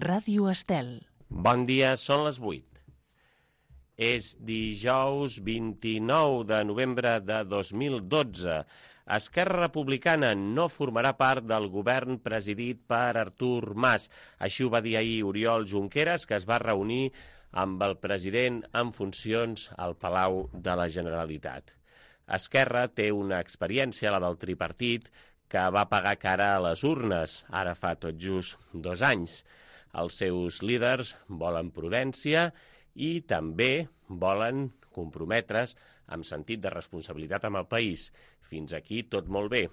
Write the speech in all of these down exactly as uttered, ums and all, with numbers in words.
Ràdio Estel. Bon dia, són les vuit. És dijous vint-i-nou de novembre de dos mil dotze. Esquerra Republicana no formarà part del govern presidit per Artur Mas. Així ho va dir ahir Oriol Junqueras, que es va reunir amb el president en funcions al Palau de la Generalitat. Esquerra té una experiència, la del tripartit, que va pagar cara a les urnes, ara fa tot just dos anys. Els seus líders volen prudència i també volen comprometre's amb sentit de responsabilitat amb el país. Fins aquí tot molt bé.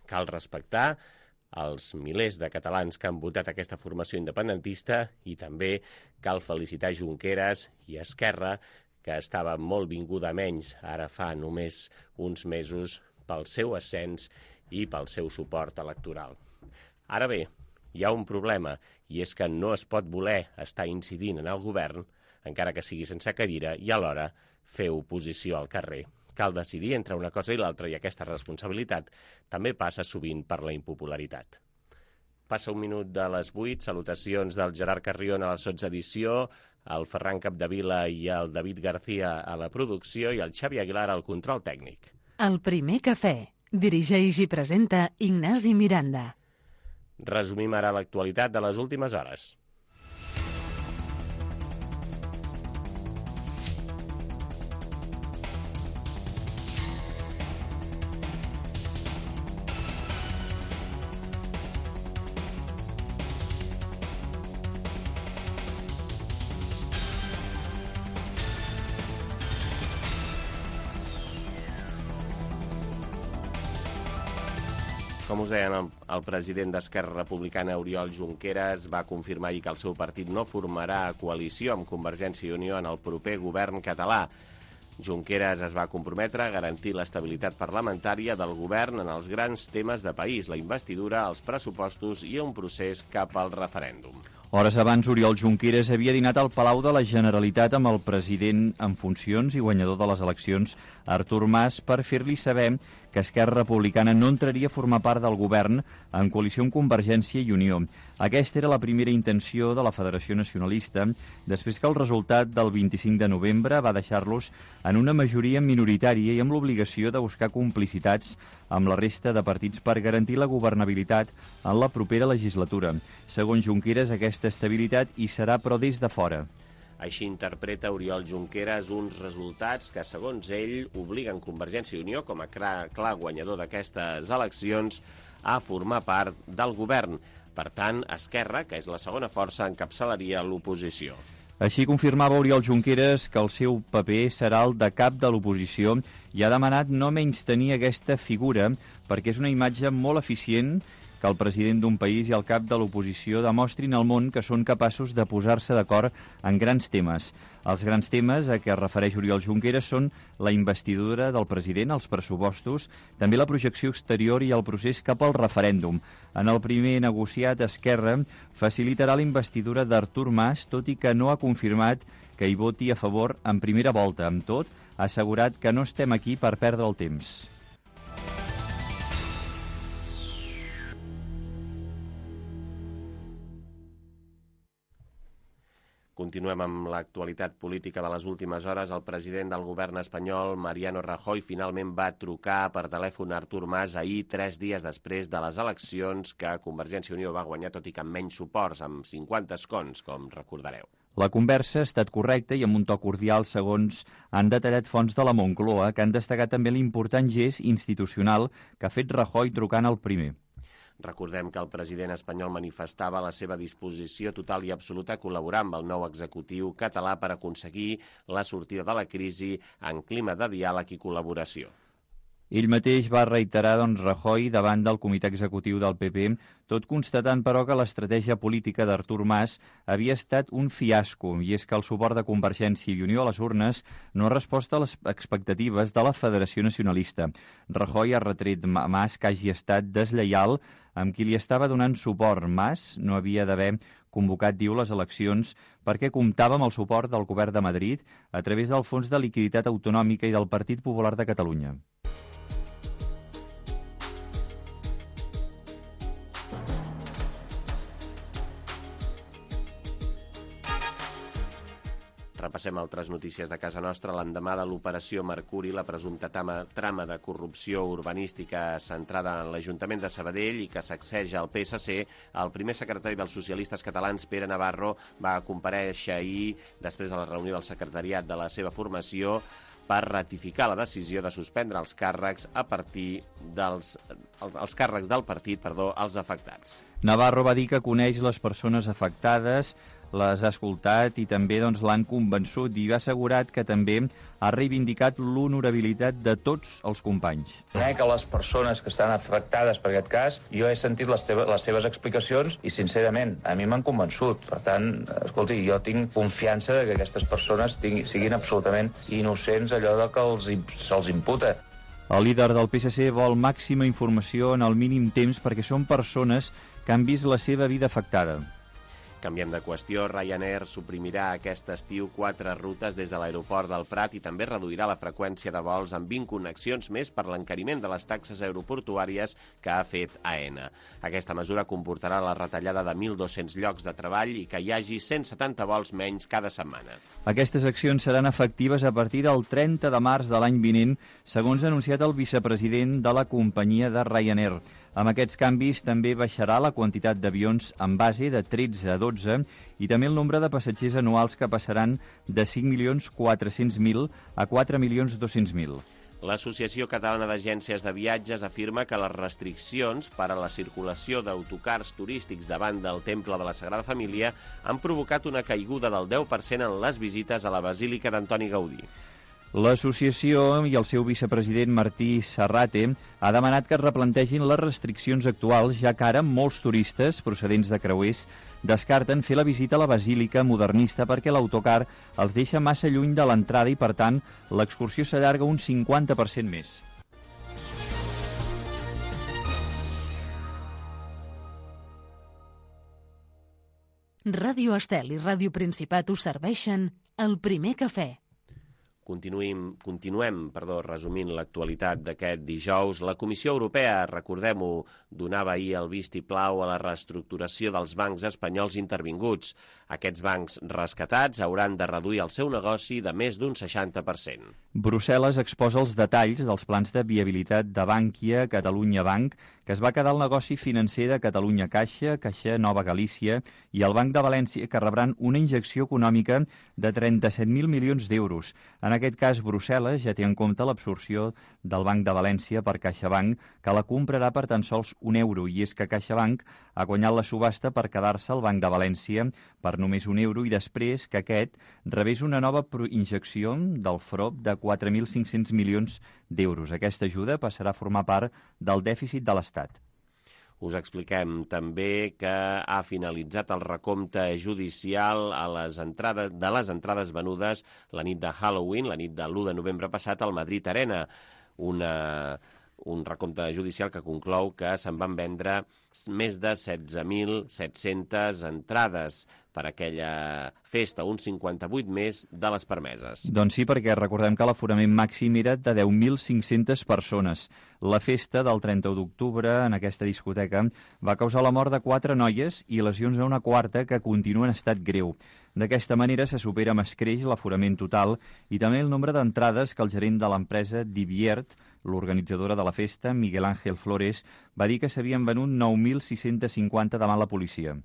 Cal respectar els milers de catalans que han votat aquesta formació independentista i també cal felicitar Junqueras i Esquerra, que estava molt vinguda menys ara fa només uns mesos pel seu ascens i pel seu suport electoral. Ara bé, hi ha un problema, i és que no es pot voler estar incidint en el govern, encara que sigui sense cadira, i alhora fer oposició al carrer. Cal decidir entre una cosa i l'altra, i aquesta responsabilitat també passa sovint per la impopularitat. Passa un minut de les vuit, salutacions del Gerard Carrion a la sotsedició, el Ferran Capdevila i el David García a la producció i el Xavi Aguilar al control tècnic. El primer cafè. Dirigeix i presenta Ignasi Miranda. Resumim ara l'actualitat de les últimes hores. Com us deien, el, el president d'Esquerra Republicana, Oriol Junqueras, va confirmar ahir que el seu partit no formarà coalició amb Convergència i Unió en el proper govern català. Junqueras es va comprometre a garantir l'estabilitat parlamentària del govern en els grans temes de país, la investidura, els pressupostos i un procés cap al referèndum. Hores abans, Oriol Junqueras havia dinat al Palau de la Generalitat amb el president en funcions i guanyador de les eleccions, Artur Mas, per fer-li saber que Esquerra Republicana no entraria a formar part del govern en coalició amb Convergència i Unió. Aquesta era la primera intenció de la Federació Nacionalista, després que el resultat del vint-i-cinc de novembre va deixar-los en una majoria minoritària i amb l'obligació de buscar complicitats amb la resta de partits per garantir la governabilitat en la propera legislatura. Segons Junqueras, aquesta estabilitat hi serà, però des de fora. Així interpreta Oriol Junqueras uns resultats que, segons ell, obliguen Convergència i Unió, com a clar, clar guanyador d'aquestes eleccions, a formar part del govern. Per tant, Esquerra, que és la segona força, encapçalaria l'oposició. Així confirmava Oriol Junqueras que el seu paper serà el de cap de l'oposició i ha demanat no menystenir aquesta figura perquè és una imatge molt eficient que el president d'un país i el cap de l'oposició demostrin al món que són capaços de posar-se d'acord en grans temes. Els grans temes a què es refereix Oriol Junqueras són la investidura del president, els pressupostos, també la projecció exterior i el procés cap al referèndum. En el primer negociat, Esquerra facilitarà la investidura d'Artur Mas, tot i que no ha confirmat que hi voti a favor en primera volta. Amb tot, ha assegurat que no estem aquí per perdre el temps. Continuem amb l'actualitat política de les últimes hores. El president del govern espanyol, Mariano Rajoy, finalment va trucar per telèfon a Artur Mas ahir, tres dies després de les eleccions que Convergència i Unió va guanyar, tot i que amb menys suports, amb cinquanta escons, com recordareu. La conversa ha estat correcta i amb un to cordial, segons han detallat fonts de la Moncloa, que han destacat també l'important gest institucional que ha fet Rajoy trucant al primer. Recordem que el president espanyol manifestava la seva disposició total i absoluta a col·laborar amb el nou executiu català per aconseguir la sortida de la crisi en clima de diàleg i col·laboració. Ell mateix va reiterar, doncs, Rajoy davant del comitè executiu del P P, tot constatant, però, que l'estratègia política d'Artur Mas havia estat un fiasco, i és que el suport de Convergència i Unió a les urnes no ha respost a les expectatives de la Federació Nacionalista. Rajoy ha retret a Mas que hagi estat deslleial amb qui li estava donant suport. Mas no havia d'haver convocat, diu, les eleccions perquè comptava amb el suport del govern de Madrid a través del Fons de Liquiditat Autonòmica i del Partit Popular de Catalunya. Repassem altres notícies de casa nostra. L'endemà de l'operació Mercuri, la presumpta trama, trama de corrupció urbanística centrada en l'Ajuntament de Sabadell i que sacseja el P S C, el primer secretari dels socialistes catalans, Pere Navarro, va comparèixer ahir, després de la reunió del secretariat de la seva formació, per ratificar la decisió de suspendre els càrrecs a partir dels els, els càrrecs del partit, perdó, als afectats. Navarro va dir que coneix les persones afectades, les ha escoltat i també doncs, l'han convençut i ha assegurat que també ha reivindicat l'honorabilitat de tots els companys. Conec a les persones que estan afectades per aquest cas, jo he sentit les, teva, les seves explicacions i, sincerament, a mi m'han convençut. Per tant, escolti, jo tinc confiança que aquestes persones tinguin, siguin absolutament innocents allò de que els, se'ls imputa. El líder del P S C vol màxima informació en el mínim temps perquè són persones que han vist la seva vida afectada. Canviem de qüestió. Ryanair suprimirà aquest estiu quatre rutes des de l'aeroport del Prat i també reduirà la freqüència de vols amb vint connexions més per l'encariment de les taxes aeroportuàries que ha fet AENA. Aquesta mesura comportarà la retallada de mil dos-cents llocs de treball i que hi hagi cent setanta vols menys cada setmana. Aquestes accions seran efectives a partir del trenta de març de l'any vinent, segons ha anunciat el vicepresident de la companyia de Ryanair. Amb aquests canvis també baixarà la quantitat d'avions en base de tretze a dotze i també el nombre de passatgers anuals que passaran de cinc milions quatre-cents mil a quatre milions dos-cents mil. L'Associació Catalana d'Agències de Viatges afirma que les restriccions per a la circulació d'autocars turístics davant del Temple de la Sagrada Família han provocat una caiguda del deu per cent en les visites a la Basílica d'Antoni Gaudí. L'associació i el seu vicepresident Martí Sarrate ha demanat que es replantegin les restriccions actuals, ja que ara molts turistes procedents de creuers descarten fer la visita a la Basílica modernista perquè l'autocar els deixa massa lluny de l'entrada i, per tant, l'excursió s'allarga un cinquanta per cent més. Ràdio Estel i Ràdio Principat us serveixen el primer cafè. Continuem, continuem perdó, resumint l'actualitat d'aquest dijous. La Comissió Europea, recordem-ho, donava ahir el vistiplau a la reestructuració dels bancs espanyols intervinguts. Aquests bancs rescatats hauran de reduir el seu negoci de més d'un seixanta per cent. Brussel·les exposa els detalls dels plans de viabilitat de Bankia, Catalunya Banc, que es va quedar el negoci financer de Catalunya Caixa, Caixa Nova Galícia i el Banc de València, que rebran una injecció econòmica de trenta-set mil milions d'euros. En aquest cas, Brussel·les ja té en compte l'absorció del Banc de València per CaixaBank, que la comprarà per tan sols un euro, i és que CaixaBank ha guanyat la subhasta per quedar-se al Banc de València per només un euro i després que aquest rebés una nova injecció del F R O P de quatre mil cinc-cents milions d'euros. Aquesta ajuda passarà a formar part del dèficit de l'Estat. Us expliquem també que ha finalitzat el recompte judicial a les entrades, de les entrades venudes la nit de Halloween, la nit de l'u de novembre passat al Madrid Arena. Una, un recompte judicial que conclou que se'n van vendre més de setze mil set-centes entrades per aquella festa, un cinquanta-vuit més de les permeses. Doncs sí, perquè recordem que l'aforament màxim era de deu mil cinc-centes persones. La festa del trenta-u d'octubre en aquesta discoteca va causar la mort de quatre noies i lesions a una quarta que continua en estat greu. D'aquesta manera se supera amb escreix l'aforament total i també el nombre d'entrades que el gerent de l'empresa Diviert, l'organitzadora de la festa, Miguel Ángel Flores, va dir que s'havien venut nou mil sis-cents cinquanta davant la policia.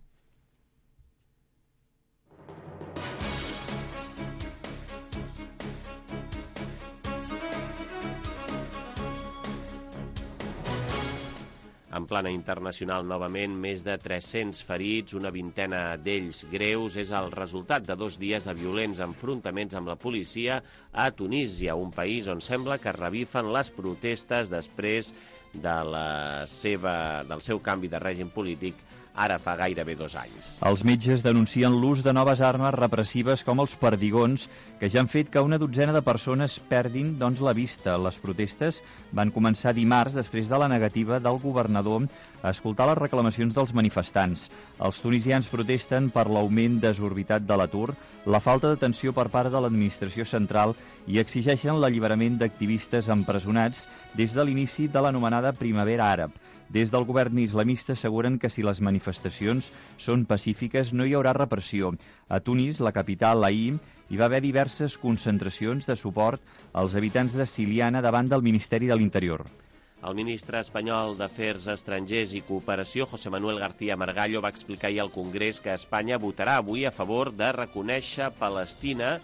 En plana internacional, novament, més de tres-cents ferits, una vintena d'ells greus, és el resultat de dos dies de violents enfrontaments amb la policia a Tunísia, un país on sembla que revifen les protestes després de la seva, del seu canvi de règim polític ara fa gairebé dos anys. Els metges denuncien l'ús de noves armes repressives com els perdigons, que ja han fet que una dotzena de persones perdin doncs, la vista. Les protestes van començar dimarts després de la negativa del governador a escoltar les reclamacions dels manifestants. Els tunisians protesten per l'augment desorbitat de l'atur, la falta d'atenció per part de l'administració central i exigeixen l'alliberament d'activistes empresonats des de l'inici de l'anomenada Primavera Àrab. Des del govern islamista asseguren que si les manifestacions són pacífiques no hi haurà repressió. A Tunis, la capital, ahir, hi va haver diverses concentracions de suport als habitants de Siliana davant del Ministeri de l'Interior. El ministre espanyol d'Afers Estrangers i Cooperació, José Manuel García Margallo, va explicar ahir al Congrés que Espanya votarà avui a favor de reconèixer Palestina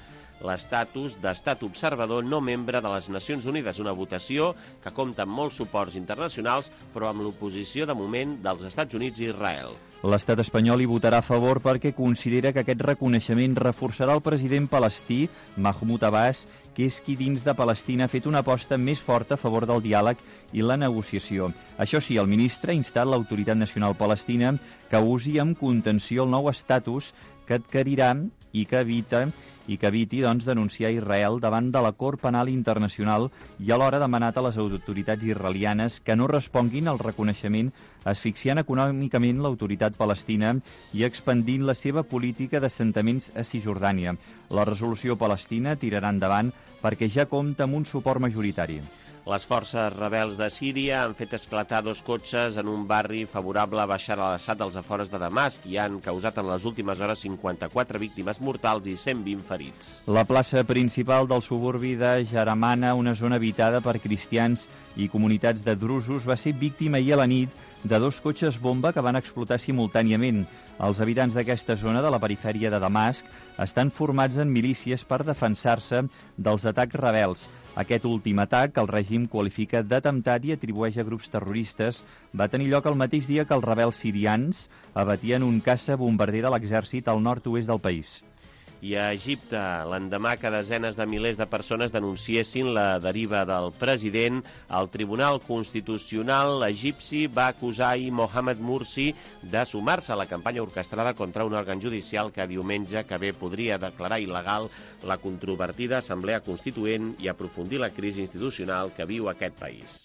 l'estatus d'estat observador no membre de les Nacions Unides, una votació que compta amb molts suports internacionals, però amb l'oposició de moment dels Estats Units i Israel. L'estat espanyol hi votarà a favor perquè considera que aquest reconeixement reforçarà el president palestí, Mahmoud Abbas, que és qui dins de Palestina ha fet una aposta més forta a favor del diàleg i la negociació. Això sí, el ministre ha instat l'Autoritat Nacional Palestina que usi amb contenció el nou estatus que adquirirà i que evita i que eviti doncs, denunciar Israel davant de la Cort Penal Internacional i alhora demanat a les autoritats israelianes que no responguin al reconeixement asfixiant econòmicament l'autoritat palestina i expandint la seva política d'assentaments a Cisjordània. La resolució palestina tirarà endavant perquè ja compta amb un suport majoritari. Les forces rebels de Síria han fet esclatar dos cotxes en un barri favorable a Bashar al-Assad als afores de Damasc i han causat en les últimes hores cinquanta-quatre víctimes mortals i cent vint ferits. La plaça principal del suburbi de Jaramana, una zona habitada per cristians i comunitats de drusos, va ser víctima ahir a la nit de dos cotxes bomba que van explotar simultàniament. Els habitants d'aquesta zona de la perifèria de Damasc estan formats en milícies per defensar-se dels atacs rebels. Aquest últim atac, que el règim qualifica d'atemptat i atribueix a grups terroristes, va tenir lloc el mateix dia que els rebels sirians abatien un caça bombarder de l'exèrcit al nord-oest del país. I a Egipte, l'endemà que desenes de milers de persones denunciessin la deriva del president, el Tribunal Constitucional egipci va acusar ahir Mohamed Morsi de sumar-se a la campanya orquestrada contra un òrgan judicial que diumenge que ve podria declarar il·legal la controvertida Assemblea Constituent i aprofundir la crisi institucional que viu aquest país.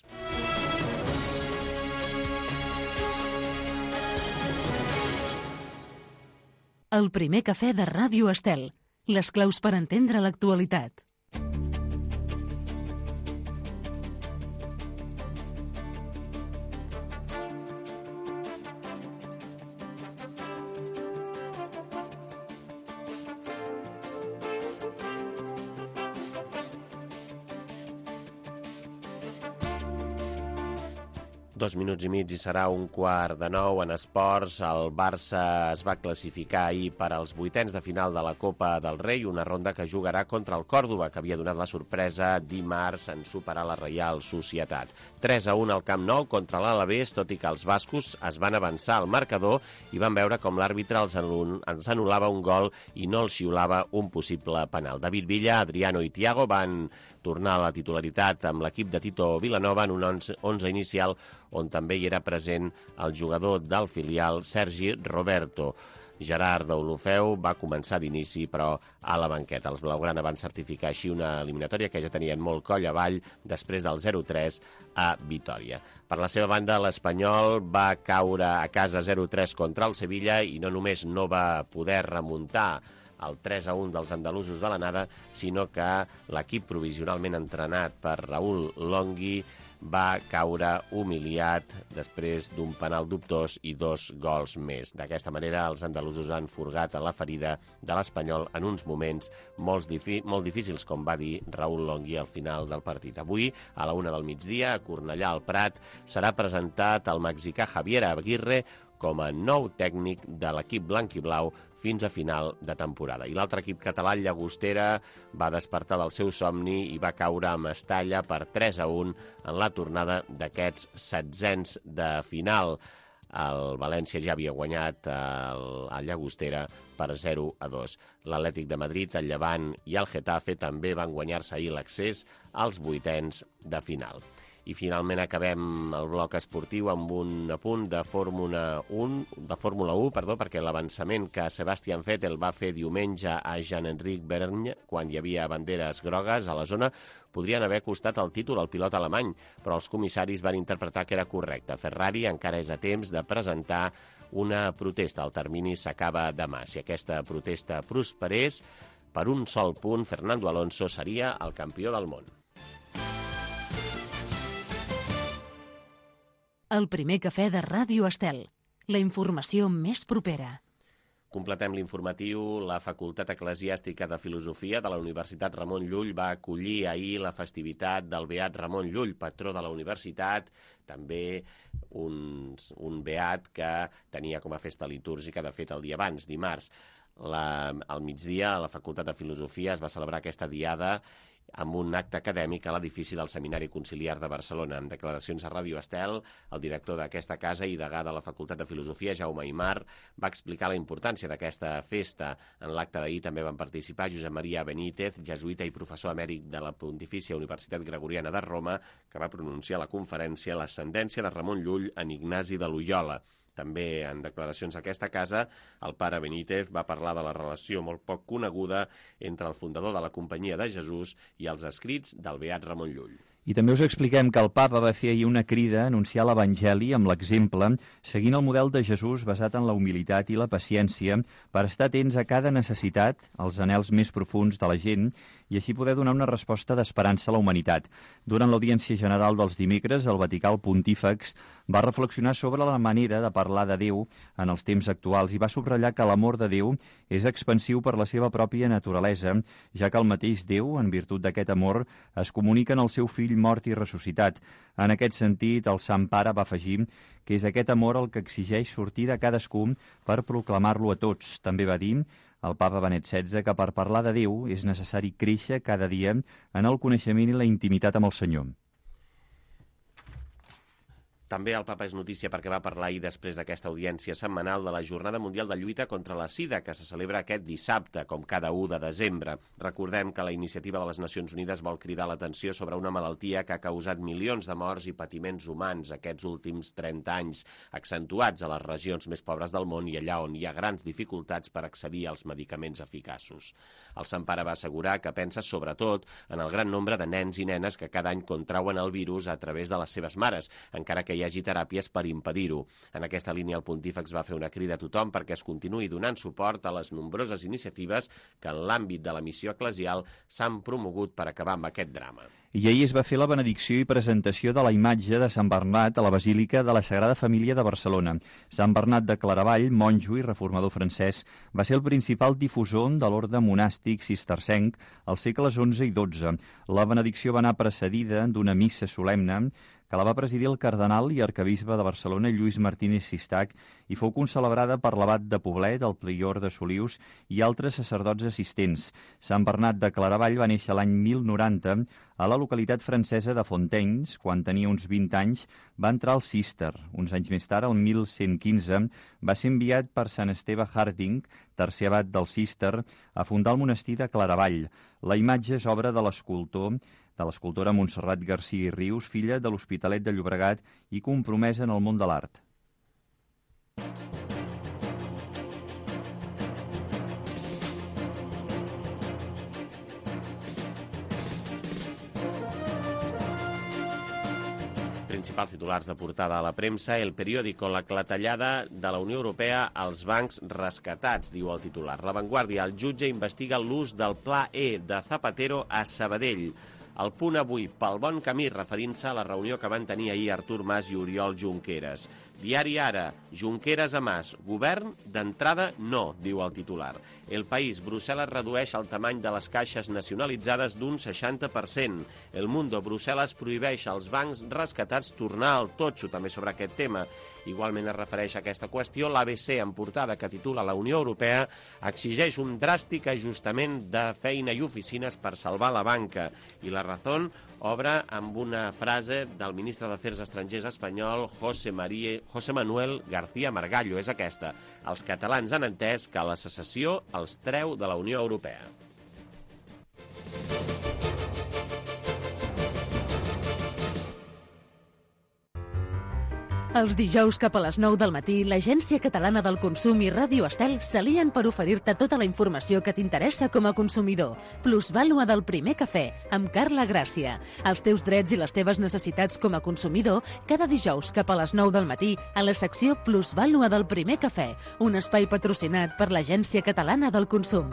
El primer cafè de Ràdio Estel. Les claus per entendre l'actualitat. Dos minuts i mig i serà un quart de nou en esports. El Barça es va classificar ahir per als vuitens de final de la Copa del Rei, una ronda que jugarà contra el Còrdova, que havia donat la sorpresa dimarts en superar la Reial Societat. tres a un al Camp Nou contra l'Alavés, tot i que els bascos es van avançar al marcador i van veure com l'àrbitre els anul·lava un gol i no els xiulava un possible penal. David Villa, Adriano i Thiago van tornar a la titularitat amb l'equip de Tito Vilanova en un onze inicial on també hi era present el jugador del filial Sergi Roberto. Gerard Deulofeu va començar d'inici, però a la banqueta. Els blaugrana van certificar així una eliminatòria que ja tenien molt coll avall després del zero tres a Vitòria. Per la seva banda, l'Espanyol va caure a casa zero tres contra el Sevilla i no només no va poder remuntar el tres a un dels andalusos de l'anada, sinó que l'equip provisionalment entrenat per Raúl Longhi va caure humiliat després d'un penal dubtós i dos gols més. D'aquesta manera, els andalusos han furgat a la ferida de l'Espanyol en uns moments molt, molt difícils, com va dir Raúl Longhi al final del partit. Avui, a la una del migdia, a Cornellà al Prat, serà presentat el mexicà Javier Aguirre com a nou tècnic de l'equip blanc i blau fins a final de temporada. I l'altre equip català, el Llagostera, va despertar del seu somni i va caure a Mestalla per tres a un en la tornada d'aquests setzents de final. El València ja havia guanyat el, el Llagostera per zero a dos. L'Atlètic de Madrid, el Llevant i el Getafe també van guanyar-se ahir l'accés als vuitens de final. I finalment acabem el bloc esportiu amb un apunt de Fórmula un, de Fórmula un, perdó, perquè l'avançament que Sebastian Vettel va fer diumenge a Jean-Enric Vergne, quan hi havia banderes grogues a la zona, podrien haver costat el títol al pilot alemany, però els comissaris van interpretar que era correcte. Ferrari encara és a temps de presentar una protesta. El termini s'acaba demà. Si aquesta protesta prosperés, per un sol punt, Fernando Alonso seria el campió del món. El primer cafè de Ràdio Estel. La informació més propera. Completem l'informatiu. La Facultat Eclesiàstica de Filosofia de la Universitat Ramon Llull va acollir ahir la festivitat del Beat Ramon Llull, patró de la universitat, també un, un beat que tenia com a festa litúrgica, de fet, el dia abans, dimarts. La, al migdia, a la Facultat de Filosofia es va celebrar aquesta diada amb un acte acadèmic a l'edifici del Seminari Conciliar de Barcelona. En declaracions a Ràdio Estel, el director d'aquesta casa i degà de la Facultat de Filosofia, Jaume Aymar, va explicar la importància d'aquesta festa. En l'acte d'ahir també van participar Josep Maria Benítez, jesuïta i professor emèrit de la Pontifícia Universitat Gregoriana de Roma, que va pronunciar a la conferència l'ascendència de Ramon Llull en Ignasi de Loiola. També en declaracions a aquesta casa, el pare Benítez va parlar de la relació molt poc coneguda entre el fundador de la Companyia de Jesús i els escrits del Beat Ramon Llull. I també us expliquem que el papa va fer ahir una crida a anunciar l'Evangeli amb l'exemple, seguint el model de Jesús basat en la humilitat i la paciència, per estar atents a cada necessitat, als anhels més profuns de la gent, i així poder donar una resposta d'esperança a la humanitat. Durant l'audiència general dels dimecres, el Vaticà Pontífex va reflexionar sobre la manera de parlar de Déu en els temps actuals i va subratllar que l'amor de Déu és expansiu per la seva pròpia naturalesa, ja que el mateix Déu, en virtut d'aquest amor, es comunica en el seu fill mort i ressuscitat. En aquest sentit, el Sant Pare va afegir que és aquest amor el que exigeix sortir de cadascú per proclamar-lo a tots. També va dir el papa Benet setze que per parlar de Déu és necessari créixer cada dia en el coneixement i la intimitat amb el Senyor. També el papa és notícia perquè va parlar ahir després d'aquesta audiència setmanal de la Jornada Mundial de Lluita contra la Sida, que se celebra aquest dissabte, com cada u de desembre. Recordem que la iniciativa de les Nacions Unides vol cridar l'atenció sobre una malaltia que ha causat milions de morts i patiments humans aquests últims trenta anys, accentuats a les regions més pobres del món i allà on hi ha grans dificultats per accedir als medicaments eficaços. El Sant Pare va assegurar que pensa sobretot en el gran nombre de nens i nenes que cada any contrauen el virus a través de les seves mares, encara que hi hagi teràpies per impedir-ho. En aquesta línia, el Pontífex va fer una crida a tothom perquè es continuï donant suport a les nombroses iniciatives que en l'àmbit de la missió eclesial s'han promogut per acabar amb aquest drama. I ahir es va fer la benedicció i presentació de la imatge de Sant Bernat a la Basílica de la Sagrada Família de Barcelona. Sant Bernat de Claravall, monjo i reformador francès, va ser el principal difusor de l'orde monàstic cistercenc als segles onze i dotze. La benedicció va anar precedida d'una missa solemne que la va presidir el cardenal i arquebisbe de Barcelona, Lluís Martínez Sistac, i fou concelebrada per l'abat de Poblet, el prior de Solius i altres sacerdots assistents. Sant Bernat de Claravall va néixer l'any mil noranta a la localitat francesa de Fontaines. Quan tenia uns vint anys va entrar al Cister. Uns anys més tard, el mil cent quinze, va ser enviat per Sant Esteve Harding, tercer abat del Cister, a fundar el monestir de Claravall. La imatge és obra de l'escultor de l'escultora Montserrat Garcia i Rius, filla de l'Hospitalet de Llobregat i compromesa en el món de l'art. Principals titulars de portada a la premsa, El Periódico, la clatellada de la Unió Europea als bancs rescatats, diu el titular. La Vanguardia, el jutge investiga l'ús del Pla E de Zapatero a Sabadell. El Punt avui, pel bon camí, referint-se a la reunió que van tenir ahir Artur Mas i Oriol Junqueras. Diari Ara, Junqueras a Mas, govern d'entrada no, diu el titular. El País, Brussel·les redueix el tamany de les caixes nacionalitzades d'un seixanta per cent. El Mundo, Brussel·les prohibeix als bancs rescatats tornar al totxo, també sobre aquest tema. Igualment es refereix a aquesta qüestió l'A B C en portada que titula La Unió Europea exigeix un dràstic ajustament de feina i oficines per salvar la banca. I La Razón obre amb una frase del ministre d'Afers Estrangers espanyol José, María, José Manuel García Margallo. És aquesta. Els catalans han entès que la secessió els treu de la Unió Europea. Els dijous cap a les nou del matí, l'Agència Catalana del Consum i Ràdio Estel s'alien per oferir-te tota la informació que t'interessa com a consumidor. Plusvàlua del primer cafè, amb Carla Gràcia. Els teus drets i les teves necessitats com a consumidor, cada dijous cap a les nou del matí, a la secció Plusvàlua del primer cafè, un espai patrocinat per l'Agència Catalana del Consum.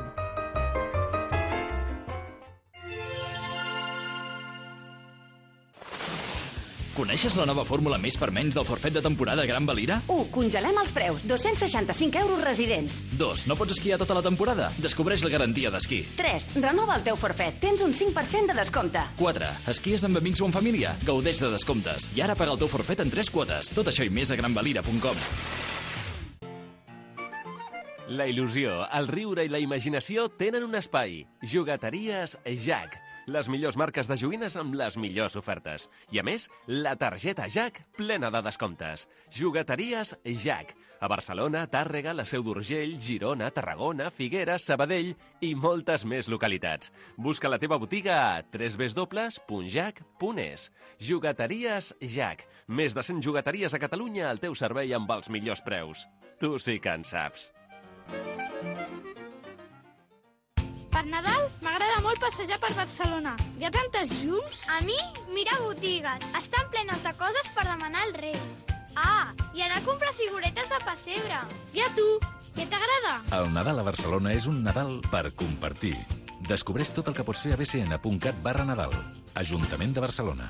Coneixes la nova fórmula més per menys del forfet de temporada Gran Valira? u. Congelem els preus. dos-cents seixanta-cinc euros residents. dos. No pots esquiar tota la temporada? Descobreix la garantia d'esquí. tres. Renova el teu forfet. Tens un cinc per cent de descompte. quatre. Esquies amb amics o en família? Gaudeix de descomptes. I ara paga el teu forfet en tres quotes. Tot això i més a gran valira punt com. La il·lusió, el riure i la imaginació tenen un espai. Jugateries Jack. Les millors marques de joguines amb les millors ofertes. I a més, la targeta Jack plena de descomptes. Jugateries Jack. A Barcelona, Tàrrega, la Seu d'Urgell, Girona, Tarragona, Figueres, Sabadell i moltes més localitats. Busca la teva botiga a w w w punt jack punt es. Jugateries Jack. Més de cent jugateries a Catalunya al teu servei amb els millors preus. Tu sí que en saps. Per Nadal m'agrada molt passejar per Barcelona. Hi ha tantes llums. A mi, mirar botigues. Estan plenes de coses per demanar als Reis. Ah, i anar a comprar figuretes de pessebre. I a tu, què t'agrada? El Nadal a Barcelona és un Nadal per compartir. Descobreix tot el que pots fer a b c n punt cat barra Nadal. Ajuntament de Barcelona.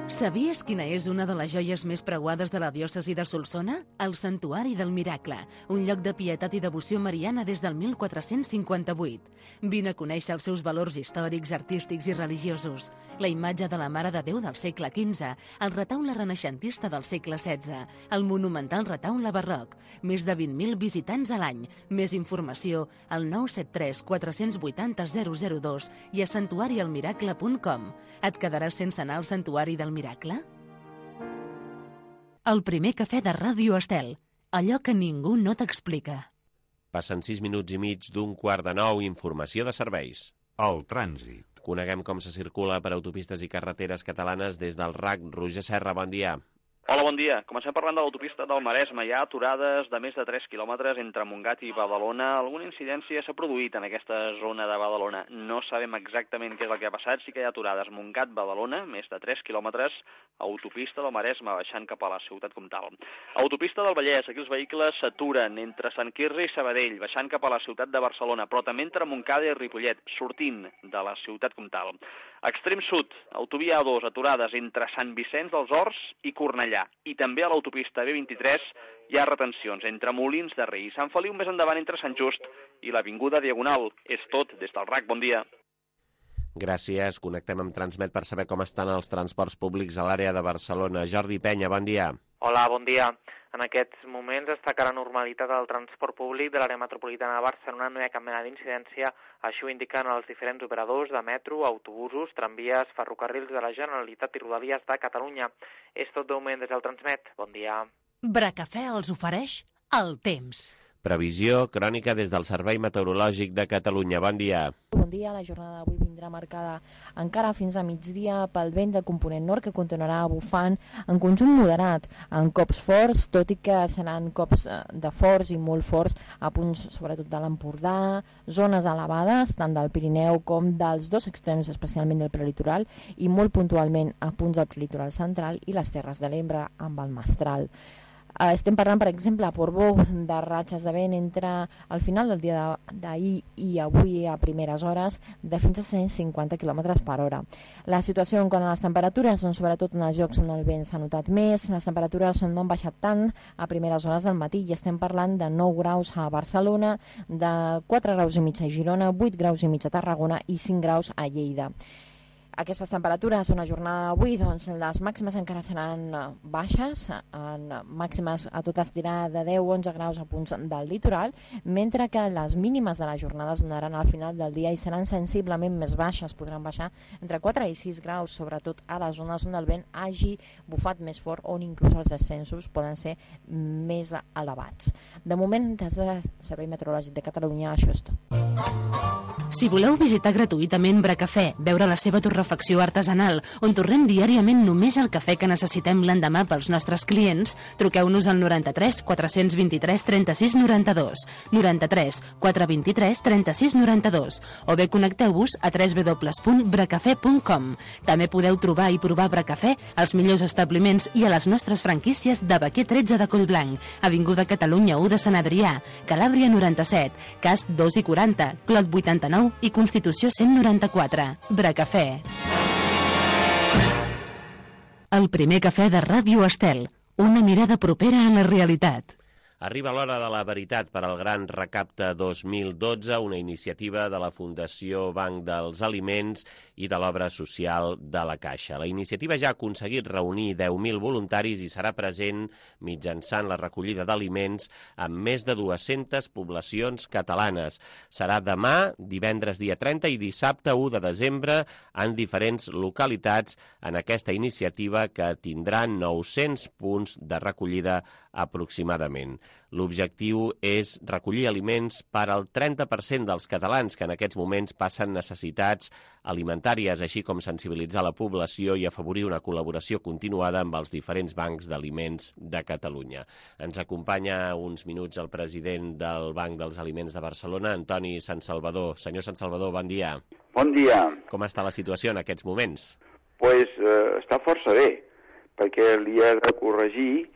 Sabies quina és una de les joies més preuades de la diòcesi de Solsona? El Santuari del Miracle, un lloc de pietat i devoció mariana des del mil quatre-cents cinquanta-vuit. Vine a conèixer els seus valors històrics, artístics i religiosos. La imatge de la Mare de Déu del segle quinze, el retaule renaixentista del segle setze, el monumental retaule barroc, més de vint mil visitants a l'any. Més informació al nou set tres quatre vuit zero zero zero dos i a santuari el miracle punt com. Et quedaràs sense anar al Santuari del Miracle? El primer cafè de Ràdio Estel. Allò que ningú no t'explica. Passen sis minuts i mig d'un quart de nou. Informació de serveis. El trànsit. Coneguem com se circula per autopistes i carreteres catalanes des del R A C. Roger Serra, bon dia. Hola, bon dia. Comencem parlant de l'autopista del Maresme. Hi ha aturades de més de tres quilòmetres entre Montgat i Badalona. Alguna incidència s'ha produït en aquesta zona de Badalona. No sabem exactament què és el que ha passat. Sí que hi ha aturades Montgat-Badalona, més de tres quilòmetres, autopista del Maresme, baixant cap a la ciutat comtal. Autopista del Vallès, aquí els vehicles s'aturen entre Sant Quirze i Sabadell, baixant cap a la ciutat de Barcelona, però també entre Montcada i Ripollet, sortint de la ciutat comtal. Extrem sud, autovia A dos, aturades entre Sant Vicenç dels Horts i Cornellà. I també a l'autopista B vint-i-tres hi ha retencions entre Molins de Rei i Sant Feliu, més endavant entre Sant Just i l'Avinguda Diagonal. És tot des del R A C. Bon dia. Gràcies. Connectem amb Transmet per saber com estan els transports públics a l'àrea de Barcelona. Jordi Penya, bon dia. Hola, bon dia. En aquests moments destaca la normalitat del transport públic de l'àrea metropolitana de Barcelona. No hi ha cap mena d'incidència. Així ho indiquen els diferents operadors de metro, autobusos, tramvies, ferrocarrils de la Generalitat i Rodalies de Catalunya. És tot de moment des del Transmet. Bon dia. Bracafè els ofereix el temps. Previsió crònica des del Servei Meteorològic de Catalunya. Bon dia. Bon dia. La jornada d'avui vindrà marcada encara fins a migdia pel vent de component nord que continuarà bufant en conjunt moderat, en cops forts, tot i que seran cops de forts i molt forts a punts sobretot de l'Empordà, zones elevades tant del Pirineu com dels dos extrems, especialment del prelitoral, i molt puntualment a punts del prelitoral central i les Terres de l'Ebre amb el Mestral. Estem parlant, per exemple, a Portbou, de ratxes de vent entre al final del dia d'ahir i avui a primeres hores de fins a cent cinquanta quilòmetres per hora. La situació en quant a les temperatures, doncs, sobretot en els llocs on el vent s'ha notat més, les temperatures no han baixat tant a primeres hores del matí i estem parlant de nou graus a Barcelona, de quatre graus i mig a Girona, vuit graus i mig a Tarragona i cinc graus a Lleida. Aquestes temperatures, una jornada d'avui, doncs les màximes encara seran baixes, en màximes a tot estirar de deu a onze graus a punts del litoral, mentre que les mínimes de la jornada es donaran al final del dia i seran sensiblement més baixes, podran baixar entre quatre i sis graus, sobretot a les zones on el vent hagi bufat més fort, on inclús els descensos poden ser més elevats. De moment, des del Servei Meteorològic de Catalunya, això és tot. Si voleu visitar gratuïtament Bracafè, veure la seva torrefacció artesanal, on torrem diàriament només el cafè que necessitem l'endemà pels nostres clients, truqueu-nos al noranta-tres quatre vint-i-tres trenta-sis noranta-dos, noranta-tres quatre vint-i-tres trenta-sis noranta-dos, o bé connecteu-vos a w w w punt bracafè punt com. També podeu trobar i provar Bracafè als millors establiments i a les nostres franquícies de Baquer tretze de Collblanc, Avinguda Catalunya u de Sant Adrià, Calàbria noranta-set, Casp dos i quaranta, Clot vuitanta-nou i Constitució cent noranta-quatre. Bracafè. El primer cafè de Ràdio Estel. Una mirada propera a la realitat. Arriba l'hora de la veritat per al Gran Recapte dos mil dotze, una iniciativa de la Fundació Banc dels Aliments i de l'Obra Social de la Caixa. La iniciativa ja ha aconseguit reunir deu mil voluntaris i serà present mitjançant la recollida d'aliments en més de dues-centes poblacions catalanes. Serà demà, divendres dia trenta i dissabte u de desembre en diferents localitats en aquesta iniciativa que tindrà nou-cents punts de recollida aproximadament. L'objectiu és recollir aliments per al trenta per cent dels catalans que en aquests moments passen necessitats alimentàries, així com sensibilitzar la població i afavorir una col·laboració continuada amb els diferents bancs d'aliments de Catalunya. Ens acompanya uns minuts el president del Banc dels Aliments de Barcelona, Antoni Santsalvador. Senyor Santsalvador, bon dia. Bon dia. Com està la situació en aquests moments? Pues eh, està força bé, perquè li he de corregir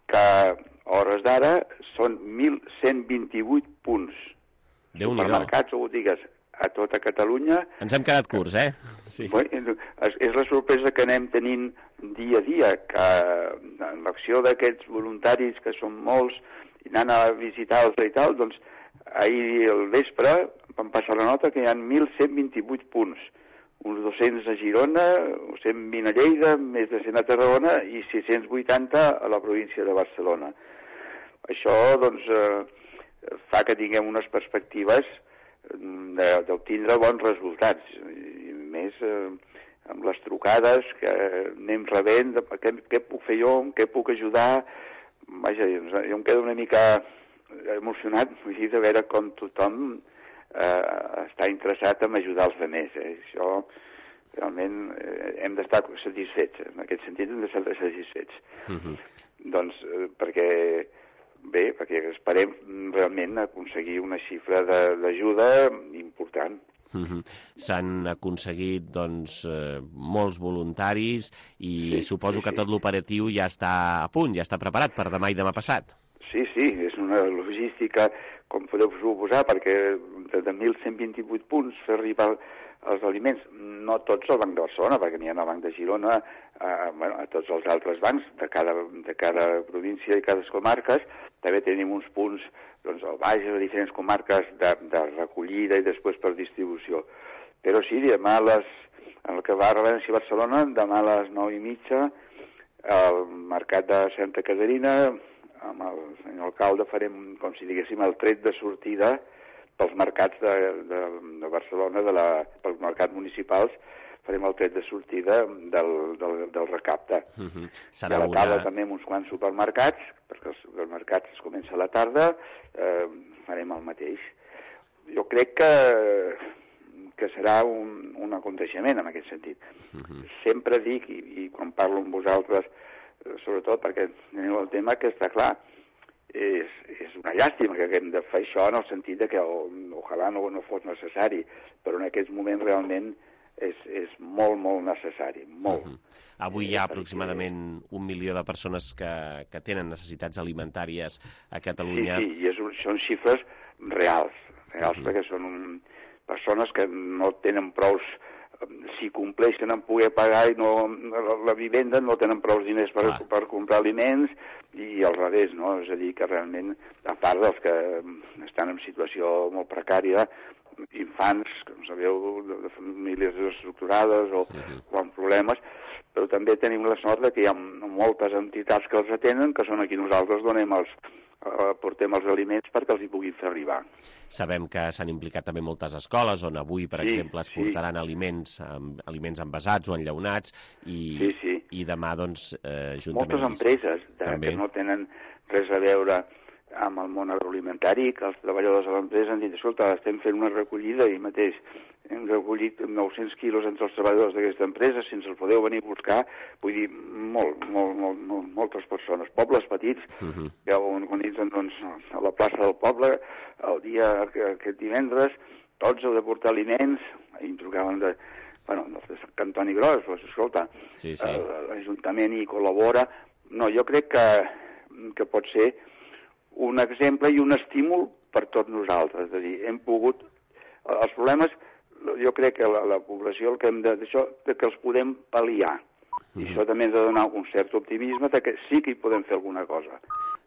que a hores d'ara són mil cent vint-i-vuit punts. Déu-n'hi-do. Supermercats o botigues a tota Catalunya. Ens hem quedat curts, eh? Sí. Bueno, és, és la sorpresa que anem tenint dia a dia, que en l'acció d'aquests voluntaris, que són molts, i anant a visitar-los i tal, doncs ahir al vespre vam passar la nota que hi ha mil cent vint-i-vuit punts. Uns dos-cents a Girona, cent vint a Lleida, més de cent a Tarragona i sis-cents vuitanta a la província de Barcelona. Això, doncs, eh, fa que tinguem unes perspectives d'obtindre bons resultats. I més eh, amb les trucades que anem rebent, de, què, què puc fer jo, què puc ajudar. Vaja, jo em quedo una mica emocionat, vull dir, de veure com tothom eh, està interessat en ajudar els altres. Eh? Això, realment, eh, hem d'estar satisfets. En aquest sentit, hem d'estar satisfets. Uh-huh. Doncs, eh, perquè, bé, perquè esperem realment aconseguir una xifra d'ajuda important. Uh-huh. S'han aconseguit, doncs, eh, molts voluntaris i sí, suposo sí, que tot l'operatiu ja està a punt, ja està preparat per demà i demà passat. Sí, sí, és una logística, com podeu suposar, perquè de mil cent vint-i-vuit punts fer arribar els aliments, no tots al Banc de Barcelona, perquè n'hi ha al Banc de Girona, a, bueno, a tots els altres bancs de cada, de cada província i cada comarques. També tenim uns punts doncs, al Bages, a diferents comarques de, de recollida i després per distribució. Però sí, demà a les, en el que va a València i Barcelona, demà a les nou i mitja, al Mercat de Santa Caterina, amb el senyor alcalde farem, com si diguéssim, el tret de sortida pels mercats de, de, de Barcelona, de la, pels mercats municipals, farem el tret de sortida del, del, del recapte. Uh-huh. Serà a la tarda una... també uns quants supermercats, perquè els supermercats es comença a la tarda, eh, farem el mateix. Jo crec que, que serà un, un aconteixement en aquest sentit. Uh-huh. Sempre dic, i, i quan parlo amb vosaltres, sobretot perquè teniu el tema que està clar, és, és una llàstima que haguem de fer això en el sentit de que o, ojalà no, no fos necessari, però en aquests moments realment és, és molt, molt necessari, molt. Uh-huh. Avui hi ha aproximadament un milió de persones que, que tenen necessitats alimentàries a Catalunya. Sí, sí, i és, són xifres reals, reals uh-huh. perquè són un, persones que no tenen prous, si compleixen en poder pagar i no, la vivenda no tenen prou diners per, per comprar aliments i al revés, no? És a dir, que realment, a part dels que estan en situació molt precària, infants, com sabeu, de, de famílies desestructurades o, uh-huh. o amb problemes, però també tenim la sort de que hi ha moltes entitats que els atenen, que són aquí nosaltres donem els, portem els aliments perquè els hi puguin fer arribar. Sabem que s'han implicat també moltes escoles on avui, per sí, exemple, es portaran sí. aliments, um, aliments envasats o enllaunats i, sí, sí. i demà, doncs, eh, juntament... Moltes empreses de, que no tenen res a veure amb el món agroalimentari, que els treballadors de l'empresa han dit, escolta, estem fent una recollida i mateix hem recollit nou-cents quilos entre els treballadors d'aquesta empresa, si ens el podeu venir a buscar, vull dir, molt, molt, molt, molt moltes persones, pobles petits, uh-huh. que organitzen doncs, a la plaça del poble, el dia aquest divendres, tots heu de portar aliments, i em trucaven de, bueno, de Sant Antoni Gros, doncs, escolta, sí, sí. l'Ajuntament hi col·labora. No, jo crec que, que pot ser un exemple i un estímul per tots nosaltres, és a dir, hem pogut... Els problemes, jo crec que la, la població, el que hem de... Això, que els podem pal·liar. I això també ens ha de donar un cert optimisme de que sí que hi podem fer alguna cosa.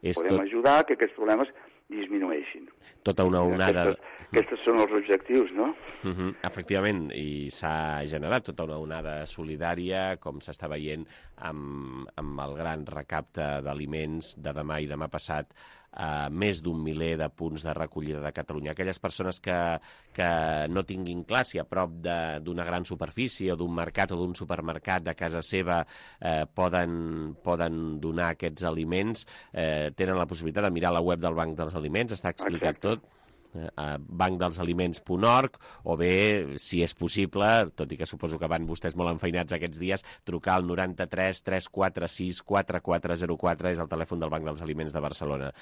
És podem tot... ajudar que aquests problemes disminueixin. Tota una onada... Aquestes, aquests són els objectius, no? Uh -huh. Efectivament, i s'ha generat tota una onada solidària, com s'està veient amb, amb el gran recapte d'aliments de demà i demà passat, a més d'un miler de punts de recollida de Catalunya. Aquelles persones que, que no tinguin clar si a prop d'una gran superfície o d'un mercat o d'un supermercat de casa seva eh, poden, poden donar aquests aliments, eh, tenen la possibilitat de mirar la web del Banc dels Aliments, està explicat Exacte. tot, a banc dels aliments punt org, o bé, si és possible, tot i que suposo que van vostès molt enfeinats aquests dies, trucar al noranta-tres tres quatre sis quatre quatre zero quatre, és el telèfon del Banc dels Aliments de Barcelona.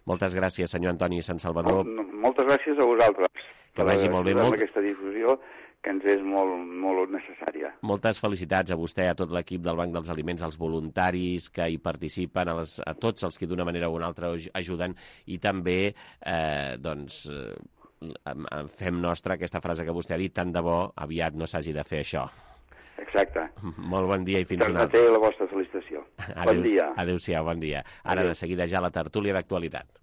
Moltes gràcies, senyor Antoni Sant Salvador. No, no, moltes gràcies a vosaltres. Que vagi molt bé. Molt... aquesta difusió que ens és molt, molt necessària. Moltes felicitats a vostè, a tot l'equip del Banc dels Aliments, als voluntaris que hi participen, a, les, a tots els que d'una manera o una altra ajuden, i també eh, doncs, eh, fem nostra aquesta frase que vostè ha dit, tant de bo aviat no s'hagi de fer això. Exacte. Molt bon dia i fins una altra. Transmetré la vostra felicitació. Adeu, bon dia. Adéu-siau, bon dia. Ara Adeu. De seguida ja la tertúlia d'actualitat.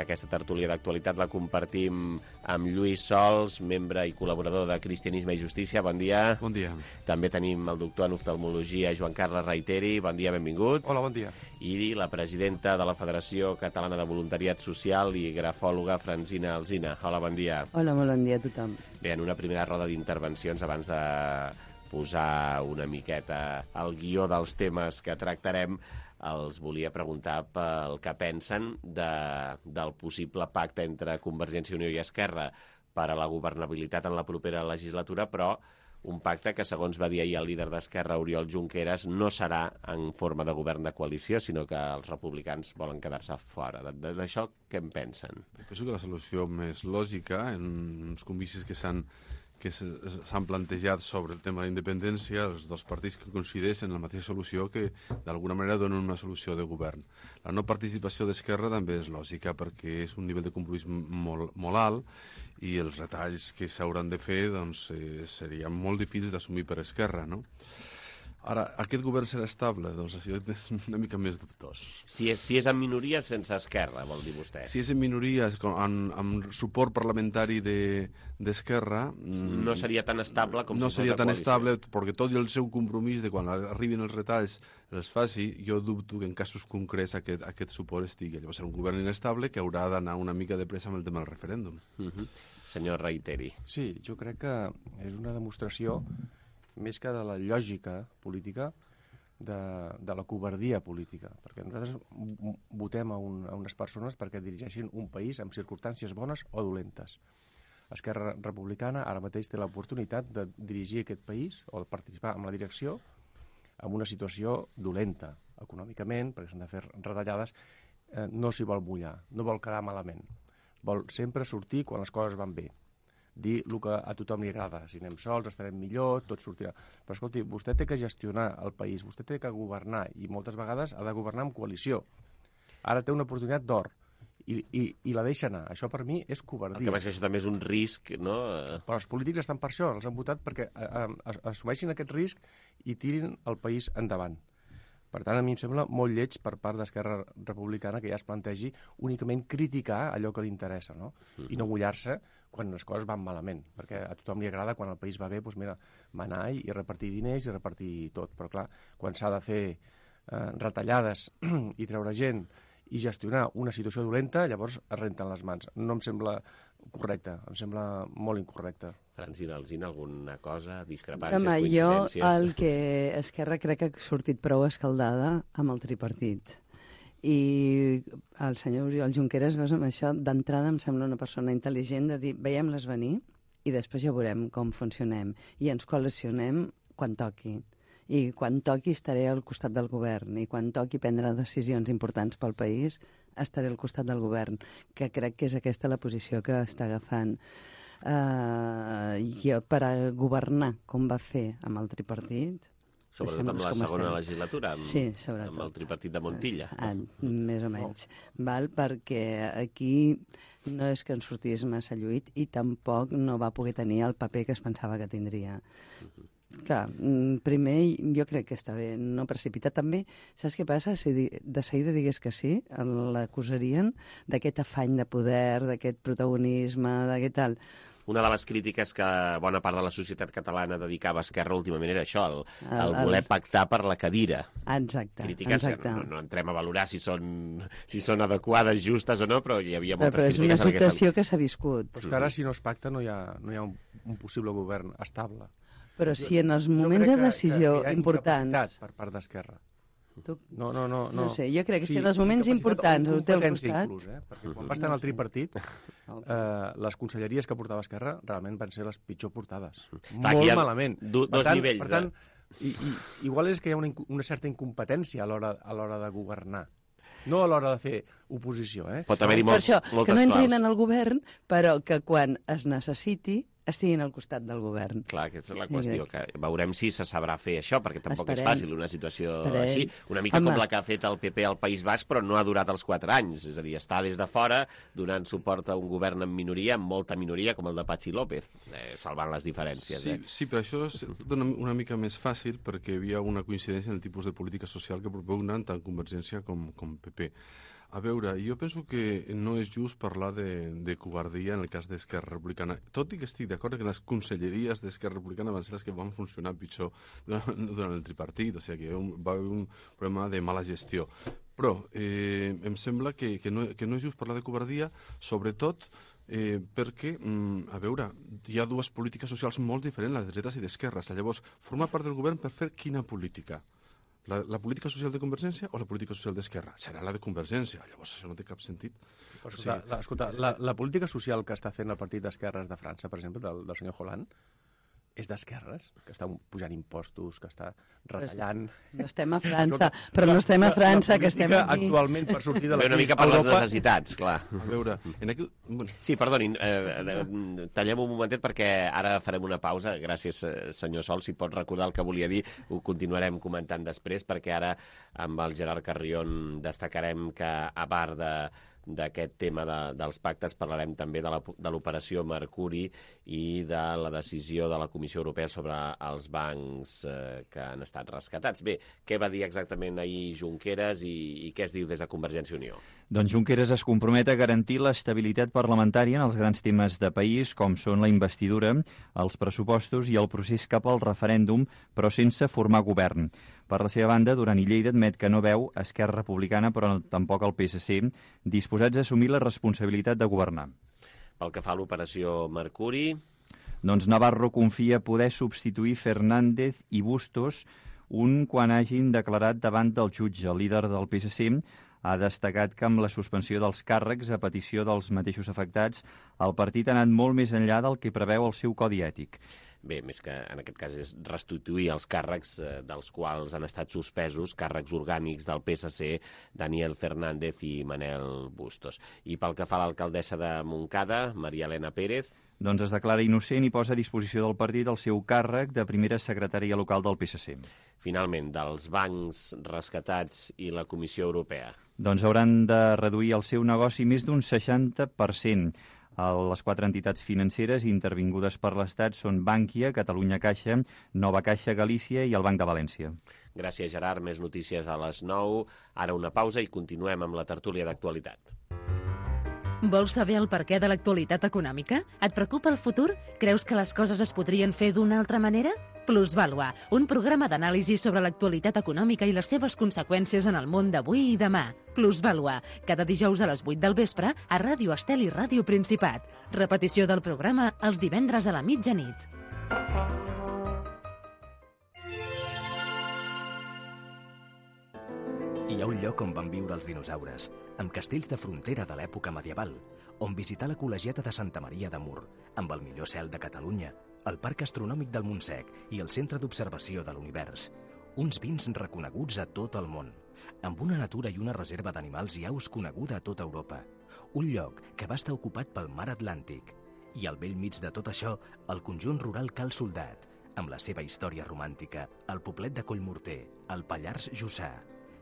Aquesta tertúlia d'actualitat la compartim amb Lluís Sols, membre i col·laborador de Cristianisme i Justícia. Bon dia. Bon dia. També tenim el doctor en oftalmologia, Joan Carles Reiteri. Bon dia, benvingut. Hola, bon dia. I la presidenta de la Federació Catalana de Voluntariat Social i grafòloga, Francina Alsina. Hola, bon dia. Hola, molt bon dia a tothom. Bé, en una primera roda d'intervencions, abans de posar una miqueta el guió dels temes que tractarem, els volia preguntar pel que pensen de, del possible pacte entre Convergència i Unió i Esquerra per a la governabilitat en la propera legislatura, però un pacte que, segons va dir ahir el líder d'Esquerra, Oriol Junqueras, no serà en forma de govern de coalició, sinó que els republicans volen quedar-se fora. D'això què en pensen? Penso que la solució més lògica, en uns comicis que s'han que s'han plantejat sobre el tema de la independència, els dos partits que coincideixen en la mateixa solució, que d'alguna manera donen una solució de govern. La no participació d'Esquerra també és lògica, perquè és un nivell de compromís molt, molt alt i els retalls que s'hauran de fer doncs, eh, serien molt difícils d'assumir per Esquerra, no? Ara, aquest govern serà estable? Doncs això és una mica més dubtós. Si és, si és en minoria sense Esquerra, vol dir vostè? Si és en minoria, amb, amb suport parlamentari d'Esquerra... De, no seria tan estable com no si seria fos de tan coalició. estable, perquè tot i el seu compromís de quan arribin els retalls els faci, jo dubto que en casos concrets aquest, aquest suport estigui. Llavors serà un govern inestable que haurà d'anar una mica de pressa amb el tema del referèndum. Uh-huh. Senyor Reiteri. Sí, jo crec que és una demostració més que de la lògica política, de, de la covardia política. Perquè nosaltres votem a, un, a unes persones perquè dirigeixin un país amb circumstàncies bones o dolentes. Esquerra Republicana ara mateix té l'oportunitat de dirigir aquest país o de participar en la direcció en una situació dolenta, econòmicament, perquè s'han de fer retallades, eh, no s'hi vol mullar, no vol quedar malament. Vol sempre sortir quan les coses van bé. Dir el que a tothom li agrada. Si anem sols, estarem millor, tot sortirà. Però, escolti, vostè té que gestionar el país, vostè té que governar, i moltes vegades ha de governar en coalició. Ara té una oportunitat d'or, i, i, i la deixa anar. Això, per mi, és covardia. El que passa que això també és un risc, no? Però els polítics estan per això, els han votat perquè assumeixin aquest risc i tirin el país endavant. Per tant, a mi em sembla molt lleig per part d'Esquerra Republicana que ja es plantegi únicament criticar allò que li interessa, no? I no mullar-se quan les coses van malament, perquè a tothom li agrada quan el país va bé, doncs mira, manar i repartir diners i repartir tot, però clar, quan s'ha de fer eh, retallades i treure gent i gestionar una situació dolenta, llavors es renten les mans. No em sembla correcte, em sembla molt incorrecte. Francina Alsina, alguna cosa, discrepàncies, Home, coincidències? Jo el que Esquerra crec que ha sortit prou escaldada amb el tripartit. I el senyor Oriol Junqueras, veus, amb això, d'entrada em sembla una persona intel·ligent de dir, veiem-les venir i després ja veurem com funcionem i ens coalicionem quan toqui. I quan toqui estaré al costat del govern i quan toqui prendre decisions importants pel país estaré al costat del govern, que crec que és aquesta la posició que està agafant uh, jo per a governar com va fer amb el tripartit. Sobretot amb la segona legislatura, amb, sí, sobretot. amb el tripartit de Montilla. Ah, més o menys. Val? Perquè aquí no és que en sortís massa lluit i tampoc no va poder tenir el paper que es pensava que tindria. Uh-huh. Clar, primer jo crec que està bé no precipitar. També, saps què passa? Si de seguida digués que sí, l'acusarien d'aquest afany de poder, d'aquest protagonisme, d'aquest tal. Una de les crítiques que bona part de la societat catalana dedicava a Esquerra últimament era això, el, el, el voler pactar per la cadira. Exacte. Crítiques exacte. que no, no entrem a valorar si són, si són adequades, justes o no, però hi havia moltes però, però crítiques. Però és una situació que s'ha viscut. Però és que ara, si no es pacta, no hi ha, no hi ha un, un possible govern estable. Però si en els moments de decisió que, que importants... per part d'Esquerra. Tu... No, no, no, no. No sé, jo crec que sí, si en els moments importants ho té al costat... Inclús, eh? Perquè quan va estar en el tripartit, eh, les conselleries que portava Esquerra realment van ser les pitjor portades. Clar, Molt malament. Do, dos tant, nivells. Per tant, de... i, i, igual és que hi ha una, una certa incompetència a l'hora a l'hora de governar. No a l'hora de fer oposició, eh? Pot haver-hi molts, per això, moltes que no entrin claus. en el govern, però que quan es necessiti estiguin al costat del govern. Clar, aquesta és la qüestió, que veurem si se sabrà fer això, perquè tampoc Esperem. és fàcil una situació Esperem. així. Una mica Home. com la que ha fet el P P al País Basc, però no ha durat els quatre anys. És a dir, està des de fora donant suport a un govern en minoria, amb molta minoria, com el de Patxi López, eh, salvant les diferències. Sí, eh? sí, però això és una, una mica més fàcil perquè hi havia una coincidència en el tipus de política social que propugnen tant Convergència com, com P P. A veure, jo penso que no és just parlar de, de covardia en el cas d'Esquerra Republicana, tot i que estic d'acord que les conselleries d'Esquerra Republicana van ser les que van funcionar pitjor durant, durant el tripartit, o sigui que va haver un problema de mala gestió. Però eh, em sembla que, que, no, que no és just parlar de covardia, sobretot Eh, perquè, mm, a veure, hi ha dues polítiques socials molt diferents, les de dretes i d'esquerres. Llavors, formar part del govern per fer quina política? La, la política social de Convergència o la política social d'Esquerra? Serà la de Convergència, llavors això no té cap sentit. Però, escolta, la, escolta la, la política social que està fent el partit d'esquerres de França, per exemple, del, del senyor Hollande, és d'esquerres, que està pujant impostos, que està retallant... No estem a França, però no estem a França, que estem aquí. Actualment, per sortir de la crisi una mica per les necessitats, clar. A veure, en aquell... Sí, perdonin, eh, tallem un momentet perquè ara farem una pausa. Gràcies, senyor Sol, si pot recordar el que volia dir, ho continuarem comentant després, perquè ara amb el Gerard Carrion destacarem que, a part de d'aquest tema de, dels pactes, parlarem també de l'operació Mercuri i de la decisió de la Comissió Europea sobre els bancs eh, que han estat rescatats. Bé, què va dir exactament ahir Junqueras i, i què es diu des de Convergència i Unió? Doncs Junqueras es compromet a garantir l'estabilitat parlamentària en els grans temes de país, com són la investidura, els pressupostos i el procés cap al referèndum, però sense formar govern. Per la seva banda, Duran i Lleida admet que no veu Esquerra Republicana, però tampoc el P S C, disposats a assumir la responsabilitat de governar. Pel que fa a l'operació Mercuri... Doncs Navarro confia poder substituir Fernández i Bustos un quan hagin declarat davant del jutge. El líder del P S C ha destacat que amb la suspensió dels càrrecs a petició dels mateixos afectats, el partit ha anat molt més enllà del que preveu el seu codi ètic. Bé, més que en aquest cas és restituir els càrrecs eh, dels quals han estat suspesos, càrrecs orgànics del P S C, Daniel Fernández i Manel Bustos. I pel que fa a l'alcaldessa de Montcada, Maria Elena Pérez... Doncs es declara innocent i posa a disposició del partit el seu càrrec de primera secretària local del P S C. Finalment, dels bancs rescatats i la Comissió Europea. Doncs hauran de reduir el seu negoci més d'un seixanta per cent. Les quatre entitats financeres intervingudes per l'Estat són Bankia, Catalunya Caixa, Nova Caixa Galícia i el Banc de València. Gràcies, Gerard. Més notícies a les nou. Ara una pausa i continuem amb la tertúlia d'actualitat. Vols saber el perquè de l'actualitat econòmica? Et preocupa el futur? Creus que les coses es podrien fer d'una altra manera? Plusvàlua, un programa d'anàlisi sobre l'actualitat econòmica i les seves conseqüències en el món d'avui i demà. Plusvàlua, cada dijous a les vuit del vespre a Ràdio Estel i Ràdio Principat. Repetició del programa els divendres a la mitjanit. Hi ha un lloc on van viure els dinosaures, amb castells de frontera de l'època medieval, on visitar la col·legiata de Santa Maria de Mur, amb el millor cel de Catalunya, el Parc Astronòmic del Montsec i el Centre d'Observació de l'Univers. Uns vins reconeguts a tot el món, amb una natura i una reserva d'animals i aus coneguda a tota Europa. Un lloc que va estar ocupat pel mar Atlàntic. I al vell mig de tot això, el conjunt rural Cal Soldat, amb la seva història romàntica, el poblet de Collmorter, el Pallars Jussà.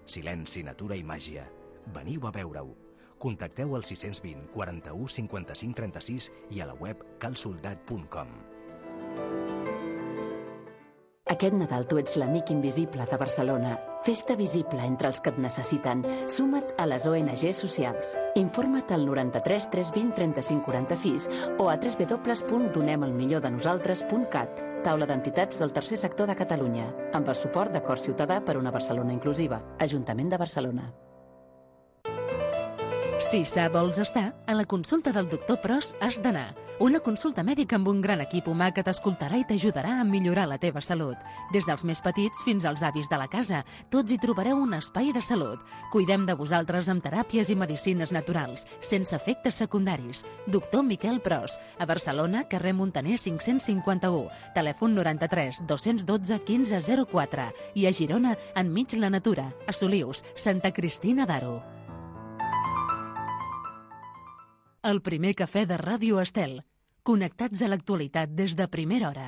Silenci, natura i màgia. Veniu a veure-ho. Contacteu al sis cents vint, quaranta-u, cinquanta-cinc, trenta-sis i a la web cal soldat punt com. Aquest Nadal tu ets l'amic invisible de Barcelona. Fes-te visible entre els que et necessiten. Suma't a les O N G socials. Informa't al noranta-tres tres vint trenta-cinc quaranta-sis o a w w w punt donem el millor de nosaltres punt cat. Taula d'entitats del tercer sector de Catalunya, amb el suport de Cor Ciutadà per una Barcelona inclusiva. Ajuntament de Barcelona. Si sa vols estar, a la consulta del doctor Pros has d'anar. Una consulta mèdica amb un gran equip humà que t'escoltarà i t'ajudarà a millorar la teva salut. Des dels més petits fins als avis de la casa, tots hi trobareu un espai de salut. Cuidem de vosaltres amb teràpies i medicines naturals, sense efectes secundaris. Doctor Miquel Pros, a Barcelona, carrer Montaner cinc-cents cinquanta-u, telèfon noranta-tres dos-cents dotze quinze zero quatre i a Girona, enmig la natura, a Solius, Santa Cristina d'Aro. El primer cafè de Ràdio Estel. Connectats a l'actualitat des de primera hora.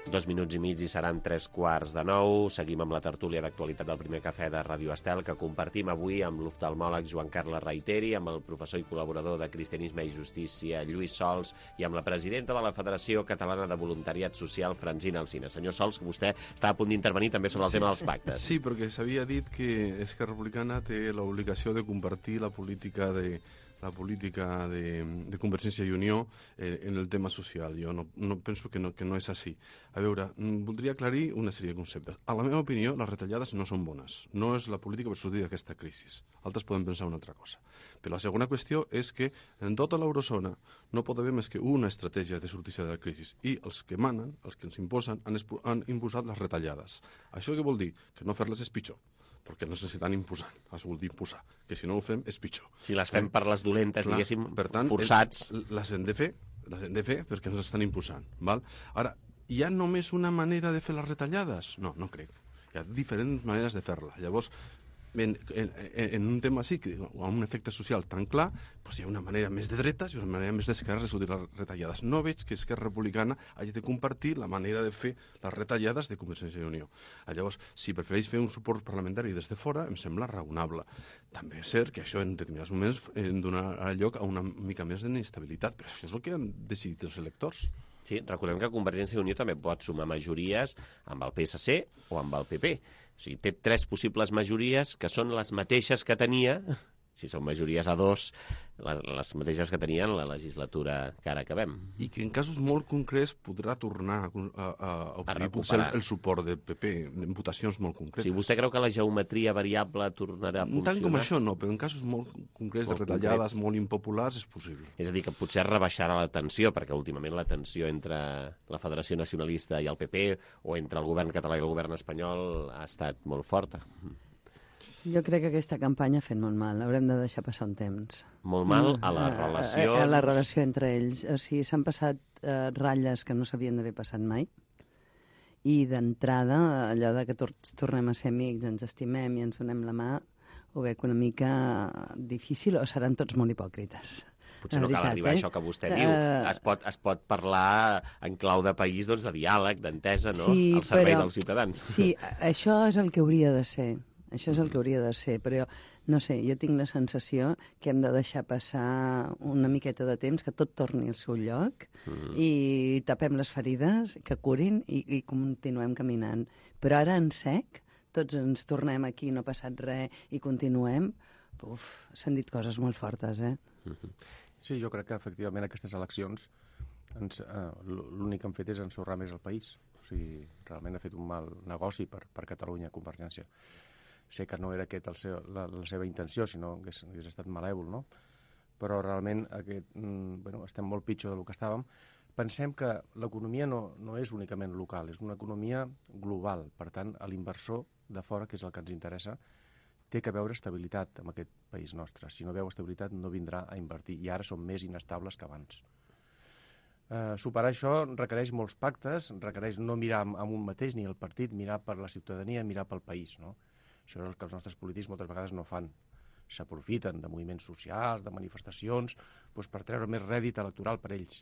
Dos minuts i mig i seran tres quarts de nou. Seguim amb la tertúlia d'actualitat del primer cafè de Ràdio Estel, que compartim avui amb l'oftalmòleg Joan Carles Reiteri, amb el professor i col·laborador de Cristianisme i Justícia Lluís Sols i amb la presidenta de la Federació Catalana de Voluntariat Social, Francina Alsina. Senyor Sols, vostè està a punt d'intervenir també sobre el sí, tema dels pactes. Sí, perquè s'havia dit que Esquerra Republicana té l'obligació de compartir la política de la política de, de Convergència i Unió eh, en el tema social. Jo no, no penso que no, que no és així. A veure, voldria aclarir una sèrie de conceptes. A la meva opinió, les retallades no són bones. No és la política per sortir d'aquesta crisi. Altres poden pensar una altra cosa. Però la segona qüestió és que en tota l'eurozona no pot haver més que una estratègia de sortir de la crisi. I els que manen, els que ens imposen, han, han imposat les retallades. Això què vol dir? Que no fer-les és pitjor, perquè no s'estan imposant, has volgut imposar, que si no ho fem és pitjor. Si les fem per les dolentes, clar, diguéssim, per tant, forçats... El, les hem de fer, les hem de fer perquè ens estan imposant. Val? Ara, hi ha només una manera de fer les retallades? No, no crec. Hi ha diferents maneres de fer-la. Llavors, en, en, en un tema així, amb un efecte social tan clar, doncs hi ha una manera més de dretes i una manera més d'esquerra de sortir les retallades. No veig que Esquerra Republicana hagi de compartir la manera de fer les retallades de Convergència i Unió. Llavors, si prefereix fer un suport parlamentari des de fora, em sembla raonable. També és cert que això en determinats moments donarà lloc a una mica més d'inestabilitat, però això és el que han decidit els electors. Sí, recordem que Convergència i Unió també pot sumar majories amb el P S C o amb el P P. O sigui, té tres possibles majories que són les mateixes que tenia, si són majories a dos, les, les mateixes que tenia en la legislatura que ara acabem. I que en casos molt concrets podrà tornar a, a, a obtenir potser el, el suport del P P en votacions molt concretes. Si vostè creu que la geometria variable tornarà a funcionar... Tant com això no, però en casos molt concrets molt de retallades, concrets. Molt impopulars, és possible. És a dir, que potser rebaixarà la tensió, perquè últimament la tensió entre la Federació Nacionalista i el P P o entre el govern català i el govern espanyol ha estat molt forta. Jo crec que aquesta campanya ha fet molt mal. Haurem de deixar passar un temps. Molt mal a la relació... A, a, a la relació entre ells. O sigui, s'han passat uh, ratlles que no s'havien d'haver passat mai. I d'entrada, allò de que tots tornem a ser amics, ens estimem i ens donem la mà, ho veig una mica difícil, o seran tots molt hipòcrites. Potser no cal arribar a això que vostè diu. Es pot, es pot parlar en clau de país, doncs, de diàleg, d'entesa, no? Sí, al servei però, dels ciutadans. Sí, això és el que hauria de ser. Això és el que hauria de ser, però jo, no sé, jo tinc la sensació que hem de deixar passar una miqueta de temps, que tot torni al seu lloc, mm. i tapem les ferides, que curin, i, i continuem caminant. Però ara, en sec, tots ens tornem aquí, no ha passat res, i continuem. Uf, s'han dit coses molt fortes, eh? Mm-hmm. Sí, jo crec que, efectivament, aquestes eleccions, ens, eh, l'únic que han fet és ensorrar més el país. O sigui, realment ha fet un mal negoci per, per Catalunya, Convergència. Sé que no era aquest el seu, la, la seva intenció, sinó que hagués, hagués estat malèvol, no? Però realment aquest, mm, bueno, estem molt pitjor del que estàvem. Pensem que l'economia no, no és únicament local, és una economia global. Per tant, a l'inversor de fora, que és el que ens interessa, té que veure estabilitat en aquest país nostre. Si no veu estabilitat, no vindrà a invertir. I ara som més inestables que abans. Eh, superar això requereix molts pactes, requereix no mirar amb un mateix ni el partit, mirar per la ciutadania, mirar pel país, no? Això és el que els nostres polítics moltes vegades no fan. S'aprofiten de moviments socials, de manifestacions, doncs per treure més rèdit electoral per ells,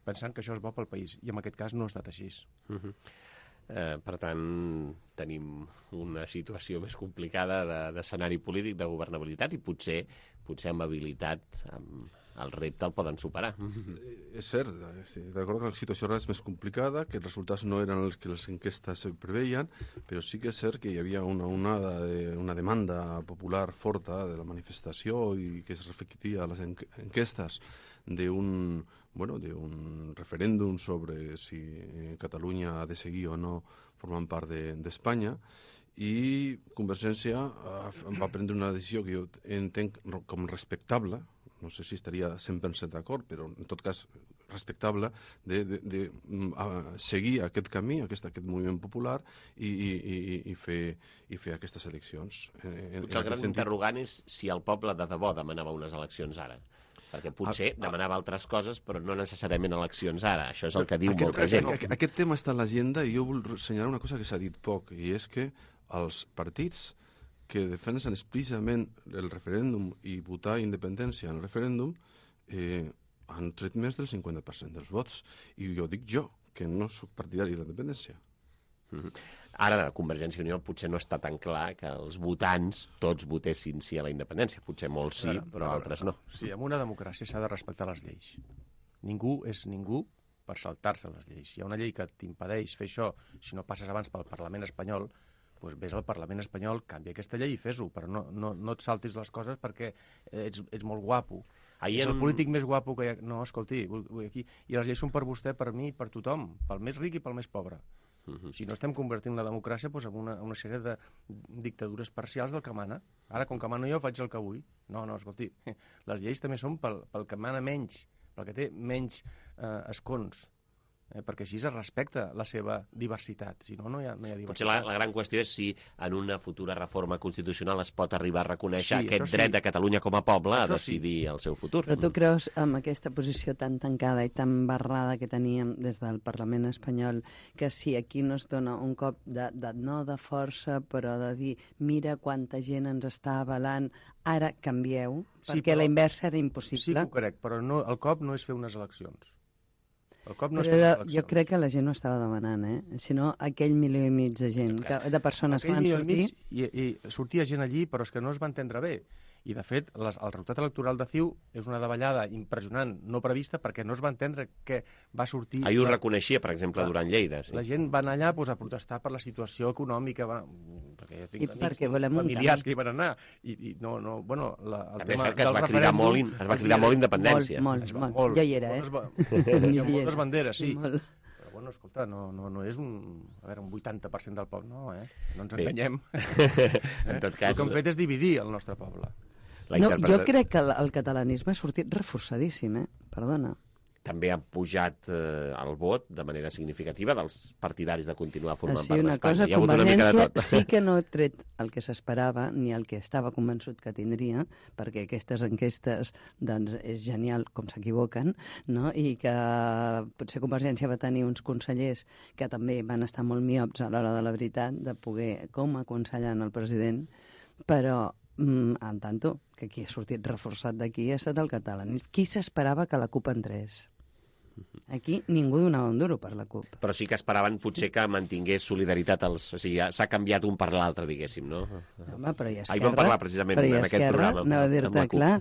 pensant que això és bo pel país. I en aquest cas no ha estat així. Uh-huh. eh, per tant, tenim una situació més complicada d'escenari de, polític, de governabilitat, i potser, potser amb habilitat, amb el repte el poden superar. És cert, estic d'acord que la situació ara és més complicada, que els resultats no eren els que les enquestes preveien, però sí que és cert que hi havia una, onada de, una demanda popular forta de la manifestació i que es reflectia a les enquestes d'un bueno, d'un referèndum sobre si Catalunya ha de seguir o no formant part d'Espanya, i Convergència va prendre una decisió que jo entenc com respectable, no sé si estaria cent per cent d'acord, però en tot cas respectable, de, de, de uh, seguir aquest camí, aquest, aquest moviment popular i, i, i, i, fer, i fer aquestes eleccions. En, potser el gran sentit... interrogant és si el poble de debò demanava unes eleccions ara. Perquè potser ah, demanava ah, altres coses, però no necessàriament eleccions ara. Això és el que diu aquest, molta gent. Aquest, aquest tema està a l'agenda i jo vull assenyalar una cosa que s'ha dit poc, i és que els partits que defensen explícitament el referèndum i votar independència en el referèndum eh, han tret més del cinquanta per cent dels vots. I jo dic jo, que no soc partidari de la independència. Mm-hmm. Ara, de Convergència i Unió potser no està tan clar que els votants tots votessin sí a la independència. Potser molts sí, però, però altres no. Sí, en una democràcia s'ha de respectar les lleis. Ningú és ningú per saltar-se les lleis. Si hi ha una llei que t'impedeix fer això, si no passes abans pel Parlament espanyol, doncs vés al Parlament espanyol, canvia aquesta llei i fes-ho, però no, no, no et saltis les coses perquè ets, ets molt guapo. Ahir és el en... polític més guapo que hi ha... No, escolti, vull, vull aquí... i les lleis són per vostè, per mi, per tothom, pel més ric i pel més pobre. Uh-huh. Si no estem convertint la democràcia doncs, en una, una sèrie de dictadures parcials del que mana. Ara, com que mano jo, faig el que vull. No, no, escolti, les lleis també són pel, pel que mana menys, pel que té menys eh, escons. Eh, perquè així es respecta la seva diversitat, si no, no hi ha, no hi ha diversitat. Potser la, la gran qüestió és si en una futura reforma constitucional es pot arribar a reconèixer sí, aquest sí. dret de Catalunya com a poble això a decidir sí. el seu futur. Però tu creus, amb aquesta posició tan tancada i tan barrada que teníem des del Parlament espanyol, que si aquí no es dona un cop de, de no de força, però de dir, mira quanta gent ens està avalant, ara canvieu, sí, perquè però, la inversa era impossible. Sí que ho crec, però no, el cop no és fer unes eleccions. El cop no però jo crec que la gent no estava demanant, eh? Sinó aquell milió i mig de gent, que, de persones que van sortir... I, I sortia gent allí, però és que no es va entendre bé. I, de fet, les, el resultat electoral de C I U és una davallada impressionant, no prevista, perquè no es va entendre que va sortir... Ahir ho reconeixia, per exemple, durant Lleida. Sí. La gent va anar allà pues, a protestar per la situació econòmica, va... perquè jo tinc I perquè volem familiars que hi van anar. I, i no, no, bueno, la, el També tema és que es va cridar molt, in, es va cridar molt independència. Molt, molt, molt. molt. Jo hi era, eh? Moltes, hi ha moltes banderes, sí. Molt. Bueno, escolta, no, no, no és un, a veure, un vuitanta per cent del poble, no, eh? No ens enganyem. En tot cas... El que hem fet és dividir el nostre poble. No, jo crec que el, el catalanisme ha sortit reforçadíssim, eh? Perdona. també ha pujat eh, el vot de manera significativa dels partidaris de continuar formant sí, part una d'Espanya. cosa, Hi ha hagut una mica de tot. sí que no ha tret el que s'esperava ni el que estava convençut que tindria, perquè aquestes enquestes doncs, és genial com s'equivoquen, no? I que potser Convergència va tenir uns consellers que també van estar molt miops a l'hora de la veritat, de poder com aconsellant el president, però Mm, en tanto, que qui ha sortit reforçat d'aquí ha estat el català. Qui s'esperava que la CUP entrés? Aquí ningú donava un duro per la CUP. Però sí que esperaven potser que mantingués solidaritat als... O sigui, s'ha canviat un per l'altre, diguéssim, no? Home, però hi ha Esquerra... Ahir vam parlar precisament en aquest programa. No, a dir-te, clar,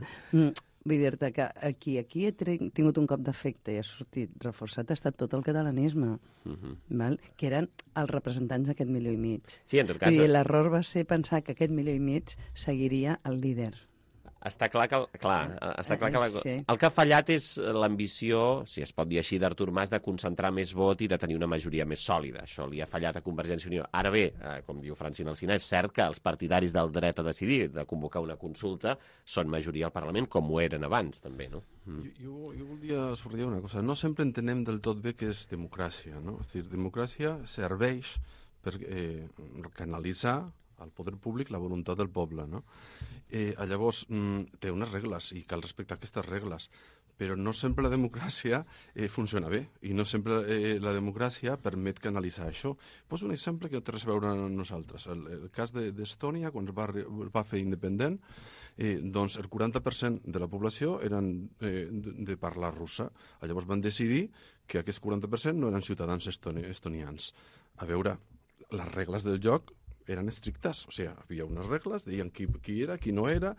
vull dir-te que aquí, aquí he tingut un cop d'efecte i ha sortit reforçat, ha estat tot el catalanisme, uh -huh. val? Que eren els representants d'aquest milió i mig. Sí, en tot cas... I l'error va ser pensar que aquest milió i mig seguiria el líder. Està clar que, el, clar, està clar que la, sí. el que ha fallat és l'ambició, si es pot dir així, d'Artur Mas de concentrar més vot i de tenir una majoria més sòlida. Això li ha fallat a Convergència i Unió. Ara bé, eh, com diu Francina Alsina, és cert que els partidaris del dret a decidir, de convocar una consulta, són majoria al Parlament, com ho eren abans, també, no? Mm. Jo, jo volia subratllar una cosa. No sempre entenem del tot bé què és democràcia, no? És a dir, democràcia serveix per eh, canalitzar al poder públic la voluntat del poble, no? Eh, llavors, mm, té unes regles i cal respectar aquestes regles, però no sempre la democràcia eh, funciona bé i no sempre eh, la democràcia permet canalitzar això. Poso un exemple que no té res a veure amb nosaltres. El, el cas d'Estònia, quan es va, va fer independent, eh, doncs el quaranta per cent de la població eren eh, de, de parla russa. Llavors van decidir que aquest quaranta per cent no eren ciutadans estoni, estonians. A veure, les regles del joc eren estrictes, o sigui, hi havia unes regles, deien qui, qui era, qui no era.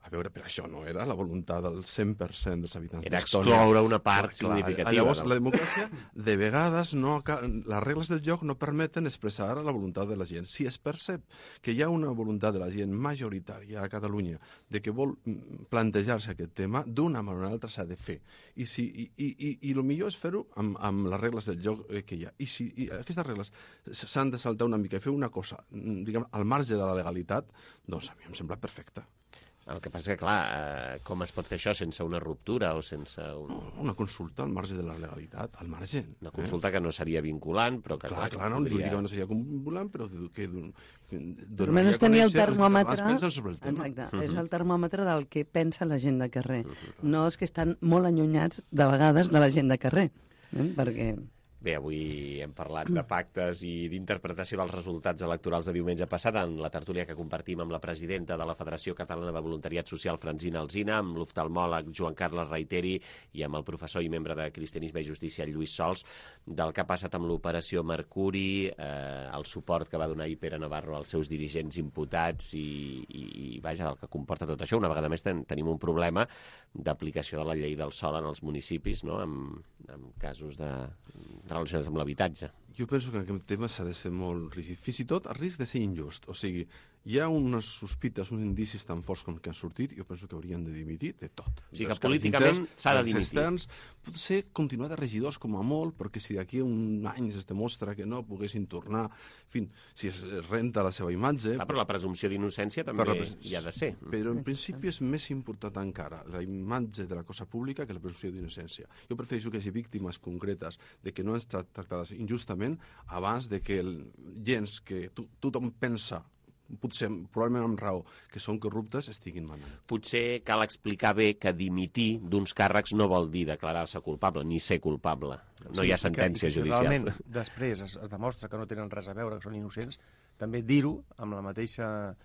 A veure, però això no era la voluntat del cent per cent dels habitants d'Estònia. Era excloure una part clar, significativa. Llavors, no? La democràcia, de vegades, no, les regles del joc no permeten expressar la voluntat de la gent. Si es percep que hi ha una voluntat de la gent majoritària a Catalunya de que vol plantejar-se aquest tema, d'una manera o altra s'ha de fer. I, si, i, i, i el millor és fer-ho amb, amb les regles del joc que hi ha. I si i aquestes regles s'han de saltar una mica i fer una cosa, diguem, al marge de la legalitat, doncs a mi em sembla perfecte. El que passa que, clar, eh, com es pot fer això sense una ruptura o sense... Un... No, una consulta al marge de la legalitat, al marge. Una consulta eh? que no seria vinculant, però que... Clar, clar, clar no, podria... jurídicament no seria vinculant, però que... Per almenys tenir el termòmetre... Sobre el tema. Exacte, uh -huh. és el termòmetre del que pensa la gent de carrer. Uh -huh. No és que estan molt allunyats, de vegades, de la gent de carrer, eh? perquè... Bé, avui hem parlat de pactes i d'interpretació dels resultats electorals de diumenge passat en la tertúlia que compartim amb la presidenta de la Federació Catalana de Voluntariat Social, Francina Alsina, amb l'oftalmòleg Joan Carles Reiteri i amb el professor i membre de Cristianisme i Justícia, Lluís Sols, del que ha passat amb l'operació Mercuri, eh, el suport que va donar ahir Pere Navarro als seus dirigents imputats i, i, i vaja, el que comporta tot això. Una vegada més ten, tenim un problema d'aplicació de la llei del sòl en els municipis, no?, amb, amb casos de... relacionats amb l'habitatge. Jo penso que en aquest tema s'ha de ser molt rígid, fins i tot a risc de ser injust. O sigui, hi ha unes sospites, uns indicis tan forts com que han sortit, jo penso que haurien de dimitir de tot. O sigui, que políticament s'ha de dimitir. Externs, potser continuar de regidors com a molt, perquè si d'aquí a un any es demostra que no poguessin tornar, en fi, si es renta la seva imatge... Clar, però la presumpció d'innocència també pres... hi ha de ser. Però en principi és més important encara la imatge de la cosa pública que la presumpció d'innocència. Jo prefereixo que hi hagi víctimes concretes de que no han estat tractades injustament abans de que el, gens que to, tothom pensa, potser probablement amb raó, que són corruptes, estiguin manant. Potser cal explicar bé que dimitir d'uns càrrecs no vol dir declarar-se culpable, ni ser culpable. No sí, hi ha sentència judicial. Si realment després es, es demostra que no tenen res a veure, que són innocents, també dir-ho amb la mateixa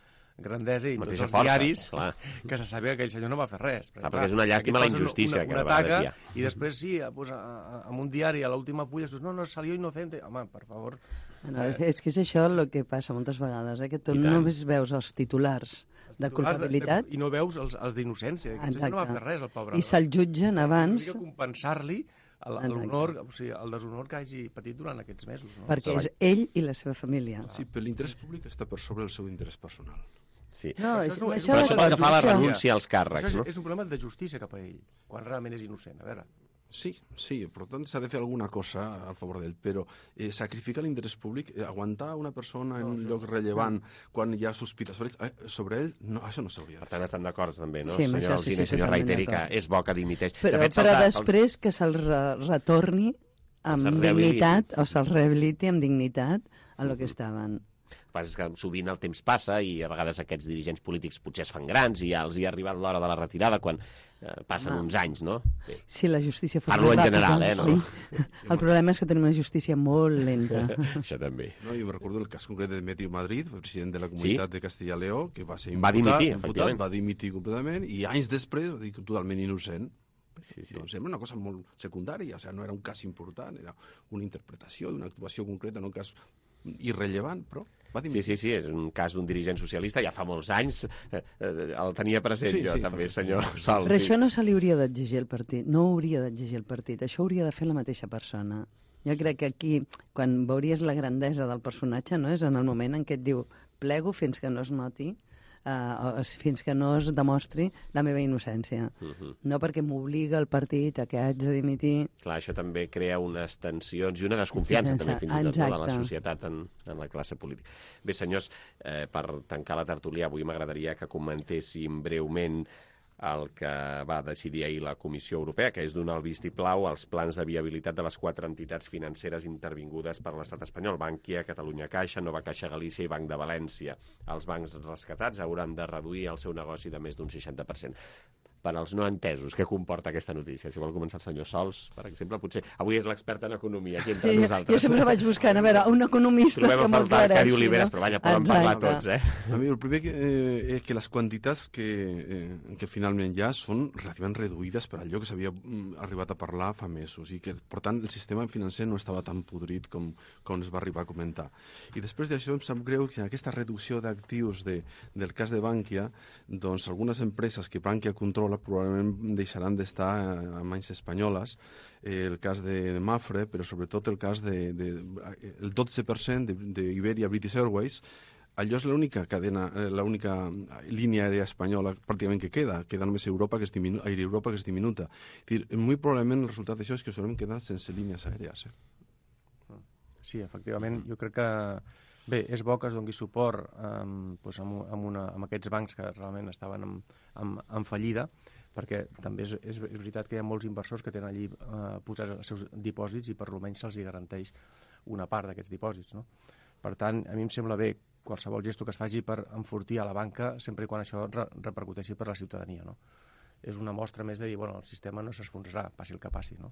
grandesa i tots els força, diaris clar. Que se sabia que aquell senyor no va fer res. Perquè, clar, perquè és una llàstima la injustícia una, una, que a vegades hi ha. I després sí, pues, amb un diari a l'última fulla dius, no, no, salió inocente. Home, per favor... No, és, és que és això el que passa moltes vegades, eh? Que tu només veus els titulars de culpabilitat... De, de, I no veus els, els d'innocència. Aquest senyor no va fer res, el pobre. I se'l jutgen abans... Hauria de compensar-li l'honor, o sigui, el deshonor que hagi patit durant aquests mesos. No? Perquè és ell i la seva família. Sí, però l'interès públic està per sobre del seu interès personal. Sí. No, és, això, això, això pel que fa a la renúncia als càrrecs. Això és, no? és un problema de justícia cap a ell, quan realment és innocent. A veure... Sí, sí, per tant s'ha de fer alguna cosa a favor d'ell, però eh, sacrificar l'interès públic, eh, aguantar una persona en un lloc rellevant quan hi ha sospita sobre ell, eh, sobre ell no, això no s'hauria de fer. Per tant, estan d'acord també, no? Sí, senyor sí, Alsina sí, i senyor totalment Reiteri, que d'acord. és bo que dimiteix. Però, de fet, però se'ls ha- després que se'l re retorni amb Se'ls rehabiliti. dignitat, o se'l rehabiliti amb dignitat a lo que estaven. El que passa és que sovint el temps passa i a vegades aquests dirigents polítics potser es fan grans i ja els hi ha arribat l'hora de la retirada quan eh, passen Ah. uns anys, no? Sí. Si la justícia fos Parlo més en ràpida, general, eh, no? Sí. El problema és que tenim una justícia molt lenta. Això també. No, jo me recordo el cas concret de Demetrio Madrid, el president de la comunitat Sí? de Castilla i Lleó, que va ser Va imputat, dimitir, imputat, efectivament. va dimitir completament, i anys després va dir que totalment innocent. Sí, sí. Doncs sembla una cosa molt secundària, o sigui, no era un cas important, era una interpretació d'una actuació concreta, no un cas irrellevant, però va Sí, dimitir. sí, sí, és un cas d'un dirigent socialista, ja fa molts anys, eh, eh, el tenia present Sí, jo sí, també, fa- senyor Sol. Però sí. això no se li hauria d'exigir al partit, no ho hauria d'exigir al partit, això hauria de fer la mateixa persona. Jo crec que aquí, quan veuries la grandesa del personatge, no és en el moment en què et diu plego fins que no es noti, Uh, fins que no es demostri la meva innocència. Uh -huh. No perquè m'obliga el partit a que haig de dimitir. Clar, això també crea unes tensions i una desconfiança, Sí, també, fins i tot, no, de la exacte. societat en, en la classe política. Bé, senyors, eh, per tancar la tertúlia, avui m'agradaria que comentéssim breument el que va decidir ahir la Comissió Europea, que és donar el vistiplau als plans de viabilitat de les quatre entitats financeres intervingudes per l'estat espanyol, Bankia, Catalunya Caixa, Nova Caixa Galícia i Banc de València. Els bancs rescatats hauran de reduir el seu negoci de més d'un seixanta per cent. Per als no entesos, què comporta aquesta notícia? Si vol començar el senyor Sols, per exemple, potser avui és l'expert en economia, aquí entre Sí, nosaltres. jo sempre vaig buscant, a veure, un economista Trobem que a m'ho faltar aclareixi. Arcadi Oliveres, no? però vaja, poden parlar Exacte. tots, eh? A mi, el primer que, eh, és que les quantitats que, eh, que finalment hi ha són relativament reduïdes per allò que s'havia mm, arribat a parlar fa mesos i que, per tant, el sistema financer no estava tan podrit com, com es va arribar a comentar. I després d'això em sap greu que aquesta reducció d'actius de, del cas de Bankia, doncs algunes empreses que Bankia controla probablement deixaran d'estar a mans espanyoles, eh, el cas de Mafre, però sobretot el cas de, de el dotze per cent d'Iberia British Airways. Allò és l'única cadena, eh, l'única línia aèria espanyola pràcticament que queda, queda només Europa, que és diminu Aire Europa, que és diminuta. És dir, molt probablement el resultat d'això és que us haurem quedat sense línies aèries. Eh? Sí, efectivament, jo crec que bé, és bo que es doni suport um, doncs amb, amb, una, amb aquests bancs que realment estaven en, en, en fallida, perquè també és, és veritat que hi ha molts inversors que tenen allí eh, posats els seus dipòsits i per almenys se'ls garanteix una part d'aquests dipòsits, no? Per tant, a mi em sembla bé qualsevol gesto que es faci per enfortir a la banca sempre i quan això re repercuteixi per la ciutadania, no? És una mostra més de dir, bueno, el sistema no s'esfonsarà, passi el que passi, no?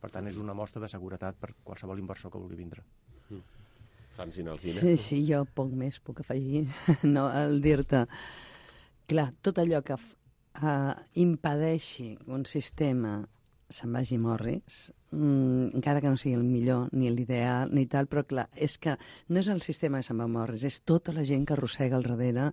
Per tant, és una mostra de seguretat per qualsevol inversor que vulgui vindre. Mm. Francina Alsina. Sí, sí, jo poc més puc afegir. No, el dir-te, clar, tot allò que uh, impedeixi que un sistema se'n vagi a morris, mm, encara que no sigui el millor, ni l'ideal, ni tal, però clar, és que no és el sistema que se'n va a morris, és tota la gent que arrossega al darrere.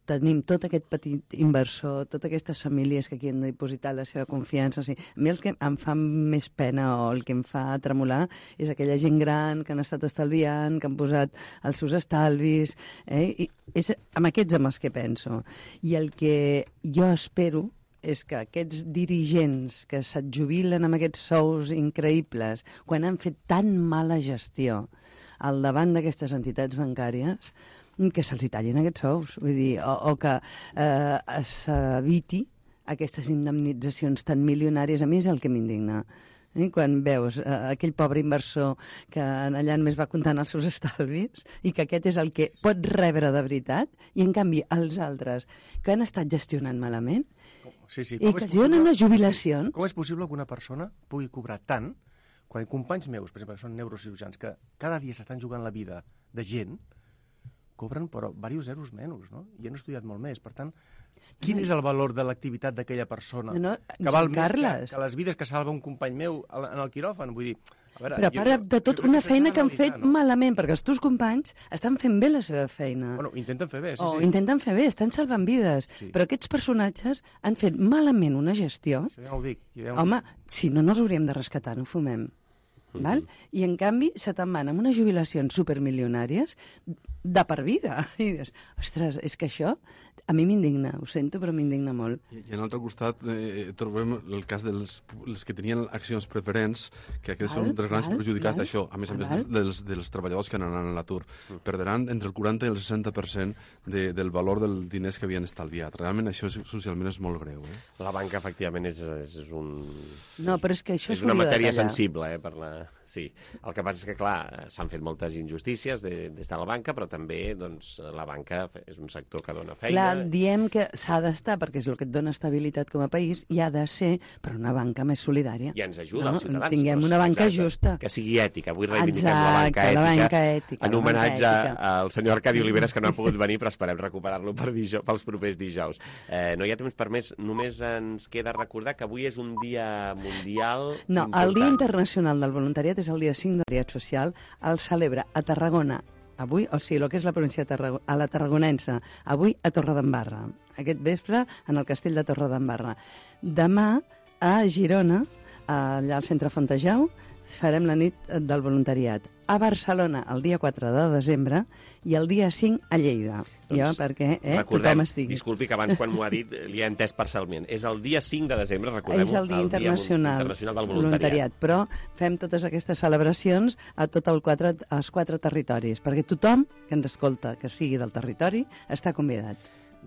Tenim tot aquest petit inversor, totes aquestes famílies que aquí han dipositat la seva confiança. O sigui, a mi el que em fa més pena o el que em fa tremolar és aquella gent gran que han estat estalviant, que han posat els seus estalvis, eh? I és amb aquests amb els que penso. I el que jo espero és que aquests dirigents que se't jubilen amb aquests sous increïbles, quan han fet tan mala gestió al davant d'aquestes entitats bancàries, que se'ls tallin aquests sous, vull dir, o, o que eh, s'eviti aquestes indemnitzacions tan milionàries. A mi és el que m'indigna. Eh? Quan veus eh, aquell pobre inversor que allà només va comptant els seus estalvis i que aquest és el que pot rebre de veritat, i en canvi els altres que han estat gestionant malament, Sí, sí. i que els donen unes jubilacions. Sí. Com és possible que una persona pugui cobrar tant quan companys meus, per exemple, que són neurocirurgians, que cada dia s'estan jugant la vida de gent, cobren però diversos zeros menys, no? I han estudiat molt més. Per tant, quin és el valor de l'activitat d'aquella persona? No, que val més Carles. que, que les vides que salva un company meu en el quiròfan? Vull dir, a veure, Però a part de tot, una feina que han fet malament, perquè els teus companys estan fent bé la seva feina. Bueno, intenten fer bé, sí, o sí. intenten fer bé, estan salvant vides. Sí. Però aquests personatges han fet malament una gestió. Això ja no ho dic. Ja no ho Home, dic. si no, no els hauríem de rescatar, no fumem. Val? I en canvi se te'n van amb unes jubilacions supermilionàries de per vida. I dius, ostres, és que això a mi m'indigna, ho sento, però m'indigna molt. I, i en l'altre costat eh, trobem el cas dels els que tenien accions preferents, que aquests són dels grans perjudicats d'això, a més a més dels, dels treballadors que anaran a l'atur. Mm. Perdran entre el quaranta i el seixanta per cent de, del valor dels diners que havien estalviat. Realment això socialment és molt greu. Eh? La banca, efectivament, és, és un... No, però és que això és una matèria sensible, eh, per la... Sí, el que passa és que, clar, s'han fet moltes injustícies de, des de la banca, però també doncs, la banca és un sector que dona feina. Clar, diem que s'ha d'estar, perquè és el que et dona estabilitat com a país, i ha de ser, però una banca més solidària. I ens ajuda no? als ciutadans. Tinguem una banca exacte, justa. Que sigui ètica. Avui reivindiquem exacte, la banca ètica. La banca ètica en homenatge al senyor Arcadi Oliveres, que no ha pogut venir, però esperem recuperar-lo per dijous, pels propers dijous. Eh, no hi ha temps per més. Només ens queda recordar que avui és un dia mundial No, important. El Dia Internacional del Voluntariat és el dia cinc de social, el celebra a Tarragona avui, o sigui, el que és la província de Tarragona, a la Tarragonense, avui a Torredembarra, aquest vespre en el castell de Torredembarra. Demà a Girona, allà al centre Fontejau, farem la nit del voluntariat. A Barcelona, el dia quatre de desembre, i el dia cinc a Lleida. Doncs, jo, perquè eh, recordem, tothom estigui. Disculpi que abans, quan m'ho ha dit, li he entès parcialment. És el dia cinc de desembre, recordem-ho. És el Dia el Internacional, dia internacional del voluntariat. voluntariat. Però fem totes aquestes celebracions a tots el quatre, els quatre territoris, perquè tothom que ens escolta, que sigui del territori, està convidat.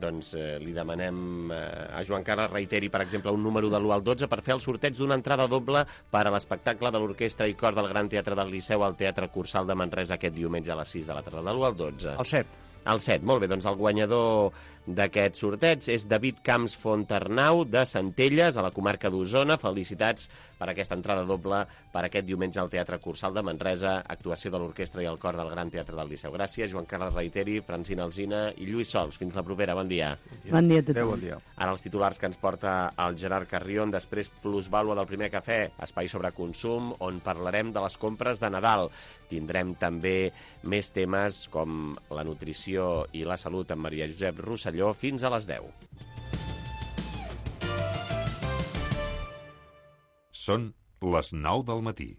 Doncs eh, li demanem eh, a Joan Carles reiteri, per exemple, un número de l'u al dotze per fer el sorteig d'una entrada doble per a l'espectacle de l'Orquestra i Cor del Gran Teatre del Liceu al Teatre Cursal de Manresa aquest diumenge a les sis de la tarda. De l'u al dotze. El set. El set, molt bé. Doncs el guanyador d'aquest sorteig és David Camps Fontarnau, de Centelles, a la comarca d'Osona. Felicitats per aquesta entrada doble per aquest diumenge al Teatre Cursal de Manresa, actuació de l'Orquestra i el Cor del Gran Teatre del Liceu. Gràcies, Joan Carles Reiteri, Francina Alsina i Lluís Sols. Fins la propera, bon dia. Bon dia a tothom. Adéu, bon dia. Ara els titulars que ens porta el Gerard Carrion, després plusvàlua del primer cafè, espai sobre consum, on parlarem de les compres de Nadal. Tindrem també més temes com la nutrició i la salut amb Maria Josep Rosselló fins a les deu. Són les nou del matí.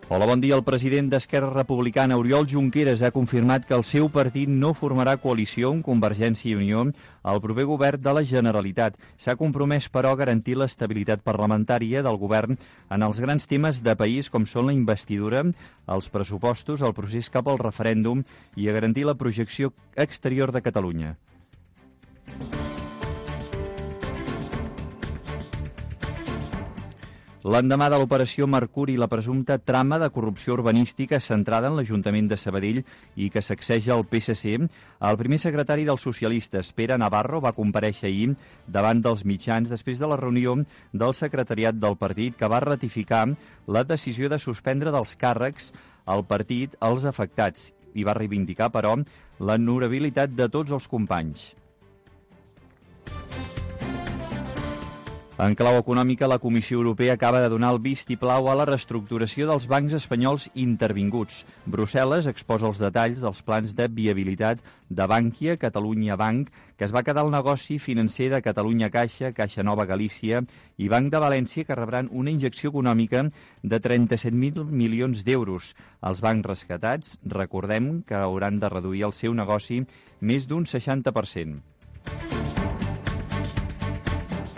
Hola, bon dia. El president d'Esquerra Republicana, Oriol Junqueras, ha confirmat que el seu partit no formarà coalició amb Convergència i Unió al proper govern de la Generalitat. S'ha compromès, però, a garantir l'estabilitat parlamentària del govern en els grans temes de país, com són la investidura, els pressupostos, el procés cap al referèndum i a garantir la projecció exterior de Catalunya. L'endemà de l'operació Mercuri, la presumpta trama de corrupció urbanística centrada en l'Ajuntament de Sabadell i que sacseja el P S C, el primer secretari dels socialistes, Pere Navarro, va comparèixer ahir davant dels mitjans després de la reunió del secretariat del partit que va ratificar la decisió de suspendre dels càrrecs al partit als afectats i va reivindicar, però, l'honorabilitat de tots els companys. En clau econòmica, la Comissió Europea acaba de donar el vistiplau a la reestructuració dels bancs espanyols intervinguts. Brussel·les exposa els detalls dels plans de viabilitat de Bankia, Catalunya Banc, que es va quedar el negoci financer de Catalunya Caixa, Caixa Nova Galícia i Banc de València, que rebran una injecció econòmica de trenta-set mil milions d'euros. Els bancs rescatats, recordem que hauran de reduir el seu negoci més d'un seixanta per cent.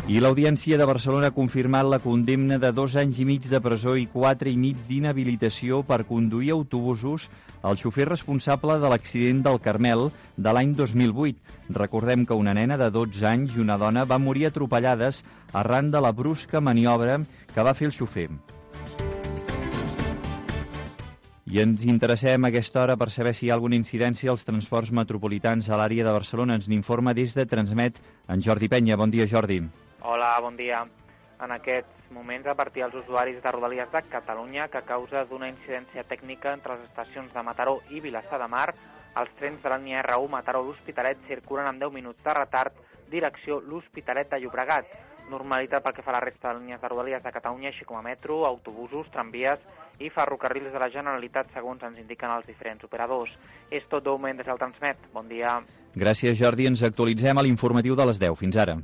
I l'Audiència de Barcelona ha confirmat la condemna de dos anys i mig de presó i quatre i mig d'inhabilitació per conduir autobusos al xofer responsable de l'accident del Carmel de l'any dos mil vuit. Recordem que una nena de dotze anys i una dona van morir atropellades arran de la brusca maniobra que va fer el xofer. I ens interessem a aquesta hora per saber si hi ha alguna incidència als transports metropolitans a l'àrea de Barcelona. Ens n'informa des de Transmet en Jordi Penya. Bon dia, Jordi. Hola, bon dia. En aquests moments, a partir dels usuaris de Rodalies de Catalunya, que a causa d'una incidència tècnica entre les estacions de Mataró i Vilassar de Mar, els trens de la línia R u Mataró-L'Hospitalet circulen amb deu minuts de retard direcció l'Hospitalet de Llobregat. Normalitat pel que fa a la resta de línies de Rodalies de Catalunya, així com a metro, autobusos, tramvies i ferrocarrils de la Generalitat, segons ens indiquen els diferents operadors. És tot de moment des del Transmet. Bon dia. Gràcies, Jordi. Ens actualitzem a l'informatiu de les deu. Fins ara.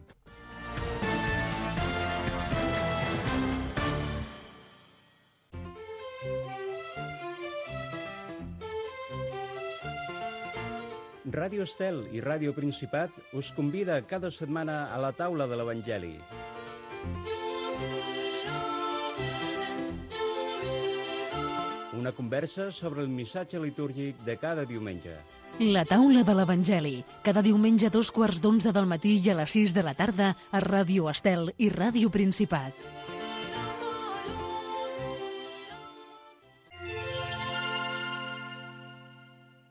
Ràdio Estel i Ràdio Principat us convida cada setmana a la taula de l'Evangeli. Una conversa sobre el missatge litúrgic de cada diumenge. La taula de l'Evangeli, cada diumenge a dos quarts d'onze del matí i a les sis de la tarda a Ràdio Estel i Ràdio Principat.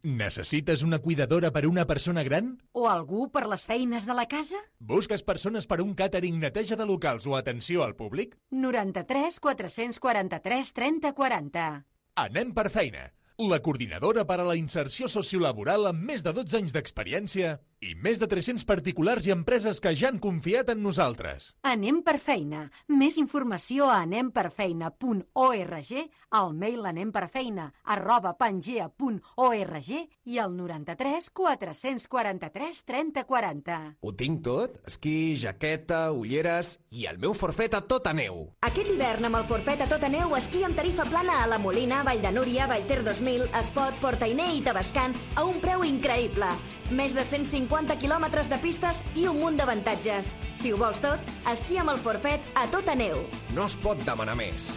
Necessites una cuidadora per a una persona gran? O algú per les feines de la casa? Busques persones per a un càtering, neteja de locals o atenció al públic? noranta-tres quatre-cents quaranta-tres trenta quaranta. Anem per feina. La coordinadora per a la inserció sociolaboral amb més de dotze anys d'experiència i més de tres-cents particulars i empreses que ja han confiat en nosaltres. Anem per feina. Més informació a anem per feina punt org, al mail anemperfeina arroba pangea punt org i al noranta-tres quatre-cents quaranta-tres trenta quaranta. Ho tinc tot? Esquí, jaqueta, ulleres i el meu forfet a tota neu. Aquest hivern amb el forfet a tota neu, esquí amb tarifa plana a la Molina, Vall de Núria, Vallter dos mil, Espot, Portainer i Tavascan a un preu increïble. Més de cent cinquanta quilòmetres de pistes i un munt d'avantatges. Si ho vols tot, esquí amb el forfet a tota neu. No es pot demanar més.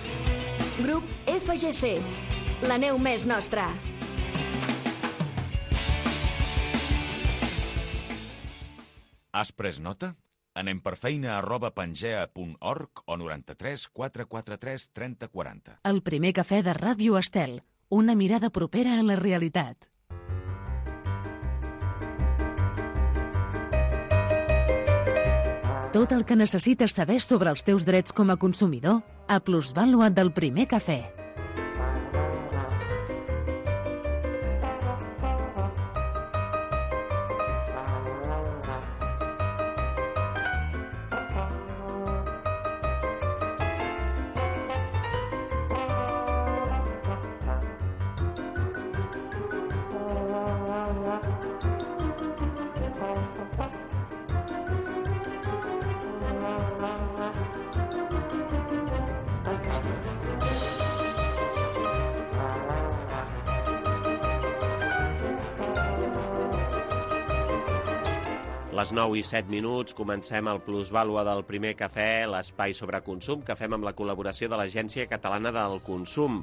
Grup F G C. La neu més nostra. Has pres nota? Anem per feina arroba pangea punt org o noranta-tres quatre quaranta-tres trenta quaranta. El primer cafè de Ràdio Estel. Una mirada propera a la realitat. Tot el que necessites saber sobre els teus drets com a consumidor a Plusvàlua del primer cafè. Les nou i set minuts, comencem el Plusvàlua del primer cafè, l'espai sobre consum que fem amb la col·laboració de l'Agència Catalana del Consum.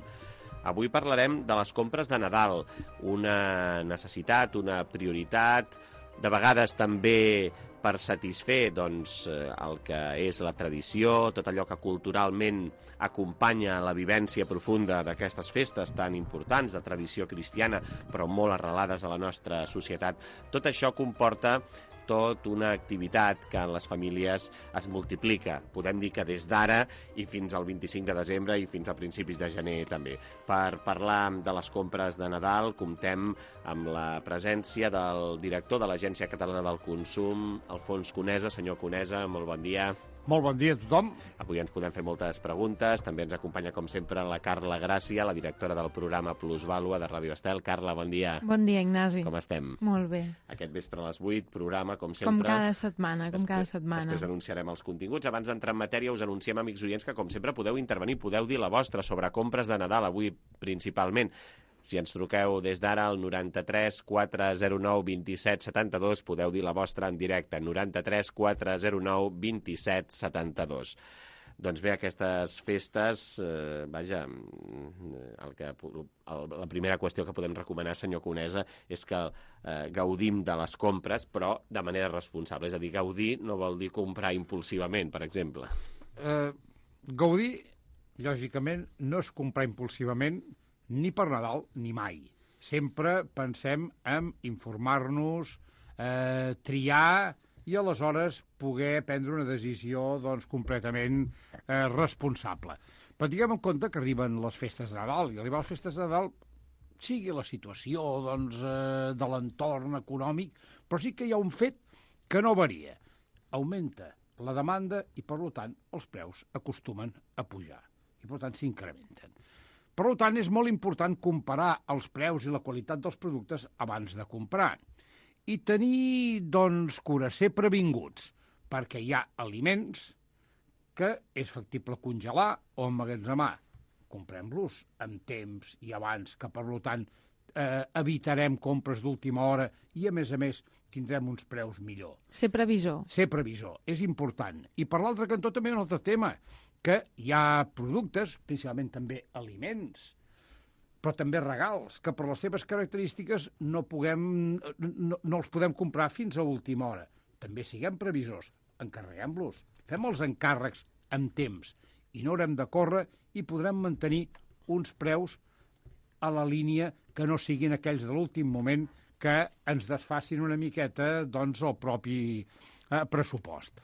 Avui parlarem de les compres de Nadal, una necessitat, una prioritat, de vegades també per satisfer doncs, el que és la tradició, tot allò que culturalment acompanya la vivència profunda d'aquestes festes tan importants de tradició cristiana, però molt arrelades a la nostra societat. Tot això comporta tot una activitat que en les famílies es multiplica. Podem dir que des d'ara i fins al vint-i-cinc de desembre i fins a principis de gener també. Per parlar de les compres de Nadal comptem amb la presència del director de l'Agència Catalana del Consum, Alfons Conesa. Senyor Conesa, molt bon dia. Molt bon dia a tothom. Avui ens podem fer moltes preguntes. També ens acompanya, com sempre, la Carla Gràcia, la directora del programa Plusvàlua de Ràdio Estel. Carla, bon dia. Bon dia, Ignasi. Com estem? Molt bé. Aquest vespre a les vuit, programa, com sempre. Com cada setmana, com després, cada setmana. Després anunciarem els continguts. Abans d'entrar en matèria, us anunciem, amics oients, que, com sempre, podeu intervenir, podeu dir la vostra sobre compres de Nadal, avui principalment. Si ens truqueu des d'ara al noranta-tres quatre zero nou vint set setanta-dos, podeu dir la vostra en directe, noranta-tres quatre zero nou vint set setanta-dos. Doncs bé, aquestes festes, eh, vaja, el que, el, la primera qüestió que podem recomanar, senyor Conesa, és que eh, gaudim de les compres, però de manera responsable. És a dir, gaudir no vol dir comprar impulsivament, per exemple. Eh, gaudir, lògicament, no és comprar impulsivament, ni per Nadal, ni mai. Sempre pensem en informar-nos, eh, triar i aleshores poder prendre una decisió doncs, completament eh, responsable. Però tinguem en compte que arriben les festes de Nadal, i arribar a les festes de Nadal sigui la situació doncs, eh, de l'entorn econòmic, però sí que hi ha un fet que no varia, augmenta la demanda i, per tant, els preus acostumen a pujar i, per tant, s'incrementen. Per tant, és molt important comparar els preus i la qualitat dels productes abans de comprar i tenir, doncs, cura, ser previnguts, perquè hi ha aliments que és factible congelar o emmagatzemar. Comprem-los amb temps i abans, que, per tant, eh, evitarem compres d'última hora i, a més a més, tindrem uns preus millor. Ser previsor. Ser previsor, és important. I per l'altre cantó també un altre tema, que hi ha productes, principalment també aliments, però també regals, que per les seves característiques no, puguem, no, no els podem comprar fins a última hora. També siguem previsors, encarreguem-los, fem els encàrrecs amb temps i no haurem de córrer i podrem mantenir uns preus a la línia que no siguin aquells de l'últim moment que ens desfacin una miqueta, doncs, el propi eh, pressupost.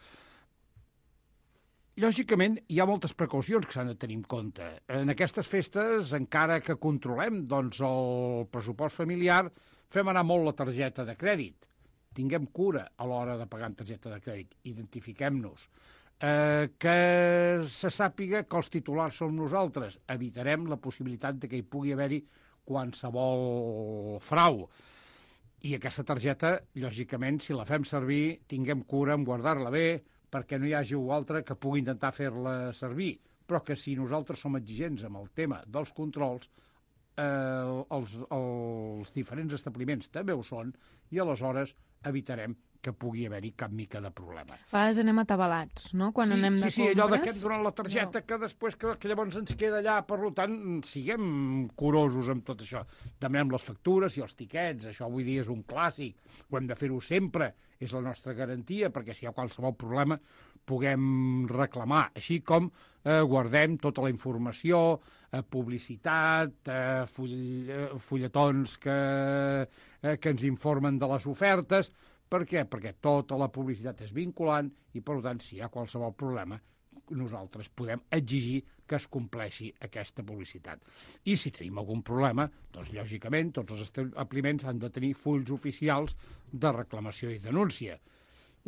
Lògicament, hi ha moltes precaucions que s'han de tenir en compte. En aquestes festes, encara que controlem, doncs, el pressupost familiar, fem anar molt la targeta de crèdit. Tinguem cura a l'hora de pagar amb targeta de crèdit. Identifiquem-nos. Eh, que se sàpiga que els titulars som nosaltres. Evitarem la possibilitat de que hi pugui haver-hi qualsevol frau. I aquesta targeta, lògicament, si la fem servir, tinguem cura en guardar-la bé, perquè no hi hagi altre que pugui intentar fer-la servir. Però que si nosaltres som exigents amb el tema dels controls, eh, els, els diferents establiments també ho són, i aleshores evitarem que pugui haver-hi cap mica de problema. A vegades anem atabalats, no?, quan sí, anem de sí, sí, compres. allò de que hem donat la targeta, no. que després que, que llavors ens queda allà, per tant, siguem curosos amb tot això. Demanem les factures i els tiquets, això avui dia és un clàssic, ho hem de fer-ho sempre, és la nostra garantia, perquè si hi ha qualsevol problema puguem reclamar, així com eh, guardem tota la informació, eh, publicitat, eh, full, eh, fulletons que, eh, que ens informen de les ofertes. Per què? Perquè tota la publicitat és vinculant i, per tant, si hi ha qualsevol problema, nosaltres podem exigir que es compleixi aquesta publicitat. I si tenim algun problema, doncs, lògicament, tots els establiments han de tenir fulls oficials de reclamació i denúncia.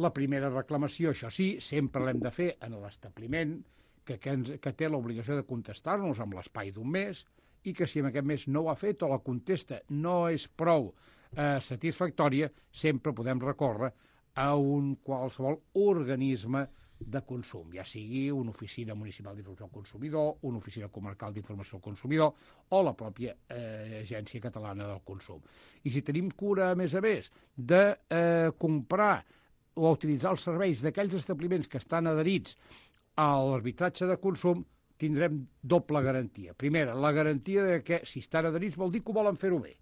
La primera reclamació, això sí, sempre l'hem de fer en l'establiment que, que, ens, que té l'obligació de contestar-nos amb l'espai d'un mes i que si en aquest mes no ho ha fet o la contesta no és prou eh, satisfactòria, sempre podem recórrer a un qualsevol organisme de consum, ja sigui una oficina municipal d'informació al consumidor, una oficina comarcal d'informació al consumidor o la pròpia eh, Agència Catalana del Consum. I si tenim cura, a més a més, de eh, comprar o utilitzar els serveis d'aquells establiments que estan adherits a l'arbitratge de consum, tindrem doble garantia. Primera, la garantia de que si estan adherits vol dir que ho volen fer-ho bé,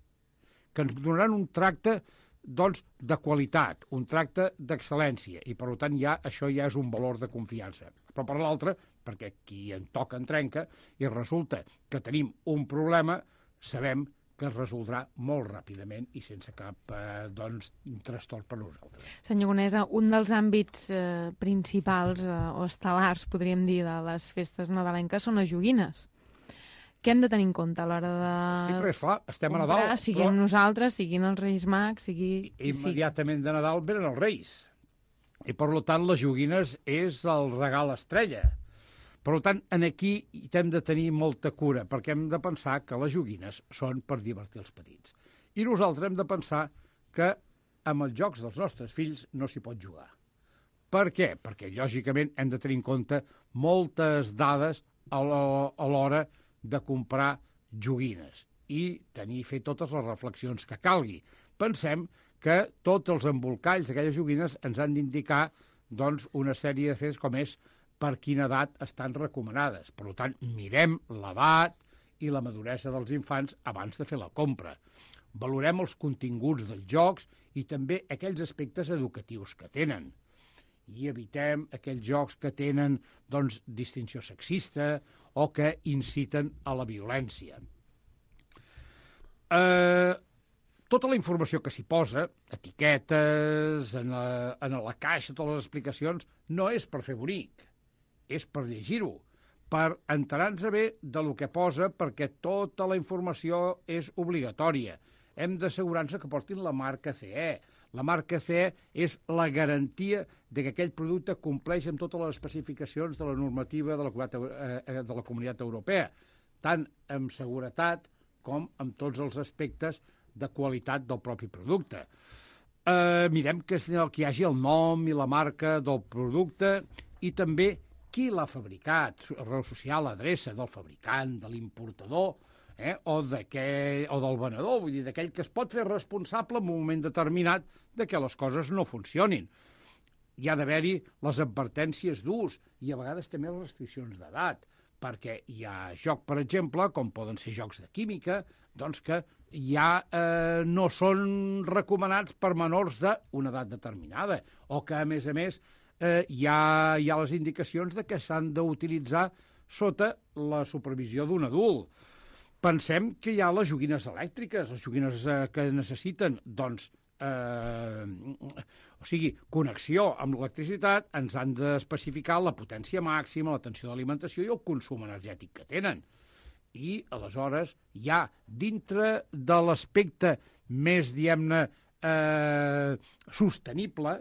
que ens donaran un tracte doncs, de qualitat, un tracte d'excel·lència, i per tant ja, això ja és un valor de confiança. Però per l'altre, perquè qui en toca en trenca, i resulta que tenim un problema, sabem que es resoldrà molt ràpidament i sense cap eh, doncs, trastorn per nosaltres. Senyor Conesa, un dels àmbits eh, principals eh, o estel·lars, podríem dir, de les festes nadalenques són les joguines. Què hem de tenir en compte a l'hora de... Sí, però és clar, estem comprar, a Nadal. Siguin però... nosaltres, siguin els Reis Mags, sigui... Immediatament de Nadal venen els Reis. I, per tant, les joguines és el regal estrella. Per tant, en aquí hem de tenir molta cura, perquè hem de pensar que les joguines són per divertir els petits. I nosaltres hem de pensar que amb els jocs dels nostres fills no s'hi pot jugar. Per què? Perquè, lògicament, hem de tenir en compte moltes dades a l'hora de comprar joguines i tenir fer totes les reflexions que calgui. Pensem que tots els embolcalls d'aquelles joguines ens han d'indicar doncs, una sèrie de fets com és per quina edat estan recomanades. Per tant, mirem l'edat i la maduresa dels infants abans de fer la compra. Valorem els continguts dels jocs i també aquells aspectes educatius que tenen. I evitem aquells jocs que tenen doncs, distinció sexista o que inciten a la violència. Eh, tota la informació que s'hi posa, etiquetes, en la, en la caixa, totes les explicacions, no és per fer bonic. És per llegir-ho, per enterar-nos bé de lo que posa, perquè tota la informació és obligatòria. Hem d'assegurar-nos que portin la marca C E, La marca C E és la garantia de que aquell producte compleix amb totes les especificacions de la normativa de la, de la Comunitat Europea, tant amb seguretat com amb tots els aspectes de qualitat del propi producte. Eh, mirem que, que hi hagi el nom i la marca del producte i també qui l'ha fabricat, raó social, adreça del fabricant, de l'importador, eh, o, o del venedor, vull dir, d'aquell que es pot fer responsable en un moment determinat de que les coses no funcionin. Hi ha d'haver-hi les advertències d'ús i a vegades també les restriccions d'edat, perquè hi ha joc, per exemple, com poden ser jocs de química, doncs que ja eh, no són recomanats per menors d'una edat determinada, o que, a més a més, eh, hi, ha, hi ha les indicacions de que s'han d'utilitzar sota la supervisió d'un adult. Pensem que hi ha les joguines elèctriques, les joguines eh, que necessiten, doncs, eh, o sigui, connexió amb l'electricitat, ens han d'especificar la potència màxima, la tensió d'alimentació i el consum energètic que tenen. I, aleshores, ja dintre de l'aspecte més, diguem-ne, eh, sostenible,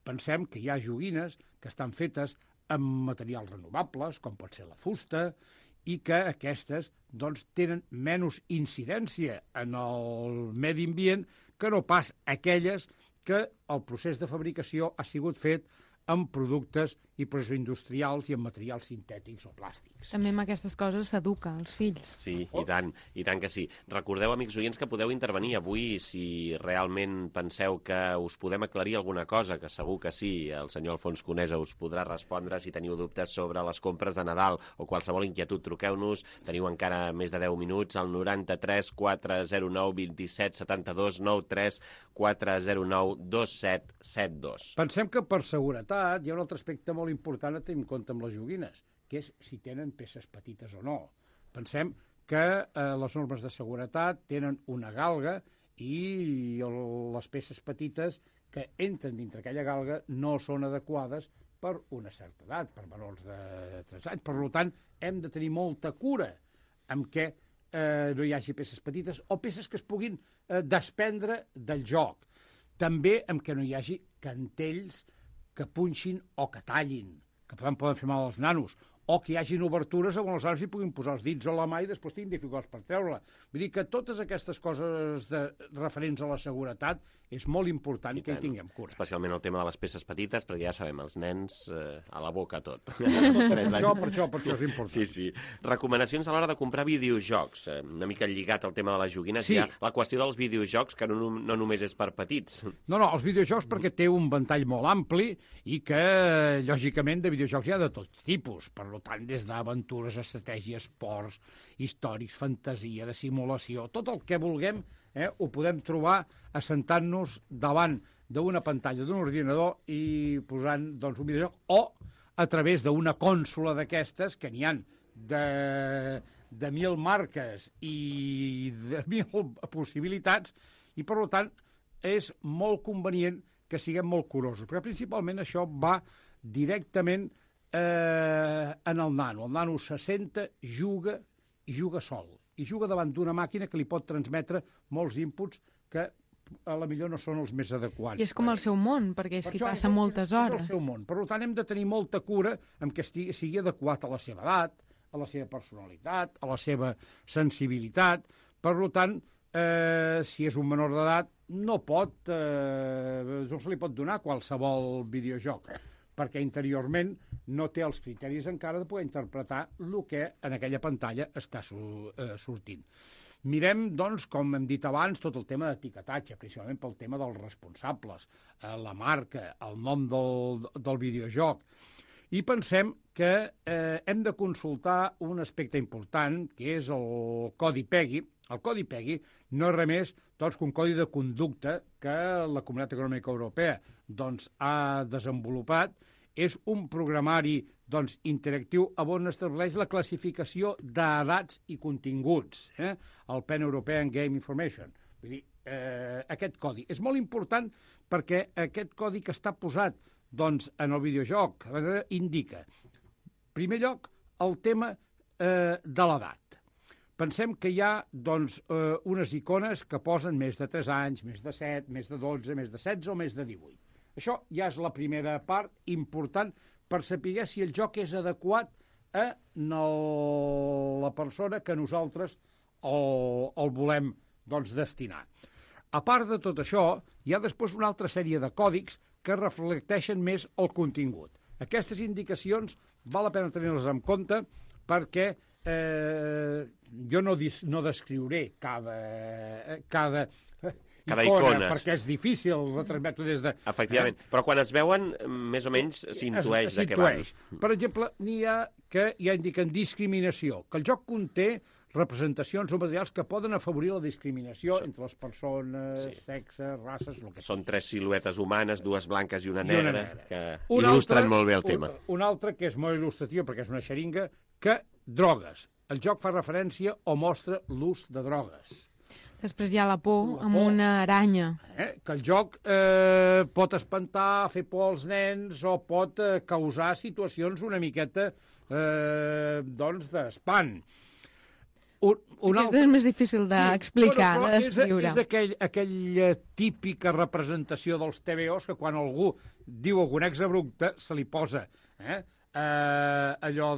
pensem que hi ha joguines que estan fetes amb materials renovables, com pot ser la fusta, i que aquestes doncs, tenen menys incidència en el medi ambient que no pas aquelles que el procés de fabricació ha sigut fet amb productes i processos industrials i amb materials sintètics o plàstics. També amb aquestes coses s'educa els fills. Sí, i tant, i tant que sí. Recordeu, amics oients, que podeu intervenir avui si realment penseu que us podem aclarir alguna cosa, que segur que sí, el senyor Alfons Conesa us podrà respondre si teniu dubtes sobre les compres de Nadal o qualsevol inquietud. Truqueu-nos, teniu encara més de deu minuts, al noranta-tres quatre zero nou vint-i-set setanta-dos noranta-tres quatre zero nou dos set set dos. Pensem que per seguretat hi ha un altre aspecte molt important a tenir en compte amb les joguines, que és si tenen peces petites o no. Pensem que eh, les normes de seguretat tenen una galga i el, les peces petites que entren dintre aquella galga no són adequades per una certa edat, per menors de tres anys. Per tant, hem de tenir molta cura amb què eh, no hi hagi peces petites o peces que es puguin eh, desprendre del joc. També amb què no hi hagi cantells que punxin o que tallin, que poden, poden fer mal als nanos, o que hi hagin obertures on els nanos hi puguin posar els dits o la mà i després tinguin dificultats per treure-la. Vull dir que totes aquestes coses de, referents a la seguretat és molt important que hi tinguem cura. Especialment el tema de les peces petites, perquè ja sabem, els nens eh, a la boca tot. per, això, per, això, per això és important. Sí, sí. Recomanacions a l'hora de comprar videojocs. Eh, una mica lligat al tema de les joguines. Sí. Hi ha la qüestió dels videojocs, que no, no només és per petits. No, no, els videojocs perquè té un ventall molt ampli i que, lògicament, de videojocs hi ha de tot tipus. Per tant, des d'aventures, estratègies, esports, històrics, fantasia, de simulació, tot el que vulguem, eh, ho podem trobar assentant-nos davant d'una pantalla d'un ordinador i posant doncs, un videojoc, o a través d'una consola d'aquestes, que n'hi ha de, de mil marques i de mil possibilitats, i per tant és molt convenient que siguem molt curosos, perquè principalment això va directament Eh, en el nano. El nano se senta, juga i juga sol. I juga davant d'una màquina que li pot transmetre molts inputs que a la millor no són els més adequats. I és com el seu món, perquè per s'hi això, passa és, moltes és hores. És el seu món. Per tant, hem de tenir molta cura en que estigui, sigui adequat a la seva edat, a la seva personalitat, a la seva sensibilitat. Per tant, eh, si és un menor d'edat, no pot, eh, no se li pot donar qualsevol videojoc, perquè interiorment no té els criteris encara de poder interpretar el que en aquella pantalla està sortint. Mirem, doncs, com hem dit abans, tot el tema d'etiquetatge, principalment pel tema dels responsables, la marca, el nom del, del videojoc. I pensem que eh, hem de consultar un aspecte important, que és el codi PEGI. El codi PEGI no és res més doncs, que un codi de conducta que la Comunitat Econòmica Europea doncs, ha desenvolupat. És un programari doncs, interactiu on estableix la classificació d'edats i continguts, eh? el Pan European Game Information. Vull dir, eh, aquest codi és molt important perquè aquest codi que està posat doncs, en el videojoc indica, en primer lloc, el tema eh, de l'edat. Pensem que hi ha doncs, eh, unes icones que posen més de tres anys, més de set, més de dotze, més de setze o més de divuit. Això ja és la primera part important per saber si el joc és adequat a la persona que nosaltres el, el volem doncs, destinar. A part de tot això, hi ha després una altra sèrie de còdics que reflecteixen més el contingut. Aquestes indicacions val la pena tenir-les en compte perquè eh, jo no, dis, no descriuré cada, cada, cada icona, icona, perquè és difícil retransmetre des de... Efectivament, eh? Però quan es veuen, més o menys s'intueix de què van. Per exemple, n'hi ha que ja indiquen discriminació, que el joc conté representacions o materials que poden afavorir la discriminació sí. entre les persones, sí. sexes, races, el que Són tres siluetes humanes, dues blanques i una negra, I una negra. que un il·lustren altre, molt bé el tema. Un, un altre que és molt il·lustratiu, perquè és una xeringa, que drogues. El joc fa referència o mostra l'ús de drogues. Després hi ha la por, la amb por. una aranya. Eh? Que el joc eh, pot espantar, fer por als nens o pot eh, causar situacions una miqueta eh, doncs d'espant. Un, un altre... És més difícil d'explicar, sí, de descriure. És, és aquell, aquella típica representació dels T V Os que quan algú diu algun exabrupte se li posa eh, eh, allò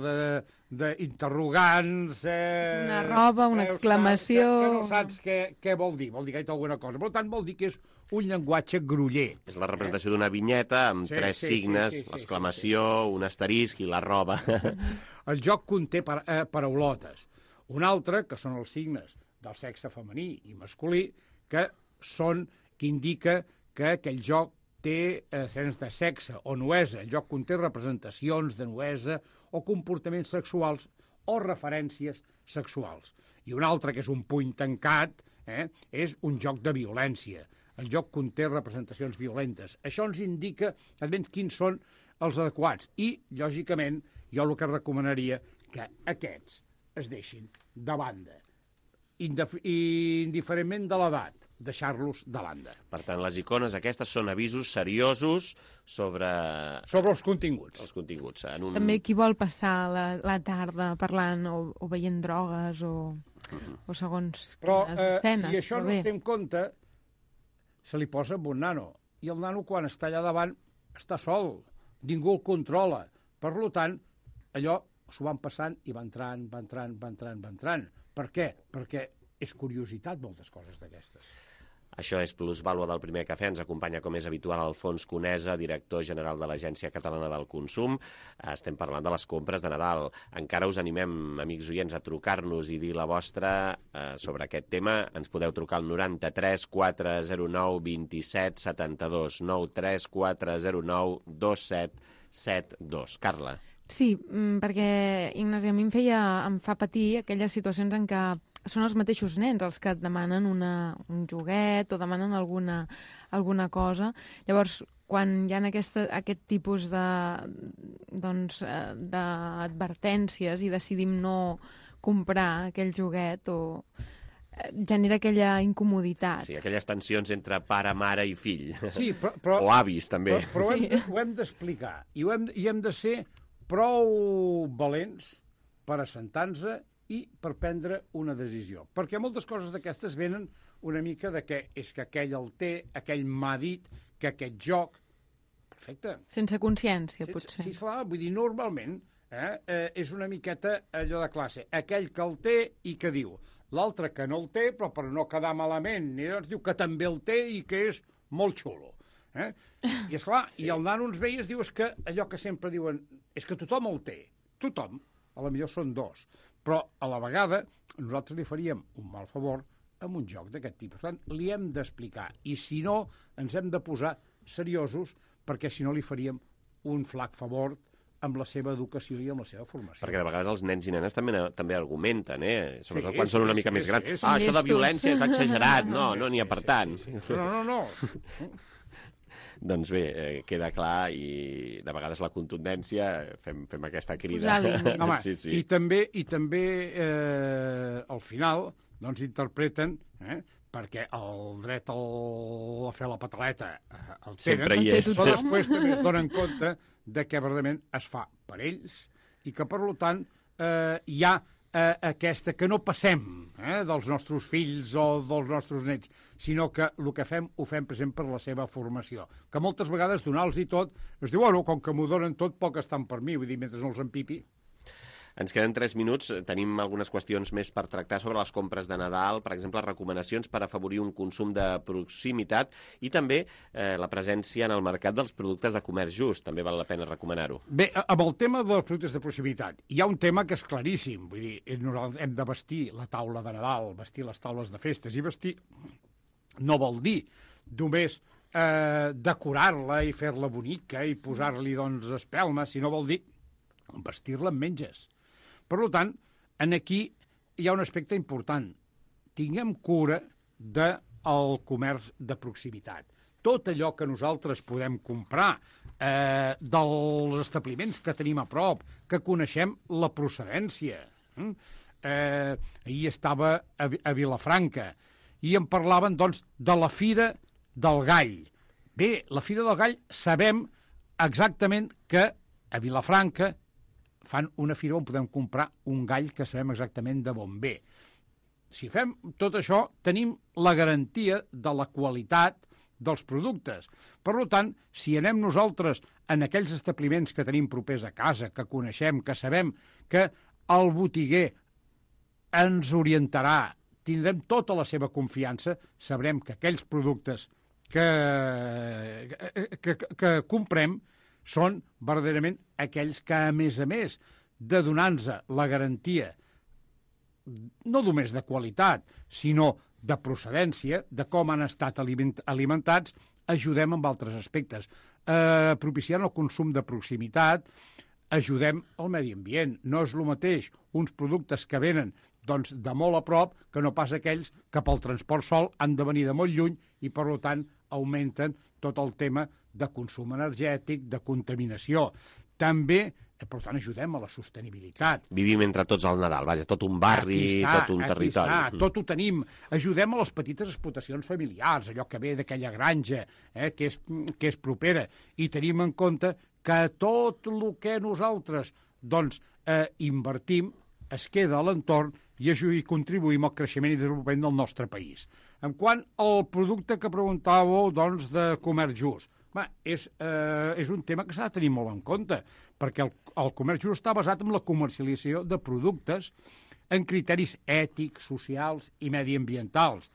d'interrogants... Eh, una roba, una exclamació... Que, que no saps què, què vol dir, vol dir que hi ha alguna cosa. Per tant, vol dir que és un llenguatge groller. És la representació eh? d'una vinyeta amb sí, tres sí, signes, sí, sí, l'exclamació, sí, sí, sí. un asterisc i la roba. El joc conté par eh, paraulotes. Un altre, que són els signes del sexe femení i masculí, que són que indica que aquell joc té escenes de sexe o nuesa. El joc conté representacions de nuesa o comportaments sexuals o referències sexuals. I un altre, que és un puny tancat, eh, és un joc de violència. El joc conté representacions violentes. Això ens indica almenys quins són els adequats. I, lògicament, jo el que recomanaria que aquests es deixin de banda, indiferentment de l'edat, deixar-los de banda. Per tant, les icones aquestes són avisos seriosos sobre... Sobre els continguts. Els continguts. En un... També qui vol passar la, la tarda parlant o, o veient drogues o, uh-huh. o segons Però, les escenes. Però eh, si això no es té en compte, se li posa amb un nano. I el nano, quan està allà davant, està sol. Ningú el controla. Per tant, allò s'ho van passant i va entrant, va entrant, va entrant, va entrant. Per què? Perquè és curiositat moltes coses d'aquestes. Això és Plusvàlua del Primer Cafè. Ens acompanya, com és habitual, Alfons Conesa, director general de l'Agència Catalana del Consum. Estem parlant de les compres de Nadal. Encara us animem, amics oients, a trucar-nos i dir la vostra eh, sobre aquest tema. Ens podeu trucar al noranta-tres quatre zero nou dos set set dos, nou tres quatre zero nou dos set set dos. Carla. Sí, perquè, Ignasi, a mi em, feia, em fa patir aquelles situacions en què són els mateixos nens els que et demanen una, un joguet o demanen alguna, alguna cosa. Llavors, quan hi ha aquesta, aquest tipus de, doncs, d'advertències i decidim no comprar aquell joguet o genera aquella incomoditat. Sí, aquelles tensions entre pare, mare i fill. Sí, però, però, o avis, també. Però, però sí. hem, ho hem d'explicar i, ho hem, i hem de ser prou valents per assentar-nos i per prendre una decisió. Perquè moltes coses d'aquestes venen una mica de que és que aquell el té, aquell m'ha dit que aquest joc... Perfecte. Sense consciència, Sense, potser. Sí, clar, vull dir, normalment eh, eh, és una miqueta allò de classe. Aquell que el té i que diu. L'altre que no el té, però per no quedar malament, i doncs diu que també el té i que és molt xulo. Eh? I esclar, sí. I el nano ens veia i es diu és que allò que sempre diuen és que tothom el té, tothom, a la millor són dos, però a la vegada nosaltres li faríem un mal favor amb un joc d'aquest tipus. Per tant, li hem d'explicar, i si no, ens hem de posar seriosos, perquè si no li faríem un flac favor amb la seva educació i amb la seva formació. Perquè de vegades els nens i nenes també, també argumenten, eh? Sobretot sí, quan sí, són una mica sí, més grans. Sí, sí, ah, sí, això de violència és exagerat. No, no n'hi ha per tant. Sí, sí, sí. No, no, no. Doncs bé, eh, queda clar i de vegades la contundència fem, fem aquesta crida. Home, sí, sí. I també, i també eh, al final doncs interpreten, eh, perquè el dret al, a fer la pataleta eh, el tenen, sempre hi és. Però després també es donen compte de que verdament es fa per ells i que, per tant, eh, hi ha eh, aquesta, que no passem eh, dels nostres fills o dels nostres nets, sinó que el que fem ho fem, per exemple, per la seva formació. Que moltes vegades donar-los i tot, es diu, bueno, com que m'ho donen tot, poc estan per mi, vull dir, mentre no els empipi. Ens queden tres minuts. Tenim algunes qüestions més per tractar sobre les compres de Nadal, per exemple, recomanacions per afavorir un consum de proximitat i també eh, la presència en el mercat dels productes de comerç just. També val la pena recomanar-ho. Bé, amb el tema dels productes de proximitat, hi ha un tema que és claríssim. Vull dir, nosaltres hem de vestir la taula de Nadal, vestir les taules de festes, i vestir no vol dir només eh, decorar-la i fer-la bonica i posar-li, doncs, espelmes, sinó vol dir vestir-la amb menges. Per tant, en aquí hi ha un aspecte important. Tinguem cura del comerç de proximitat. Tot allò que nosaltres podem comprar eh, dels establiments que tenim a prop, que coneixem la procedència. Eh, ahir estava a, a Vilafranca i em parlaven, doncs, de la Fira del Gall. Bé, la Fira del Gall sabem exactament que a Vilafranca fan una fira on podem comprar un gall que sabem exactament de bon ve. Si fem tot això, tenim la garantia de la qualitat dels productes. Per tant, si anem nosaltres en aquells establiments que tenim propers a casa, que coneixem, que sabem que el botiguer ens orientarà, tindrem tota la seva confiança, sabrem que aquells productes que, que, que, que comprem són verdaderament aquells que, a més a més de donar-nos la garantia no només de qualitat, sinó de procedència, de com han estat alimentats, ajudem amb altres aspectes. Eh, propiciant el consum de proximitat, ajudem al medi ambient. No és el mateix uns productes que venen doncs, de molt a prop que no pas aquells que pel transport sol han de venir de molt lluny i, per tant, augmenten tot el tema de consum energètic, de contaminació. També, per tant, ajudem a la sostenibilitat. Vivim entre tots al Nadal, vaja, tot un barri, està, tot un territori. Està, tot ho tenim. Ajudem a les petites explotacions familiars, allò que ve d'aquella granja, eh, que, és, que és propera, i tenim en compte que tot el que nosaltres doncs, eh, invertim es queda a l'entorn i i contribuïm al creixement i desenvolupament del nostre país. En quant al producte que preguntàveu doncs, de comerç just, va, és, eh, és un tema que s'ha de tenir molt en compte, perquè el, el comerç just està basat en la comercialització de productes en criteris ètics, socials i mediambientals.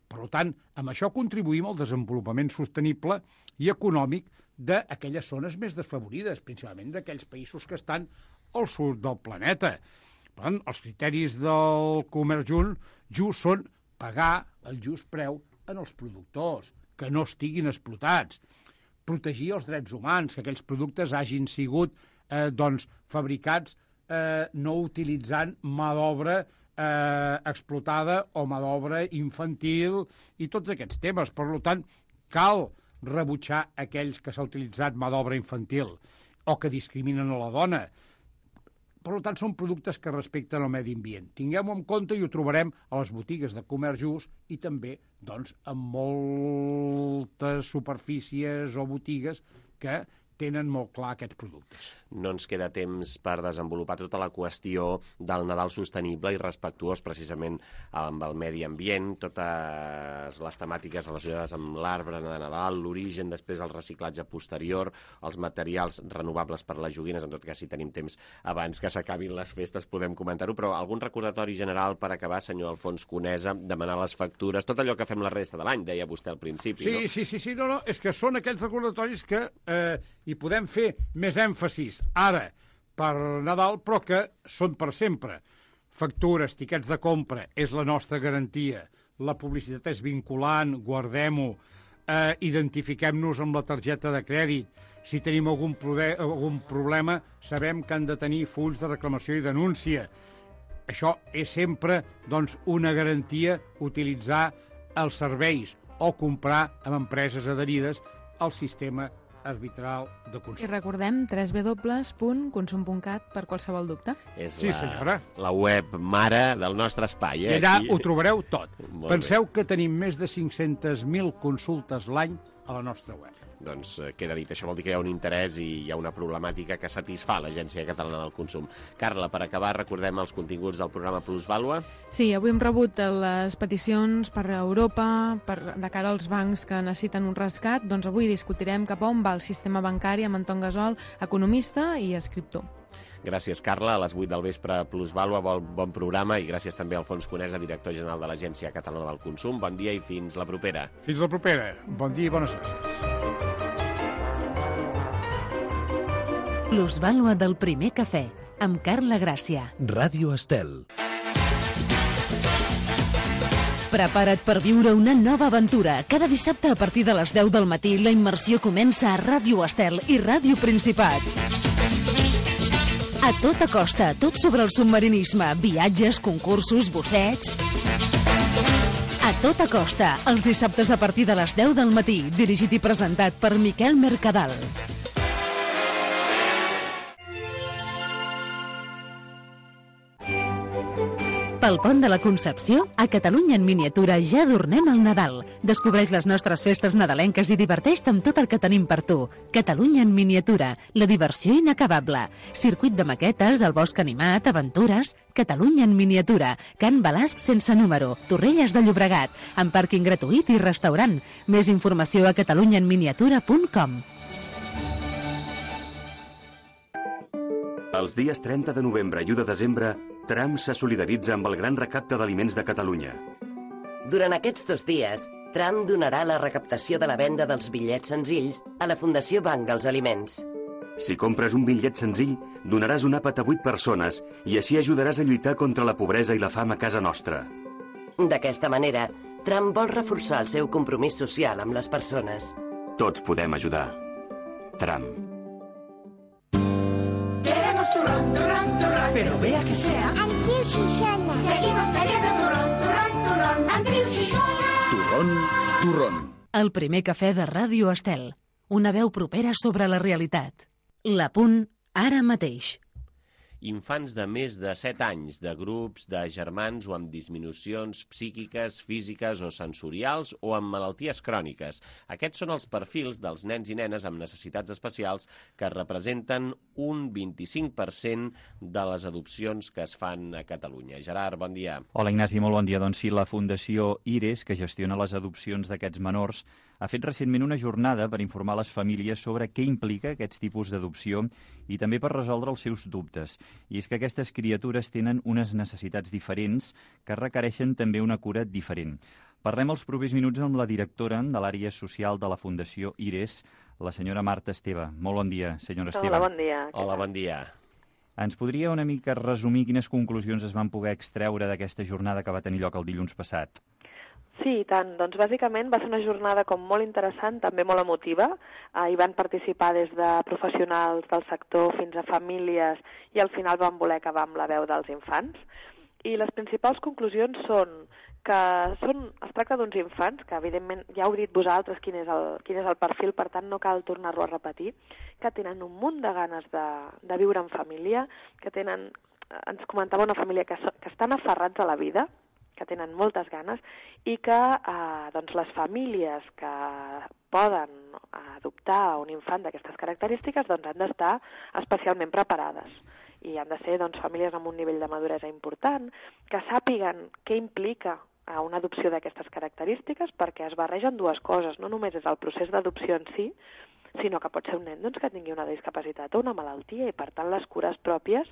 Per tant, amb això contribuïm al desenvolupament sostenible i econòmic d'aquelles zones més desfavorides, principalment d'aquells països que estan al sud del planeta. Per tant, els criteris del comerç just són pagar el just preu en els productors, que no estiguin explotats, protegir els drets humans, que aquells productes hagin sigut eh, doncs, fabricats eh, no utilitzant mà d'obra eh, explotada o mà d'obra infantil i tots aquests temes. Per tant, cal rebutjar aquells que s'ha utilitzat mà d'obra infantil o que discriminen a la dona. Per tant, són productes que respecten el medi ambient. Tinguem-ho en compte i ho trobarem a les botigues de comerç just i també doncs, en moltes superfícies o botigues que tenen molt clar aquests productes. No ens queda temps per desenvolupar tota la qüestió del Nadal sostenible i respectuós precisament amb el medi ambient, totes les temàtiques relacionades amb l'arbre de Nadal, l'origen, després el reciclatge posterior, els materials renovables per les joguines, en tot cas si tenim temps abans que s'acabin les festes podem comentar-ho, però algun recordatori general per acabar, senyor Alfons Conesa, demanar les factures, tot allò que fem la resta de l'any, deia vostè al principi, sí, no? Sí, sí, sí, no, no, és que són aquells recordatoris que eh, hi podem fer més èmfasis ara per Nadal, però que són per sempre. Factures, tiquets de compra, és la nostra garantia. La publicitat és vinculant, guardem-ho, eh, identifiquem-nos amb la targeta de crèdit. Si tenim algun, algun problema, sabem que han de tenir fulls de reclamació i denúncia. Això és sempre doncs, una garantia utilitzar els serveis o comprar amb empreses adherides al sistema arbitral de consum. I recordem w w w punt consum punt cat per qualsevol dubte. És sí, la, senyora. La web mare del nostre espai. Eh? I allà Aquí... ho trobareu tot. Molt Penseu bé. que tenim més de cinc-centes mil consultes l'any a la nostra web. doncs queda dit. Això vol dir que hi ha un interès i hi ha una problemàtica que satisfà l'Agència Catalana del Consum. Carla, per acabar, recordem els continguts del programa Plusvàlua. Sí, avui hem rebut les peticions per Europa, per, de cara als bancs que necessiten un rescat. Doncs avui discutirem cap a on va el sistema bancari amb Anton Gasol, economista i escriptor. Gràcies, Carla. A les vuit del vespre, Plusvàlua, bon, bon programa, i gràcies també a Alfons Conesa, director general de l'Agència Catalana del Consum. Bon dia i fins la propera. Fins la propera. Bon dia i bones gràcies. Plusvàlua del primer cafè, amb Carla Gràcia. Ràdio Estel. Prepara't per viure una nova aventura. Cada dissabte a partir de les deu del matí la immersió comença a Ràdio Estel i Ràdio Principat. A tota costa, tot sobre el submarinisme, viatges, concursos, bussets... A tota costa, els dissabtes a partir de les deu del matí, dirigit i presentat per Miquel Mercadal. Pel Pont de la Concepció, a Catalunya en miniatura ja adornem el Nadal. Descobreix les nostres festes nadalenques i diverteix-te amb tot el que tenim per tu. Catalunya en miniatura, la diversió inacabable. Circuit de maquetes, el bosc animat, aventures... Catalunya en miniatura, Can Balasc sense número, Torrelles de Llobregat, amb pàrquing gratuït i restaurant. Més informació a catalunya en miniatura punt com. Els dies trenta de novembre i u de desembre, Tram se solidaritza amb el Gran Recapte d'Aliments de Catalunya. Durant aquests dos dies, Tram donarà la recaptació de la venda dels bitllets senzills a la Fundació Banc dels Aliments. Si compres un bitllet senzill, donaràs un àpat a vuit persones i així ajudaràs a lluitar contra la pobresa i la fam a casa nostra. D'aquesta manera, Tram vol reforçar el seu compromís social amb les persones. Tots podem ajudar. Tram. Queremos turrón, turrón, turrón. Pero vea que sea Andreu Xixona. Seguimos queriendo turrón, turrón, turrón. Andreu Xixona. Turrón, turrón. El primer cafè de Ràdio Estel. Una veu propera sobre la realitat. La Punt, ara mateix. Infants de més de set anys, de grups de germans o amb disminucions psíquiques, físiques o sensorials o amb malalties cròniques. Aquests són els perfils dels nens i nenes amb necessitats especials que representen un vint-i-cinc per cent de les adopcions que es fan a Catalunya. Gerard, bon dia. Hola, Ignasi, molt bon dia. Doncs sí, la Fundació IRES, que gestiona les adopcions d'aquests menors, ha fet recentment una jornada per informar les famílies sobre què implica aquests tipus d'adopció i també per resoldre els seus dubtes. I és que aquestes criatures tenen unes necessitats diferents que requereixen també una cura diferent. Parlem els propers minuts amb la directora de l'àrea social de la Fundació IRES, la senyora Marta Esteve. Molt bon dia, senyora Esteve. Hola, bon dia. Hola, bon dia. Ens podria una mica resumir quines conclusions es van poder extreure d'aquesta jornada que va tenir lloc el dilluns passat? Sí, i tant. Doncs bàsicament va ser una jornada com molt interessant, també molt emotiva. Eh, hi van participar des de professionals del sector fins a famílies i al final van voler acabar amb la veu dels infants. I les principals conclusions són que són, es tracta d'uns infants, que evidentment ja heu dit vosaltres quin és el, quin és el perfil, per tant no cal tornar-lo a repetir, que tenen un munt de ganes de, de viure en família, que tenen, ens comentava una família que, so, que estan aferrats a la vida, que tenen moltes ganes, i que eh, doncs les famílies que poden adoptar un infant d'aquestes característiques doncs han d'estar especialment preparades. I han de ser doncs, famílies amb un nivell de maduresa important, que sàpiguen què implica a una adopció d'aquestes característiques, perquè es barregen dues coses. No només és el procés d'adopció en si, sinó que pot ser un nen doncs, que tingui una discapacitat o una malaltia, i per tant les cures pròpies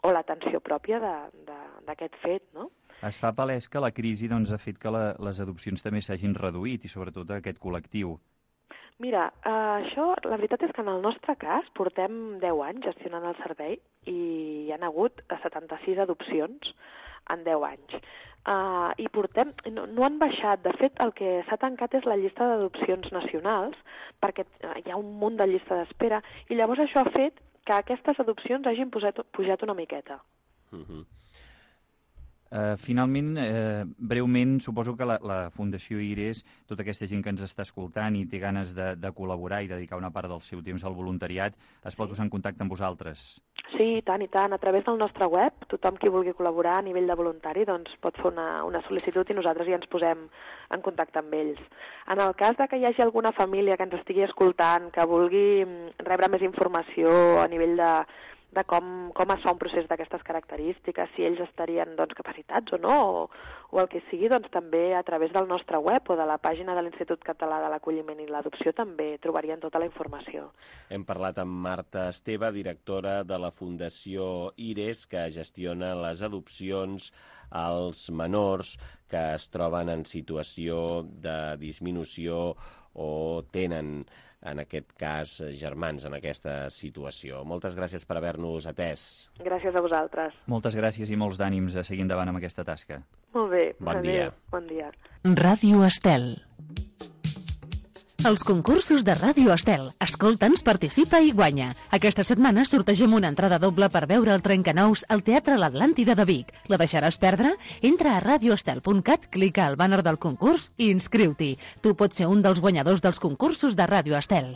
o l'atenció pròpia d'aquest fet, no? Es fa palès que la crisi doncs, ha fet que la, les adopcions també s'hagin reduït, i sobretot aquest col·lectiu. Mira, eh, això, la veritat és que en el nostre cas portem deu anys gestionant el servei i hi ha hagut setanta-sis adopcions en deu anys. Uh, I portem, no, no han baixat. De fet, el que s'ha tancat és la llista d'adopcions nacionals, perquè hi ha un munt de llista d'espera, i llavors això ha fet que aquestes adopcions hagin posat, pujat una miqueta. Uh-huh. Uh, finalment, uh, breument, suposo que la, la Fundació IRES, tota aquesta gent que ens està escoltant i té ganes de, de col·laborar i dedicar una part del seu temps al voluntariat, es pot posar en contacte amb vosaltres. Sí, i tant, i tant. A través del nostre web, tothom qui vulgui col·laborar a nivell de voluntari doncs, pot fer una, una sol·licitud i nosaltres ja ens posem en contacte amb ells. En el cas de que hi hagi alguna família que ens estigui escoltant, que vulgui rebre més informació a nivell de, de com, com es fa un procés d'aquestes característiques, si ells estarien doncs, capacitats o no, o, o el que sigui, doncs també a través del nostre web o de la pàgina de l'Institut Català de l'Acolliment i l'Adopció també trobarien tota la informació. Hem parlat amb Marta Esteve, directora de la Fundació IRES, que gestiona les adopcions als menors que es troben en situació de disminució o tenen, en aquest cas, germans en aquesta situació. Moltes gràcies per haver-nos atès. Gràcies a vosaltres. Moltes gràcies i molts d'ànims a seguir endavant amb aquesta tasca. Molt bé. Bon dia. Bon dia. Ràdio Estel. Els concursos de Ràdio Estel. Escolta'ns, participa i guanya. Aquesta setmana sortegem una entrada doble per veure el Trencanous al Teatre L'Atlàntida de Vic. La deixaràs perdre? Entra a radioestel punt cat, clica al bàner del concurs i inscriu-t'hi. Tu pots ser un dels guanyadors dels concursos de Ràdio Estel.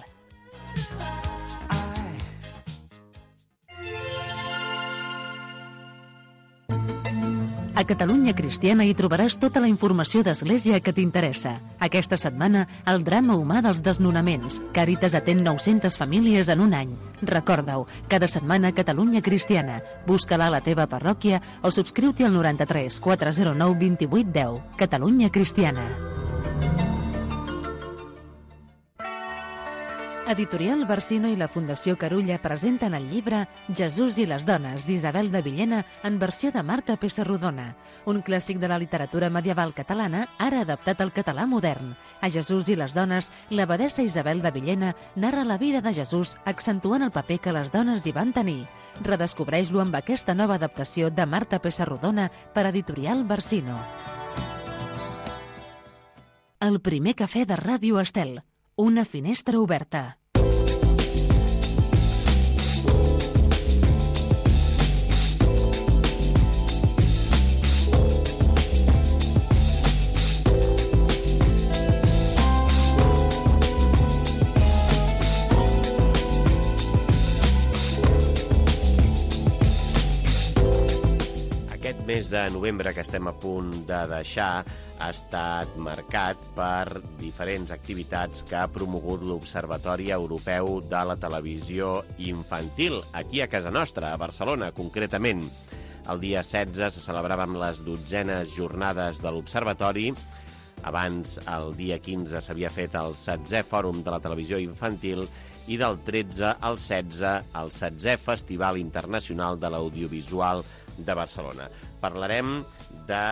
A Catalunya Cristiana hi trobaràs tota la informació d'Església que t'interessa. Aquesta setmana, el drama humà dels desnonaments. Càritas atén nou-centes famílies en un any. Recorda-ho, cada setmana Catalunya Cristiana. Busca-la a la teva parròquia o subscriu-t'hi al noranta-tres quatre zero nou vint vuit deu. Catalunya Cristiana. Editorial Barsino i la Fundació Carulla presenten el llibre Jesús i les dones, d'Isabel de Villena, en versió de Marta Pessarrodona, un clàssic de la literatura medieval catalana, ara adaptat al català modern. A Jesús i les dones, l'abadessa Isabel de Villena narra la vida de Jesús, accentuant el paper que les dones hi van tenir. Redescobreix-lo amb aquesta nova adaptació de Marta Pessarrodona per Editorial Barsino. El primer cafè de Ràdio Estel. Una finestra oberta. Aquest mes de novembre que estem a punt de deixar ha estat marcat per diferents activitats que ha promogut l'Observatori Europeu de la Televisió Infantil, aquí a casa nostra, a Barcelona, concretament. El dia setze se celebraven les dotzenes jornades de l'Observatori. Abans, el dia quinze, s'havia fet el setzè Fòrum de la Televisió Infantil i del tretze al setze, el setzè Festival Internacional de l'Audiovisual de Barcelona. Parlarem de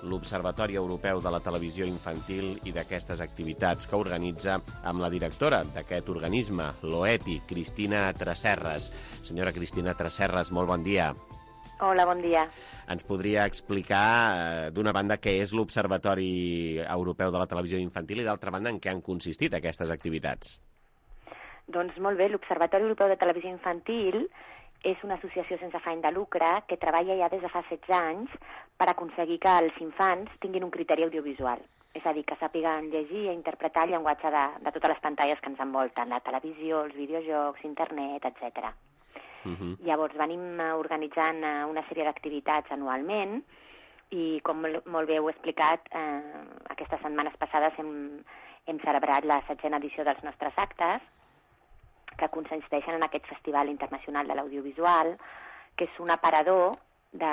l'Observatori Europeu de la Televisió Infantil i d'aquestes activitats que organitza amb la directora d'aquest organisme, l'OETI, Cristina Tresserras. Senyora Cristina Tresserras, molt bon dia. Hola, bon dia. Ens podria explicar, eh, d'una banda, què és l'Observatori Europeu de la Televisió Infantil i, d'altra banda, en què han consistit aquestes activitats? Doncs molt bé, l'Observatori Europeu de Televisió Infantil és una associació sense afany de lucre que treballa ja des de fa setze anys per aconseguir que els infants tinguin un criteri audiovisual. És a dir, que sàpiguen llegir i interpretar el llenguatge de, de totes les pantalles que ens envolten, la televisió, els videojocs, internet, etcètera. Uh-huh. Llavors venim organitzant una sèrie d'activitats anualment i, com molt bé heu explicat, eh, aquestes setmanes passades hem, hem celebrat la setzena edició dels nostres actes, que consisteixen en aquest Festival Internacional de l'Audiovisual, que és un aparador de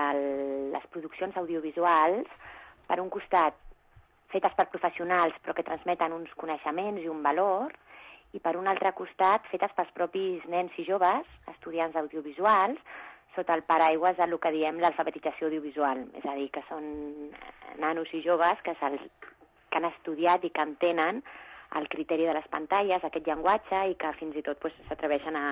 les produccions audiovisuals, per un costat fetes per professionals però que transmeten uns coneixements i un valor, i per un altre costat fetes pels propis nens i joves, estudiants audiovisuals, sota el paraigües del que diem l'alfabetització audiovisual. És a dir, que són nanos i joves que, que han estudiat i que entenen el criteri de les pantalles, aquest llenguatge, i que fins i tot pues, s'atreveixen a,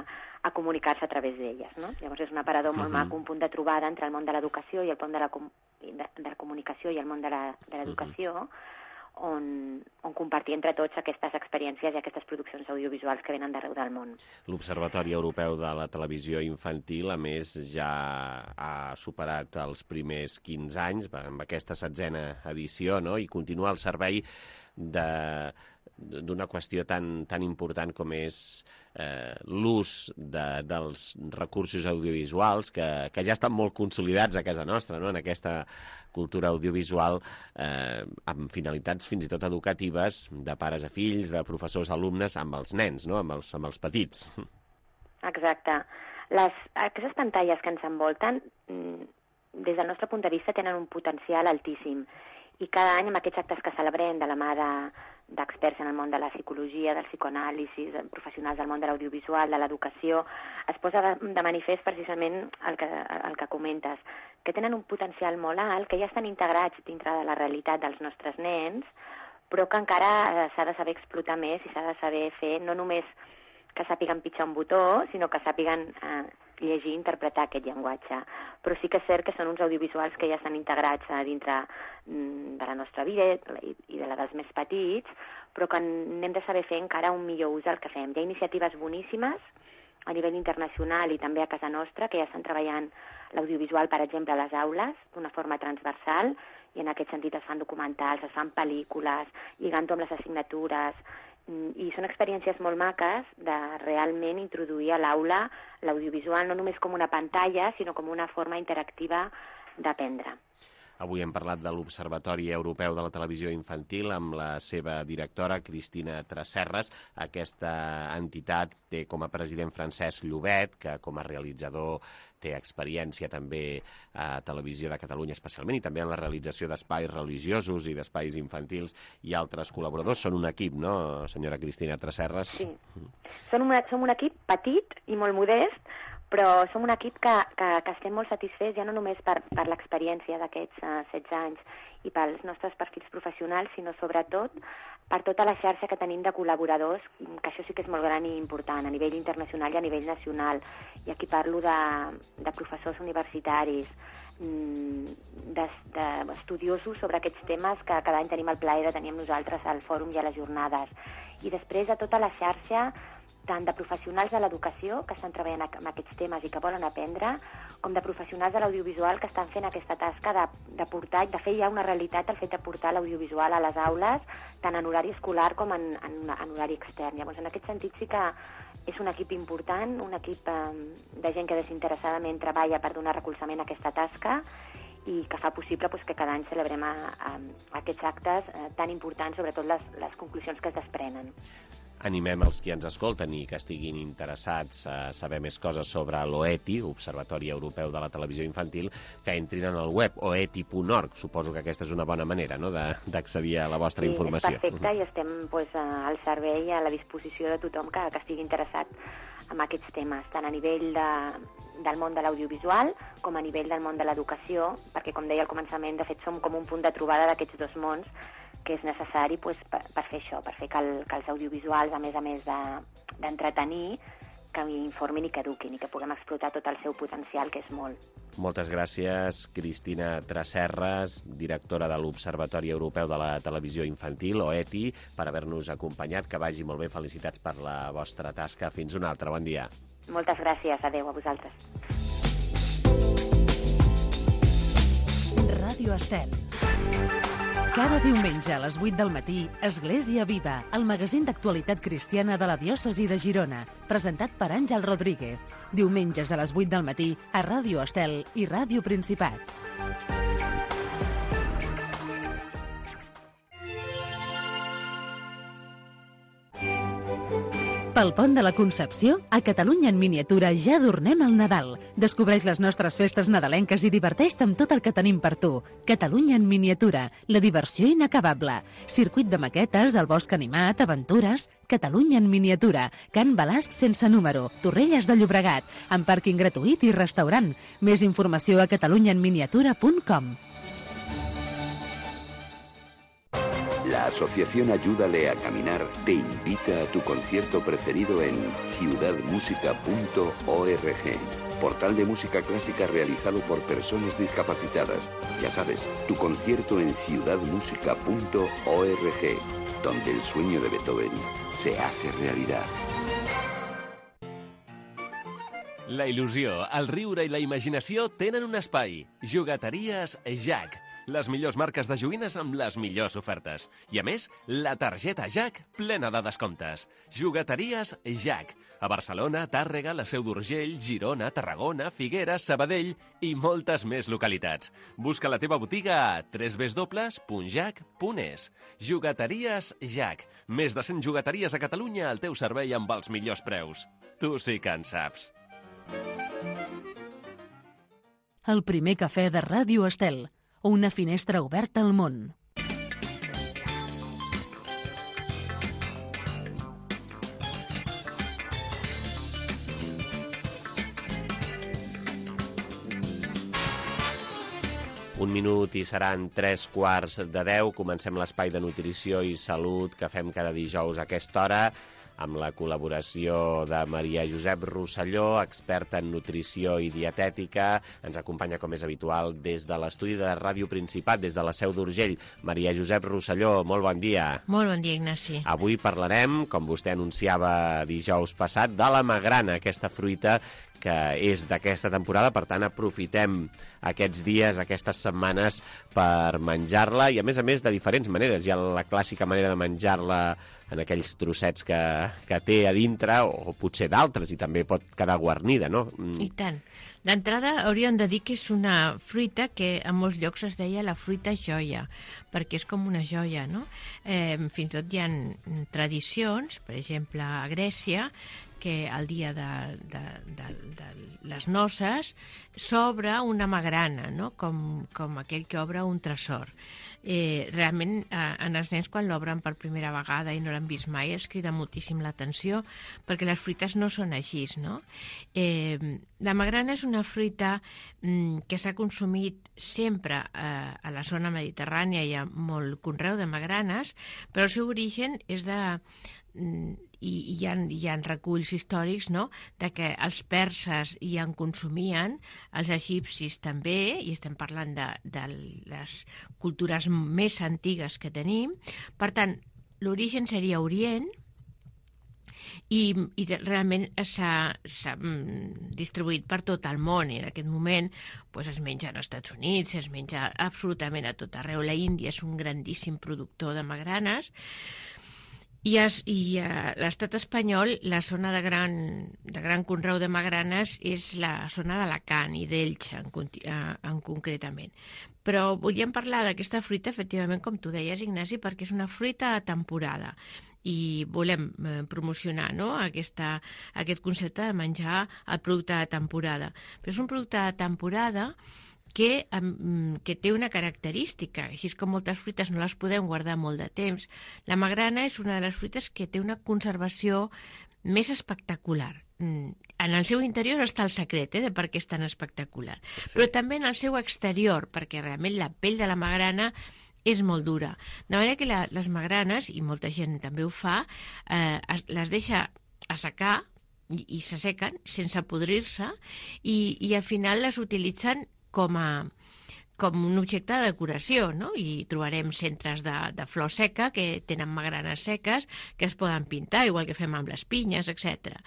a comunicar-se a través d'elles. No? Llavors és un aparador molt uh-huh. maco, un punt de trobada entre el món de l'educació i el món de la, com de, de la comunicació i el món de l'educació, uh-huh. on, on compartir entre tots aquestes experiències i aquestes produccions audiovisuals que venen d'arreu del món. L'Observatori Europeu de la Televisió Infantil, a més, ja ha superat els primers quinze anys amb aquesta setzena edició, no? I continua el servei de d'una qüestió tan, tan important com és eh, l'ús de, dels recursos audiovisuals que, que ja estan molt consolidats a casa nostra, no? En aquesta cultura audiovisual eh, amb finalitats fins i tot educatives de pares a fills, de professors a alumnes, amb els nens, no? amb, els, amb els petits. Exacte. Les, aquestes pantalles que ens envolten, des del nostre punt de vista, tenen un potencial altíssim. I cada any, amb aquests actes que celebrem de la mà d'experts en el món de la psicologia, del psicoanàlisi, professionals del món de l'audiovisual, de l'educació, es posa de, de manifest precisament el que, el que comentes, que tenen un potencial molt alt, que ja estan integrats dintre de la realitat dels nostres nens, però que encara s'ha de saber explotar més i s'ha de saber fer no només que sàpiguen pitjar un botó, sinó que sàpiguen eh, llegir i interpretar aquest llenguatge. Però sí que és cert que són uns audiovisuals que ja estan integrats a dintre de la nostra vida i de la dels més petits, però que n'hem de saber fer encara un millor ús del que fem. Hi ha iniciatives boníssimes a nivell internacional i també a casa nostra que ja estan treballant l'audiovisual, per exemple, a les aules, d'una forma transversal, i en aquest sentit es fan documentals, es fan pel·lícules, lligant-ho amb les assignatures, i són experiències molt maques de realment introduir a l'aula l'audiovisual no només com una pantalla, sinó com una forma interactiva d'aprendre. Avui hem parlat de l'Observatori Europeu de la Televisió Infantil amb la seva directora, Cristina Tresserras. Aquesta entitat té com a president Francesc Llobet, que com a realitzador té experiència també a Televisió de Catalunya especialment, i també en la realització d'espais religiosos i d'espais infantils i altres col·laboradors. Són un equip, no, senyora Cristina Tresserras? Sí. Som, una, som un equip petit i molt modest, però som un equip que, que, que estem molt satisfets ja no només per, per l'experiència d'aquests uh, setze anys i pels nostres perfils professionals, sinó sobretot per tota la xarxa que tenim de col·laboradors, que això sí que és molt gran i important, a nivell internacional i a nivell nacional. I aquí parlo de, de professors universitaris, d'estudiosos sobre aquests temes que cada any tenim el plaer de tenir amb nosaltres al fòrum i a les jornades. I després de tota la xarxa tant de professionals de l'educació que estan treballant amb aquests temes i que volen aprendre, com de professionals de l'audiovisual que estan fent aquesta tasca de, de portar, de fer ja una realitat el fet de portar l'audiovisual a les aules, tant en horari escolar com en, en, en horari extern. Llavors, en aquest sentit sí que és un equip important, un equip eh, de gent que desinteressadament treballa per donar recolzament a aquesta tasca i que fa possible pues, que cada any celebrem a, a, a aquests actes eh, tan importants, sobretot les, les conclusions que es desprenen. Animem els qui ens escolten i que estiguin interessats a saber més coses sobre l'O E T I, Observatori Europeu de la Televisió Infantil, que entrin en el web o e t i punt org. Suposo que aquesta és una bona manera, no?, d'accedir a la vostra sí, informació. Sí, és perfecte, i estem pues, al servei i a la disposició de tothom que, que estigui interessat en aquests temes, tant a nivell de, del món de l'audiovisual com a nivell del món de l'educació, perquè, com deia al començament, de fet som com un punt de trobada d'aquests dos mons que és necessari pues, per, per fer això, per fer que, el, que els audiovisuals, a més a més d'entretenir, de, que informin i que eduquin i que puguem explotar tot el seu potencial, que és molt. Moltes gràcies, Cristina Tresserras, directora de l'Observatori Europeu de la Televisió Infantil, O E T I, per haver-nos acompanyat. Que vagi molt bé, felicitats per la vostra tasca. Fins un altre, bon dia. Moltes gràcies, adeu a vosaltres. Ràdio Estel. Cada diumenge a les vuit del matí, Església Viva, el magazín d'actualitat cristiana de la diòcesi de Girona, presentat per Àngel Rodríguez. Diumenges a les vuit del matí a Ràdio Estel i Ràdio Principat. Pel Pont de la Concepció, a Catalunya en miniatura ja adornem el Nadal. Descobreix les nostres festes nadalenques i diverteix-te amb tot el que tenim per tu. Catalunya en miniatura, la diversió inacabable. Circuit de maquetes, el bosc animat, aventures... Catalunya en miniatura, Can Balasc sense número, Torrelles de Llobregat, amb pàrquing gratuït i restaurant. Més informació a catalunya en miniatura punt com. La Asociación Ayúdale a Caminar te invita a tu concierto preferido en ciudad música punto org, portal de música clásica realizado por personas discapacitadas. Ya sabes, tu concierto en ciudad música punto org, donde el sueño de Beethoven se hace realidad. La il·lusió, el riure i la imaginació tenen un espai. Jugateries Jack. les millors marques de joguines amb les millors ofertes. I a més, la targeta Jack plena de descomptes. Jugueteries Jack. A Barcelona, Tàrrega, la Seu d'Urgell, Girona, Tarragona, Figueres, Sabadell i moltes més localitats. Busca la teva botiga a w w w punt jack punt es. Jugueteries Jack. Més de cent jugueteries a Catalunya al teu servei amb els millors preus. Tu sí que en saps. El primer cafè de Ràdio Estel. Una finestra oberta al món. Un minut i seran tres quarts de deu. Comencem l'espai de nutrició i salut que fem cada dijous a aquesta hora, amb la col·laboració de Maria Josep Rosselló, experta en nutrició i dietètica. Ens acompanya, com és habitual, des de l'estudi de Ràdio Principat, des de la Seu d'Urgell. Maria Josep Rosselló, molt bon dia. Molt bon dia, Ignasi. Avui parlarem, com vostè anunciava dijous passat, de la magrana, aquesta fruita que és d'aquesta temporada, per tant aprofitem aquests dies, aquestes setmanes per menjar-la, i a més a més de diferents maneres. Hi ha la clàssica manera de menjar-la en aquells trossets que, que té a dintre, o potser d'altres, i també pot quedar guarnida, no? I tant. D'entrada hauríem de dir que és una fruita que a molts llocs es deia la fruita joia, perquè és com una joia, no? Eh, fins i tot hi ha tradicions, per exemple, a Grècia, que el dia de, de, de, de les noces s'obre una magrana, no? com, com aquell que obre un tresor. Eh, realment, eh, en els nens, quan l'obren per primera vegada i no l'han vist mai, es crida moltíssim l'atenció, perquè les fruites no són així, no? Eh, la magrana és una fruita mm, que s'ha consumit sempre eh, a la zona mediterrània. Hi ha molt conreu de magranes, però el seu origen és de... I hi ha, hi ha reculls històrics, no?, de que els perses hi en consumien, els egipcis també, i estem parlant de, de les cultures més antigues que tenim. Per tant, l'origen seria Orient, i, i realment s'ha distribuït per tot el món, i en aquest moment pues, es menja als Estats Units, es menja absolutament a tot arreu. La Índia és un grandíssim productor de magranes. I, es, i a l'estat espanyol, la zona de gran, de gran conreu de magranes és la zona d'Alacant i d'Elx, en, en concretament. Però volíem parlar d'aquesta fruita, efectivament, com tu deies, Ignasi, perquè és una fruita a temporada i volem eh, promocionar, no?, aquesta, aquest concepte de menjar el producte de temporada. Però és un producte de temporada Que, um, que té una característica, així com moltes fruites no les podem guardar molt de temps. La magrana és una de les fruites que té una conservació més espectacular. Mm. En el seu interior està el secret, eh, de per què és tan espectacular. Sí. Però també en el seu exterior, perquè realment la pell de la magrana és molt dura. De manera que la, les magranes, i molta gent també ho fa, eh, es, les deixa assecar i, i s'assequen sense podrir-se, i, i al final les utilitzen com a com un objecte de decoració, no? I trobarem centres de, de flor seca que tenen magranes seques que es poden pintar, igual que fem amb les pinyes, etcètera.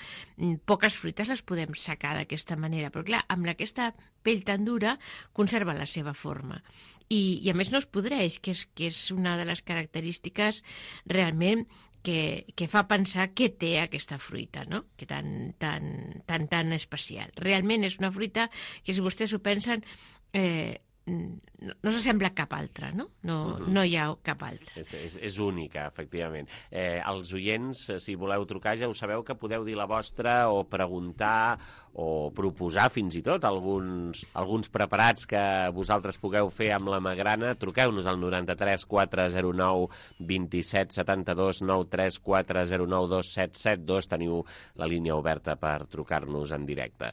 Poques fruites les podem secar d'aquesta manera, però clar, amb aquesta pell tan dura conserva la seva forma. I, i a més no es podreix, que és, que és una de les característiques realment que, que fa pensar què té aquesta fruita, no? Que tan, tan, tan, tan especial. Realment és una fruita que, si vostès ho pensen, eh, no, no s'assembla a cap altra, no? No, uh-huh. no hi ha cap altra. És, és, és única, efectivament. Eh, els oients, si voleu trucar, ja ho sabeu que podeu dir la vostra o preguntar o proposar fins i tot alguns, alguns preparats que vosaltres pugueu fer amb la magrana. Truqueu-nos al noranta-tres quatre zero nou dos set set dos, noranta-tres quatre zero nou dos set set dos. Teniu la línia oberta per trucar-nos en directe.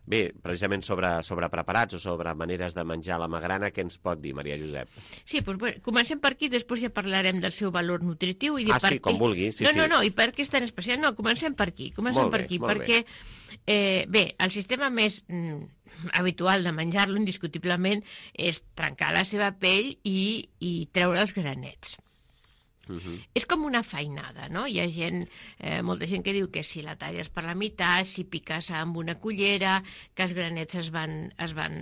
Bé, precisament sobre, sobre preparats o sobre maneres de menjar la magrana, què ens pot dir, Maria Josep? Sí, doncs bé, comencem per aquí, després ja parlarem del seu valor nutritiu. I ah, per sí, com vulgui. Sí, no, sí. no, no, i per què és tan especial? No, comencem per aquí, comencem molt per bé, aquí, molt perquè, eh, bé, el sistema més mm, habitual de menjar-lo, indiscutiblement, és trencar la seva pell i, i treure els granets. Uh-huh. És com una feinada, no? Hi ha gent, eh, molta gent que diu que si la talles per la meitat, si piques amb una cullera, que els granets es van, es van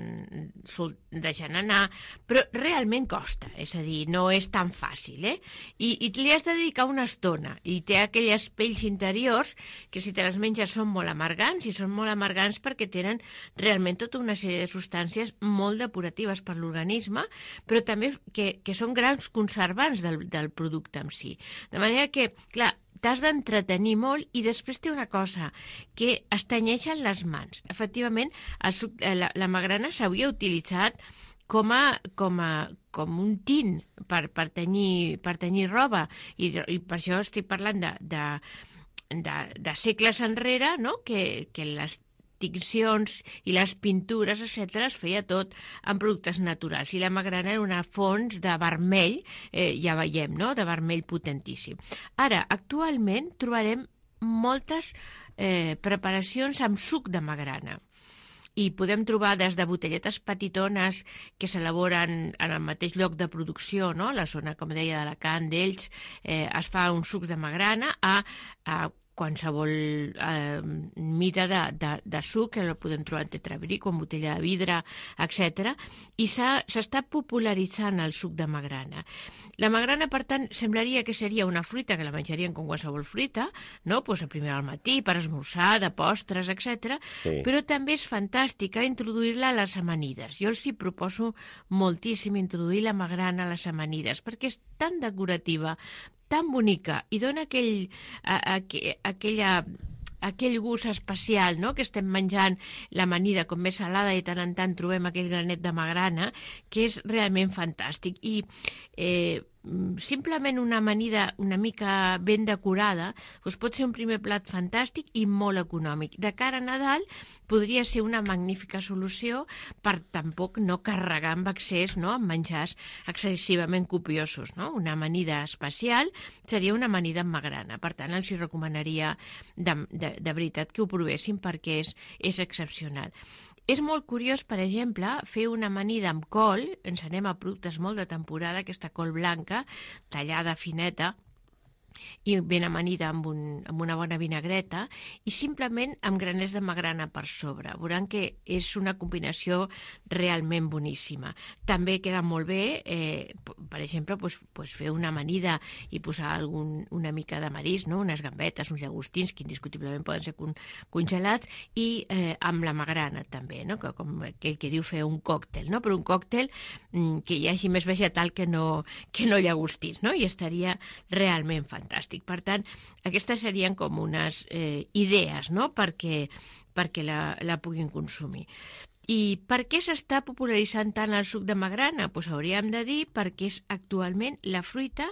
deixant anar, però realment costa, és a dir, no és tan fàcil, eh? I, i li has de dedicar una estona, i té aquelles pells interiors que si te les menges són molt amargants, i són molt amargants perquè tenen realment tota una sèrie de substàncies molt depuratives per l'organisme, però també que, que són grans conservants del, del producte en si. De manera que, clar, t'has d'entretenir molt i després té una cosa, que es tenyeixen les mans. Efectivament, el suc, la, la magrana s'havia utilitzat com, a, com, a, com un tint per, per, tenyir, per tenyir roba, i, i per això estic parlant de, de, de, de segles enrere, no? que, que les tincions i les pintures, etcètera, es feia tot amb productes naturals. I la magrana era una font de vermell, eh, ja veiem, no?, de vermell potentíssim. Ara, actualment trobarem moltes eh, preparacions amb suc de magrana. I podem trobar des de botelletes petitones que s'elaboren en el mateix lloc de producció, no?, la zona, com deia, d'Alacant, d'Elx, eh, es fa un suc de magrana a, a qualsevol eh, mida de, de, de suc, que el podem trobar en tetrabric o en botella de vidre, etcètera. I s'està popularitzant el suc de magrana. La magrana, per tant, semblaria que seria una fruita, que la menjarien com qualsevol fruita, no? Pues a primera al matí, per esmorzar, de postres, etcètera. Sí. Però també és fantàstica introduir-la a les amanides. Jo els hi proposo moltíssim introduir la magrana a les amanides, perquè és tan decorativa, tan bonica, i dona aquell, a, a, aquella, aquell gust especial, no?, que estem menjant l'amanida com més salada i tant en tant trobem aquell granet de magrana, que és realment fantàstic. I eh, simplement una amanida una mica ben decorada doncs pot ser un primer plat fantàstic i molt econòmic. De cara a Nadal podria ser una magnífica solució per tampoc no carregar amb excés, no?, amb menjars excessivament copiosos, no? Una amanida especial seria una amanida amb magrana. Per tant, els hi recomanaria de, de, de veritat que ho provessin perquè és, és excepcional. És molt curiós, per exemple, fer una amanida amb col, ens anem a productes molt de temporada, aquesta col blanca, tallada fineta, i ben amanida amb, un, amb una bona vinagreta, i simplement amb graners de magrana per sobre. Veuran que és una combinació realment boníssima. També queda molt bé, eh, per exemple, pues, pues fer una amanida i posar algun, una mica de marisc, no? Unes gambetes, uns llagostins, que indiscutiblement poden ser con, congelats, i eh, amb la magrana també, no? Que, com aquell que diu fer un còctel, no? Però un còctel mm, que hi hagi més vegetal que no, que no llagostins, no? I estaria realment fantàstic. Fantàstic. Per tant, aquestes serien com unes eh, idees, no?, perquè, perquè la, la puguin consumir. I per què s'està popularitzant tant el suc de magrana? Pues hauríem de dir perquè és actualment la fruita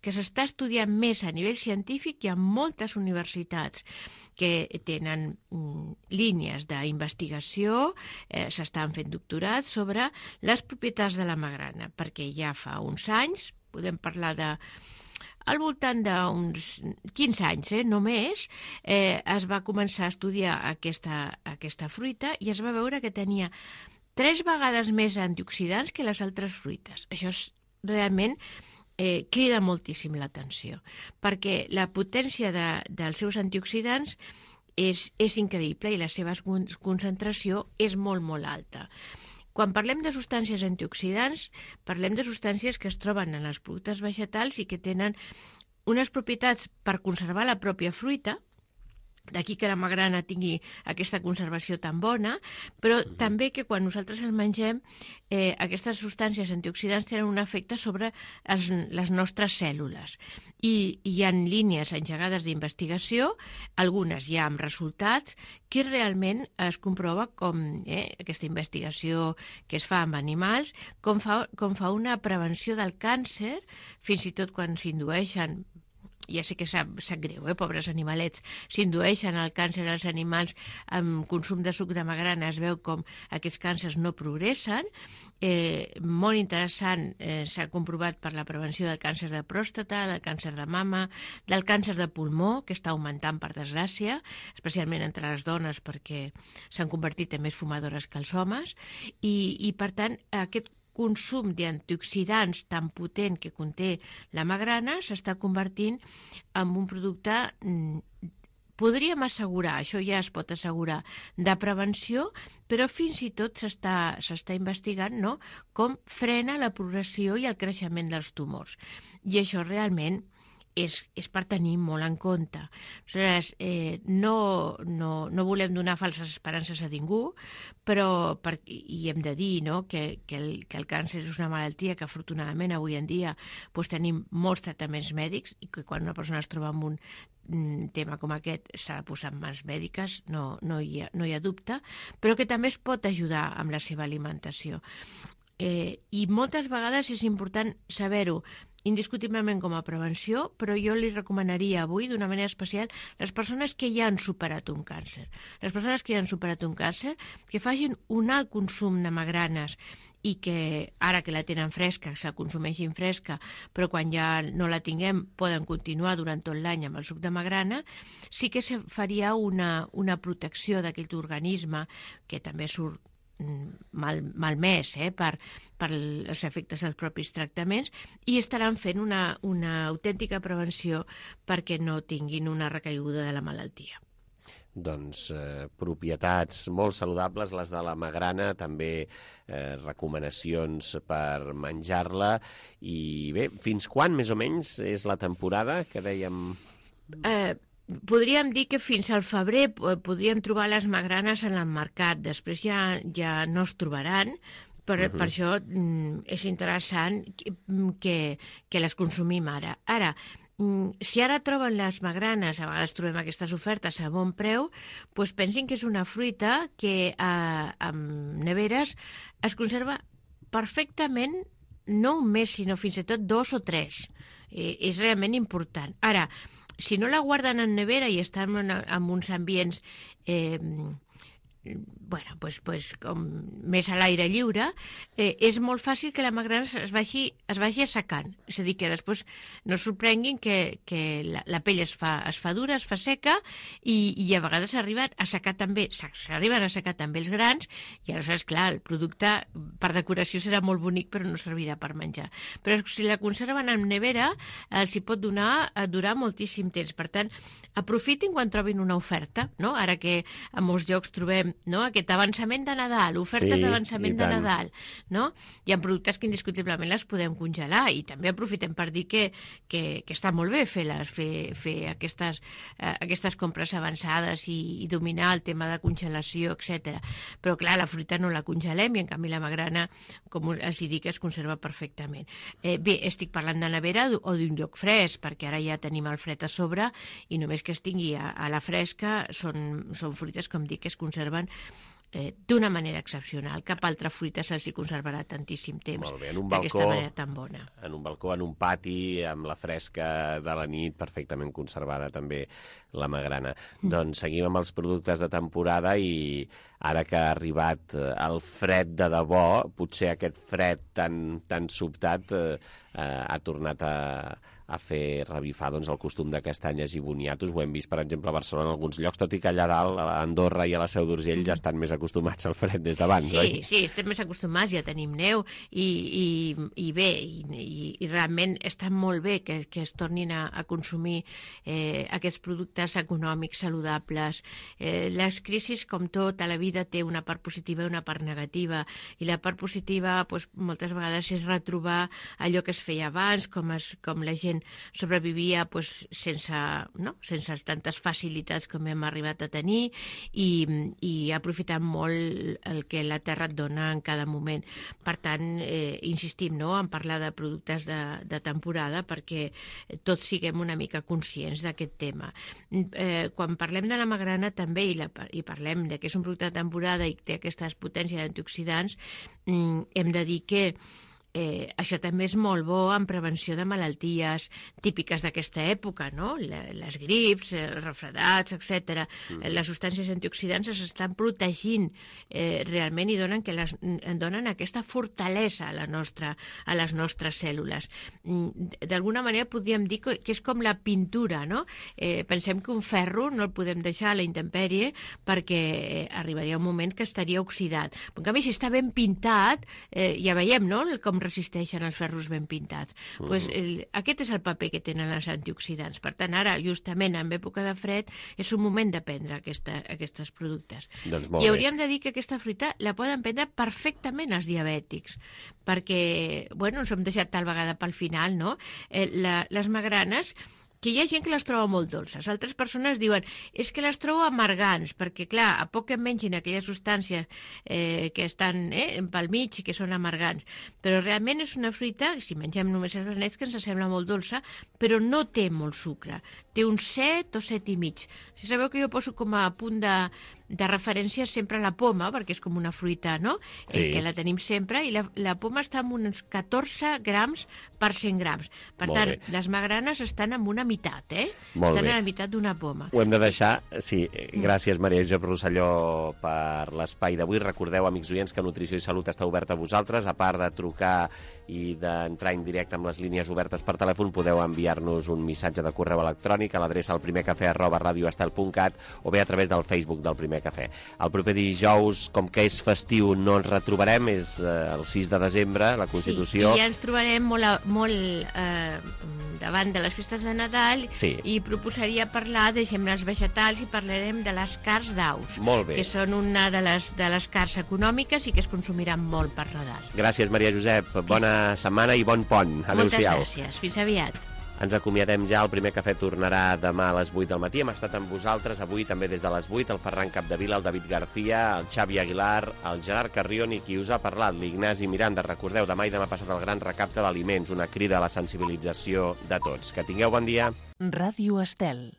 que s'està estudiant més a nivell científic i en moltes universitats que tenen mm, línies d'investigació, eh, s'estan fent doctorats sobre les propietats de la magrana, perquè ja fa uns anys, podem parlar de al voltant d'uns quinze anys, eh, només, eh, es va començar a estudiar aquesta, aquesta fruita i es va veure que tenia tres vegades més antioxidants que les altres fruites. Això és realment eh, crida moltíssim l'atenció, perquè la potència de, dels seus antioxidants és, és increïble i la seva concentració és molt, molt alta. Quan parlem de substàncies antioxidants, parlem de substàncies que es troben en els productes vegetals i que tenen unes propietats per conservar la pròpia fruita, d'aquí que la magrana tingui aquesta conservació tan bona, però també que quan nosaltres el mengem, eh, aquestes substàncies antioxidants tenen un efecte sobre els, les nostres cèl·lules. I, i hi ha línies engegades d'investigació, algunes ja amb resultats, que realment es comprova com eh, aquesta investigació que es fa amb animals, com fa, com fa una prevenció del càncer, fins i tot quan s'indueixen, ja sé que sap, sap greu, eh, pobres animalets, s'indueixen al càncer als animals amb consum de suc de magrana, es veu com aquests càncers no progressen. Eh, molt interessant, eh, s'ha comprovat per la prevenció del càncer de pròstata, del càncer de mama, del càncer de pulmó, que està augmentant per desgràcia, especialment entre les dones perquè s'han convertit en més fumadores que els homes, i, i per tant aquest consum d'antioxidants tan potent que conté la magrana s'està convertint en un producte, podríem assegurar, això ja es pot assegurar, de prevenció, però fins i tot s'està s'està investigant, no?, com frena la progressió i el creixement dels tumors. I això realment és, és per tenir molt en compte. Aleshores, eh, no, no, no volem donar falses esperances a ningú, però per, i hem de dir, no?, que, que, el, que el càncer és una malaltia que afortunadament avui en dia doncs, tenim molts tractaments mèdics i que quan una persona es troba amb un tema com aquest s'ha de posar en mans mèdiques, no, no, hi ha, no hi ha dubte, però que també es pot ajudar amb la seva alimentació. Eh, I moltes vegades és important saber-ho, indiscutiblement com a prevenció, però jo li recomanaria avui d'una manera especial les persones que ja han superat un càncer. Les persones que ja han superat un càncer, que facin un alt consum de magranes i que ara que la tenen fresca, se consumeixin fresca, però quan ja no la tinguem poden continuar durant tot l'any amb el suc de magrana, sí que se faria una, una protecció d'aquest organisme que també surt mal, malmès eh, per, per els efectes dels propis tractaments i estaran fent una, una autèntica prevenció perquè no tinguin una recaiguda de la malaltia. Doncs eh, propietats molt saludables, les de la magrana, també eh, recomanacions per menjar-la. I bé, fins quan més o menys és la temporada que dèiem? Eh, podríem dir que fins al febrer podríem trobar les magranes en el mercat, després ja, ja no es trobaran. Per, uh-huh. per això mm, és interessant que, que, que les consumim ara. Ara, si ara troben les magranes, a vegades trobem aquestes ofertes a bon preu, doncs pensin que és una fruita que eh, amb neveres es conserva perfectament, no un mes, sinó fins i tot dos o tres. Eh, és realment important. Ara, si no la guarden en nevera i estan en, en uns ambients eh, bueno, pues, pues, com més a l'aire lliure, eh, és molt fàcil que la magrana es vagi, es vagi assecant. És a dir, que després no es sorprenguin que, que la, la pell es fa, es fa dura, es fa seca, i, i a vegades s'arriben a assecar també, s'arriben a assecar també els grans, i aleshores, clar, el producte per decoració serà molt bonic, però no servirà per menjar. Però si la conserven en nevera, els hi pot donar a durar moltíssim temps. Per tant, aprofitin quan trobin una oferta, no? Ara que a molts llocs trobem, no?, aquest avançament de Nadal, ofertes sí, d'avançament de Nadal, no? Hi ha productes que indiscutiblement les podem congelar i també aprofitem per dir que, que, que està molt bé fer-les, fer, fer aquestes, eh, aquestes compres avançades i, i dominar el tema de congelació, etcètera. Però clar, la fruita no la congelem i en canvi la magrana, com els dic, es conserva perfectament. Eh, bé, estic parlant de nevera o d'un lloc fresc, perquè ara ja tenim el fred a sobre i només que es tingui a, a la fresca són, són fruites, com dic, que es conserven Eh, d'una manera excepcional. Cap altra fruita se'ls hi conservarà tantíssim temps d'aquesta manera tan bona. En un balcó, en un pati, amb la fresca de la nit, perfectament conservada també la magrana. Mm. Doncs seguim amb els productes de temporada i ara que ha arribat el fred de debò, potser aquest fred tan, tan sobtat eh, eh, ha tornat a a fer revifar doncs, el costum de castanyes i boniatos. Ho hem vist, per exemple, a Barcelona en alguns llocs, tot i que allà dalt, a Andorra i a la Seu d'Urgell, ja estan més acostumats al fred des d'abans, sí, oi? Sí, estem més acostumats, ja tenim neu, i, i, i bé, i, i, i realment està molt bé que, que es tornin a, a consumir eh, aquests productes econòmics, saludables. Eh, les crisis, com tot, a la vida té una part positiva i una part negativa, i la part positiva doncs, moltes vegades és retrobar allò que es feia abans, com, es, com la gent sobrevivia pues, sense, no? sense tantes facilitats com hem arribat a tenir i, i aprofitant molt el que la terra et dona en cada moment. Per tant, eh, insistim no? en parlar de productes de, de temporada perquè tots siguem una mica conscients d'aquest tema. Eh, quan parlem de la magrana també i, la, i parlem de que és un producte de temporada i té aquestes potències d'antioxidants, mm, hem de dir que Eh, això també és molt bo en prevenció de malalties típiques d'aquesta època, no? Les grips, els refredats, etcètera. Mm. Les substàncies antioxidants s'estan protegint eh, realment i donen, que les, donen aquesta fortalesa a, la nostra, a les nostres cèl·lules. D'alguna manera podríem dir que és com la pintura, no? Eh, pensem que un ferro no el podem deixar a la intempèrie perquè arribaria un moment que estaria oxidat. En canvi, si està ben pintat, eh, ja veiem, no?, com resisteixen els ferros ben pintats. Uh -huh. pues, el, aquest és el paper que tenen els antioxidants. Per tant, ara, justament en època de fred, és un moment de prendre aquesta, aquests productes. Doncs I hauríem de dir que aquesta fruita la poden prendre perfectament els diabètics, perquè, bueno, ens hem deixat tal vegada pel final, no? Eh, la, les magranes, que hi ha gent que les troba molt dolces. Altres persones diuen, és que les trobo amargants, perquè, clar, a poc que mengin aquelles substàncies eh, que estan eh, pel mig i que són amargants. Però realment és una fruita, si mengem només els benets, que ens sembla molt dolça, però no té molt sucre. Té un set o set i mig. Si sabeu que jo poso com a punt de, de referència sempre la poma, perquè és com una fruita, no?, sí. eh, que la tenim sempre, i la, la poma està en uns catorze grams per cent grams. Per molt tant, bé. Les magranes estan en una meitat, eh? Molt estan bé. a la meitat d'una poma. Ho hem de deixar, sí. Gràcies, Maria Josep Rosselló, per l'espai d'avui. Recordeu, amics oients, que Nutrició i Salut està oberta a vosaltres. A part de trucar i d'entrar en directe amb les línies obertes per telèfon, podeu enviar-nos un missatge de correu electrònic a l'adreça al primer cafè arroba radioestel punt cat o bé a través del Facebook del Primer Cafè. El proper dijous, com que és festiu, no ens retrobarem, és eh, el sis de desembre, la Constitució. Sí, i ja ens trobarem molt, a, molt eh, davant de les festes de Nadal, sí. I proposaria parlar de gemmes vegetals i parlarem de les carns d'aus, molt bé. Que són una de les, de les carns econòmiques i que es consumiran molt per Nadal. Gràcies, Maria Josep. Bona setmana i bon pont. Adéu-siau. Moltes gràcies. Fins aviat. Ens acomiadem ja. El Primer Cafè tornarà demà a les vuit del matí. Hem estat amb vosaltres avui també des de les vuit, el Ferran Capdevila, el David García, el Xavi Aguilar, el Gerard Carrion i qui us ha parlat, l'Ignasi Miranda. Recordeu, demà i demà passat el gran recapte d'aliments, una crida a la sensibilització de tots. Que tingueu bon dia. Ràdio Estel.